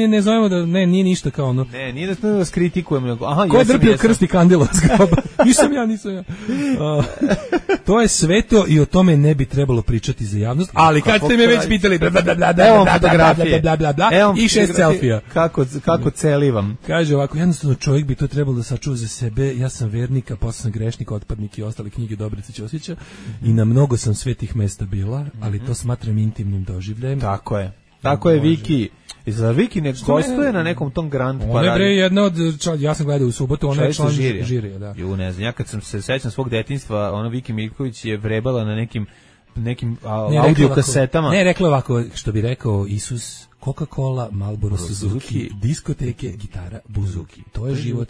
Ne zovemo da, nije ništa kao ono. Ne, nije da vas kritikujemo. Ko je drpio krst i kandila s groba? Nisam ja. To je sveto i o tome ne bi trebalo pričati za javnost, ali kad ste me već pitali, evo fotografije, i 6 selfija. Kako celivam. Kaže ovako, jednostavno čovjek bi to trebalo da sačuva za sebe. Ja sam vernik, a posle sam grešnik, otpadnik i ostale knjige Dobrice Ćosića i na mnogo sam svetih mesta bila, ali to smatram intimnim doživljajem. Tako je Viki. Zar Viki ne gostuje na nekom tom Grand Parade? Ona je jedna od, ja sam gledao u subotu, ona je član žirija. Da. Ne znam, ja kad sam se sećam svog detinjstva, ona Viki Miljković je vrebala na nekim audio kasetama. Ne, rekla ovako, što bi rekao Isus, Coca-Cola, Marlboro, Suzuki, diskoteke, gitara, buzuki. To je život,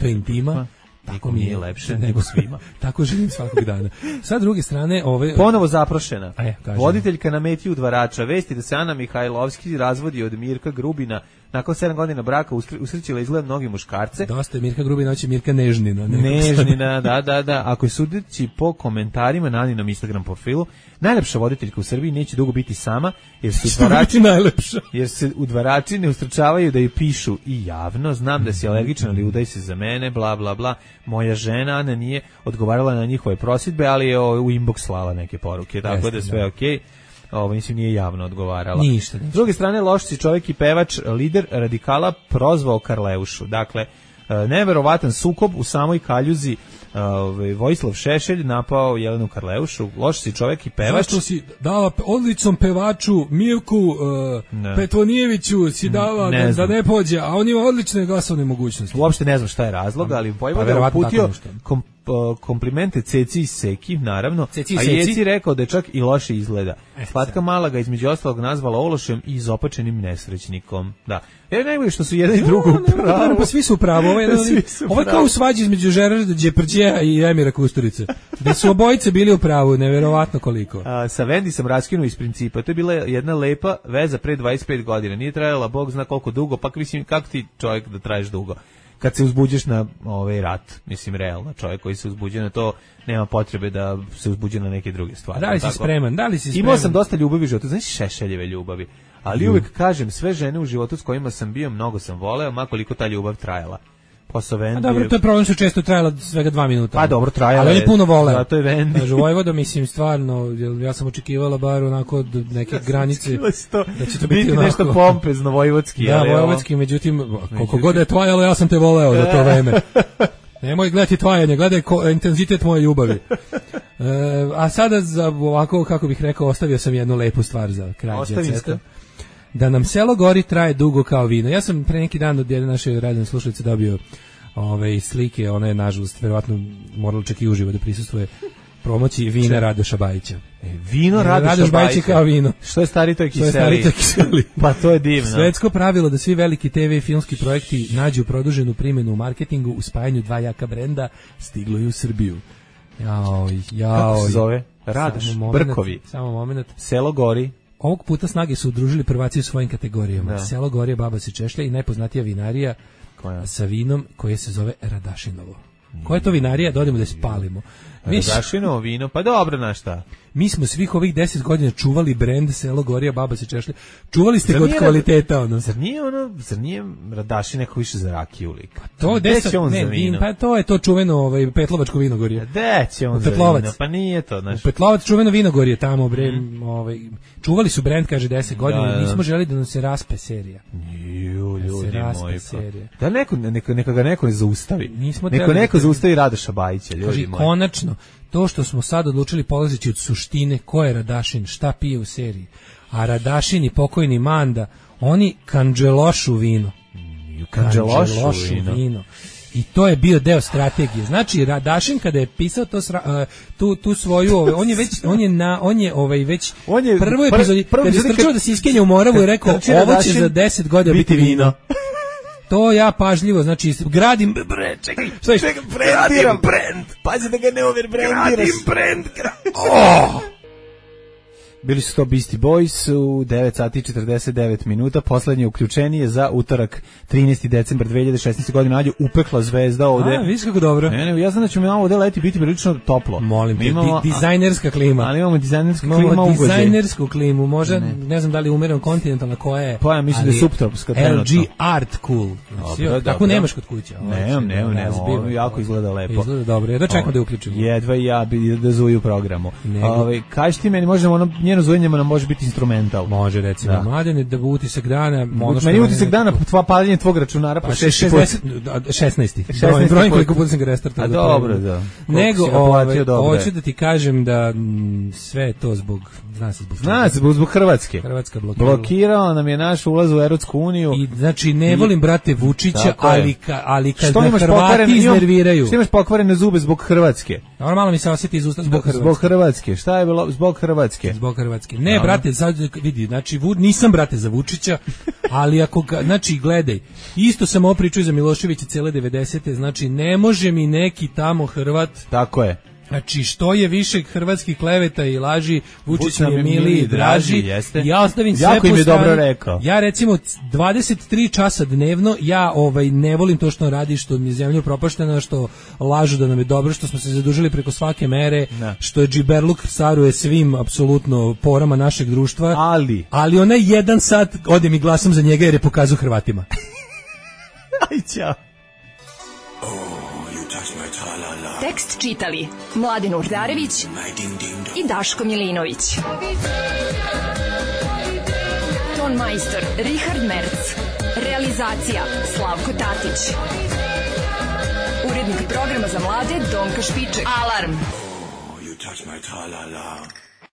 to je intima. Tako mi je lepše nego svima. Tako živim svakog dana. Sa druge strane, ponovo zaprošena. Voditeljka na meti udvarača. Vesti da se Ana Mihajlovski razvodi od Mirka Grubina. Nakon 7 godina braka usrećila izgled mnogi muškarce. Dosta je Mirka Grubina, hoće Mirka Nežnina. Nežnina, da. Ako je sudeći po komentarima na Aninom Instagram profilu, najlepša voditeljka u Srbiji neće dugo biti sama, jer se udvarači ne ustručavaju da je pišu i javno. Znam da si alergičan, ali udaj se za mene, bla, bla, bla. Moja žena Ana nije odgovarala na njihove prosjedbe, ali je u inbox slala neke poruke, tako da sve okej. Mislim, nije javno odgovarala. Ništa. S druge strane, loš si čovjek i pevač, lider radikala, prozvao Karleušu. Dakle, neverovatan sukob u samoj kaljuzi. Vojislav Šešelj napao Jelenu Karleušu. Loš si čovjek i pevač. Zašto si dala odličnom pevaču Mirku Petvonijeviću si dala da ne pođe, a on ima odlične glasovne mogućnosti. Uopšte ne znam šta je razlog, ali Vojvoda je uputio komplimente Ceci i Seki, naravno, a Jeci rekao da je čak i loše izgleda. Slatka mala ga između ostalog nazvala ološem i izopačenim nesrećnikom. Da. Najbolje što su jedan i drugo u pravu. Pa svi su u pravu. Ovo je kao u svađi između Žerarda Đeprđeja i Emira Kusturice. Da su obojice bili u pravu, neverovatno koliko. Sa Vendi sam raskinuo iz principa. To je bila jedna lepa veza pre 25 godina. Nije trajala, Bog zna koliko dugo, pa mislim, kako ti čovjek da traješ dugo? Kad se uzbuđeš na rat, mislim, realno, čovjek koji se uzbuđuje na to, nema potrebe da se uzbuđuje na neke druge stvari. Da li si spreman? Imao sam dosta ljubavi u životu, znaš, Šešeljeve ljubavi, ali uvek kažem, sve žene u životu s kojima sam bio, mnogo sam voleo, makoliko ta ljubav trajala. Dobro, to je problem što često trajala svega 2 minuta. Pa dobro, trajala je. Ali on je puno voleo. Zato je Vendi. Kaže, Vojvoda, mislim, stvarno, ja sam očekivala bar onako do neke granice da će to biti onako nešto pompezno vojvodski. Da, vojvodski, međutim, koliko god je tvajalo, ja sam te voleo za to vreme. Nemoj gledati tvajanje, gledaj intenzitet moje ljubavi. A sada, za ovako, kako bih rekao, ostavio sam jednu lepu stvar za kraj. Ostavinska. Da nam selo gori traje dugo kao vino. Ja sam pre neki dan od jedne naše radne slušalice dobio slike, ona je nažalost verovatno morala čak i uživo da prisustvuje promociji vina Radoša Bajića. Vino Radoša Bajića kao vino. Što je stari to je kiseli. Pa to je divno. Svetsko pravilo da svi veliki TV i filmski projekti nađu produženu primjenu u marketingu u spajanju dva jaka brenda stiglo i u Srbiju. Kako se zove? Radoš, Brkovi. Samo moment. Selo gori. Ovog puta snage su udružili prvaci u svojim kategorijama. Da. Selo Gorje, Baba se češlja i najpoznatija vinarija sa vinom koje se zove Radašinovo. Koja je to vinarija? Dodemo da spalimo. Radašinovo vino, pa dobro, na šta? Mi smo svih ovih 10 godina čuvali brend Selo Gorija, Baba se češlja. Čuvali ste ga od kvaliteta, ono. Zar nije Radašin neko više za rakiju lik? Pa to deset, ne, vin, pa to je to čuveno Petlovačko vinogorje. Gde će on za vino? Pa nije to, znaš. Petlovac čuveno vinogorje tamo, bre, čuvali su brend, kaže 10 godina, nismo želeli da nam se raspe serija. Ljudi moji, pa. Da neka ga neko zaustavi. Neko zaustavi Radoša Bajića, ljudi moji. Konačno, to što smo sad odlučili polazeći od suštine ko je Radašin, šta pije u seriji, a Radašin i pokojni Manda, oni kanđelošu vino. Kanđelošu vino. I to je bio deo strategije. Znači Radašin kada je pisao tu svoju, on je već prvoj epizodi kada je strčao da se iskenja u Moravu i rekao ovo će za 10 godina biti vino. To ja pažljivo, znači gradim brend. Pazi da ga ne overbrendiraš. Gradim brend. Bili su to Beastie Boys u 9 sati 49 minuta. Poslednje uključenje za utorak 13. decembar 2016. godine. Nađu upekla zvezda ovde. Viš kako dobro. Ne, ja znam da će mi ovde leti biti prilično toplo. Molim te, dizajnerska klima. Ali imamo dizajnersku klimu. Dizajnersku klimu, možda, ne znam da li umereno kontinentalna koja je. Pa ja mislim da je subtropska. LG Art Cool. Tako nemaš kod kuće. Nemam, jako izgleda lepo. Izgleda dobro, jedva čekamo da uključimo. Jedva i ja da zuju programu. Kaži ti meni, možemo njeno zujenje nam može biti instrumental. Može, recimo, Mladene, da utisak dana... Meni utisak dana, paljenje tvog računara po 16. Brojim koliko puta sam ga restartao. A dobro, da. Nego, hoću da ti kažem da sve to zbog Hrvatske. Hrvatska blokirala nam je naš ulaz u Evropsku uniju. I znači ne volim brate Vučića, ali kad me Hrvati iznerviraju. Što imaš pokvarene zube zbog Hrvatske? Normalno mi se osjeti iz usta zbog Hrvatske. Šta je bilo zbog Hrvatske? Zbog Hrvatske. Ne, brate, sad vidi, znači nisam brate za Vučića, ali ako znači gledaj, isto sam ovo pričao za Miloševića cele 90-te, znači ne može mi neki tamo Hrvat. Tako je. Znači, što je više hrvatskih kleveta i laži, Vučić mi je miliji i draži. Ja ostavim sve po strani. Ja recimo 23 časa dnevno, ja ne volim to što on radi, što mi je zemlja upropaštena, što lažu da nam je dobro, što smo se zadužili preko svake mere, što je džiberluk caruje svim apsolutno porama našeg društva. Ali onaj jedan sat odem i glasam za njega jer je pokazao Hrvatima. Aj, ćao. Tekst čitali Mladen Urdarević i Daško Milinović. Ton majstor Richard Merc. Realizacija Slavko Tatić. Urednik programa za mlade Donka Špiček. Alarm! Oh, you touch my tra-la-la.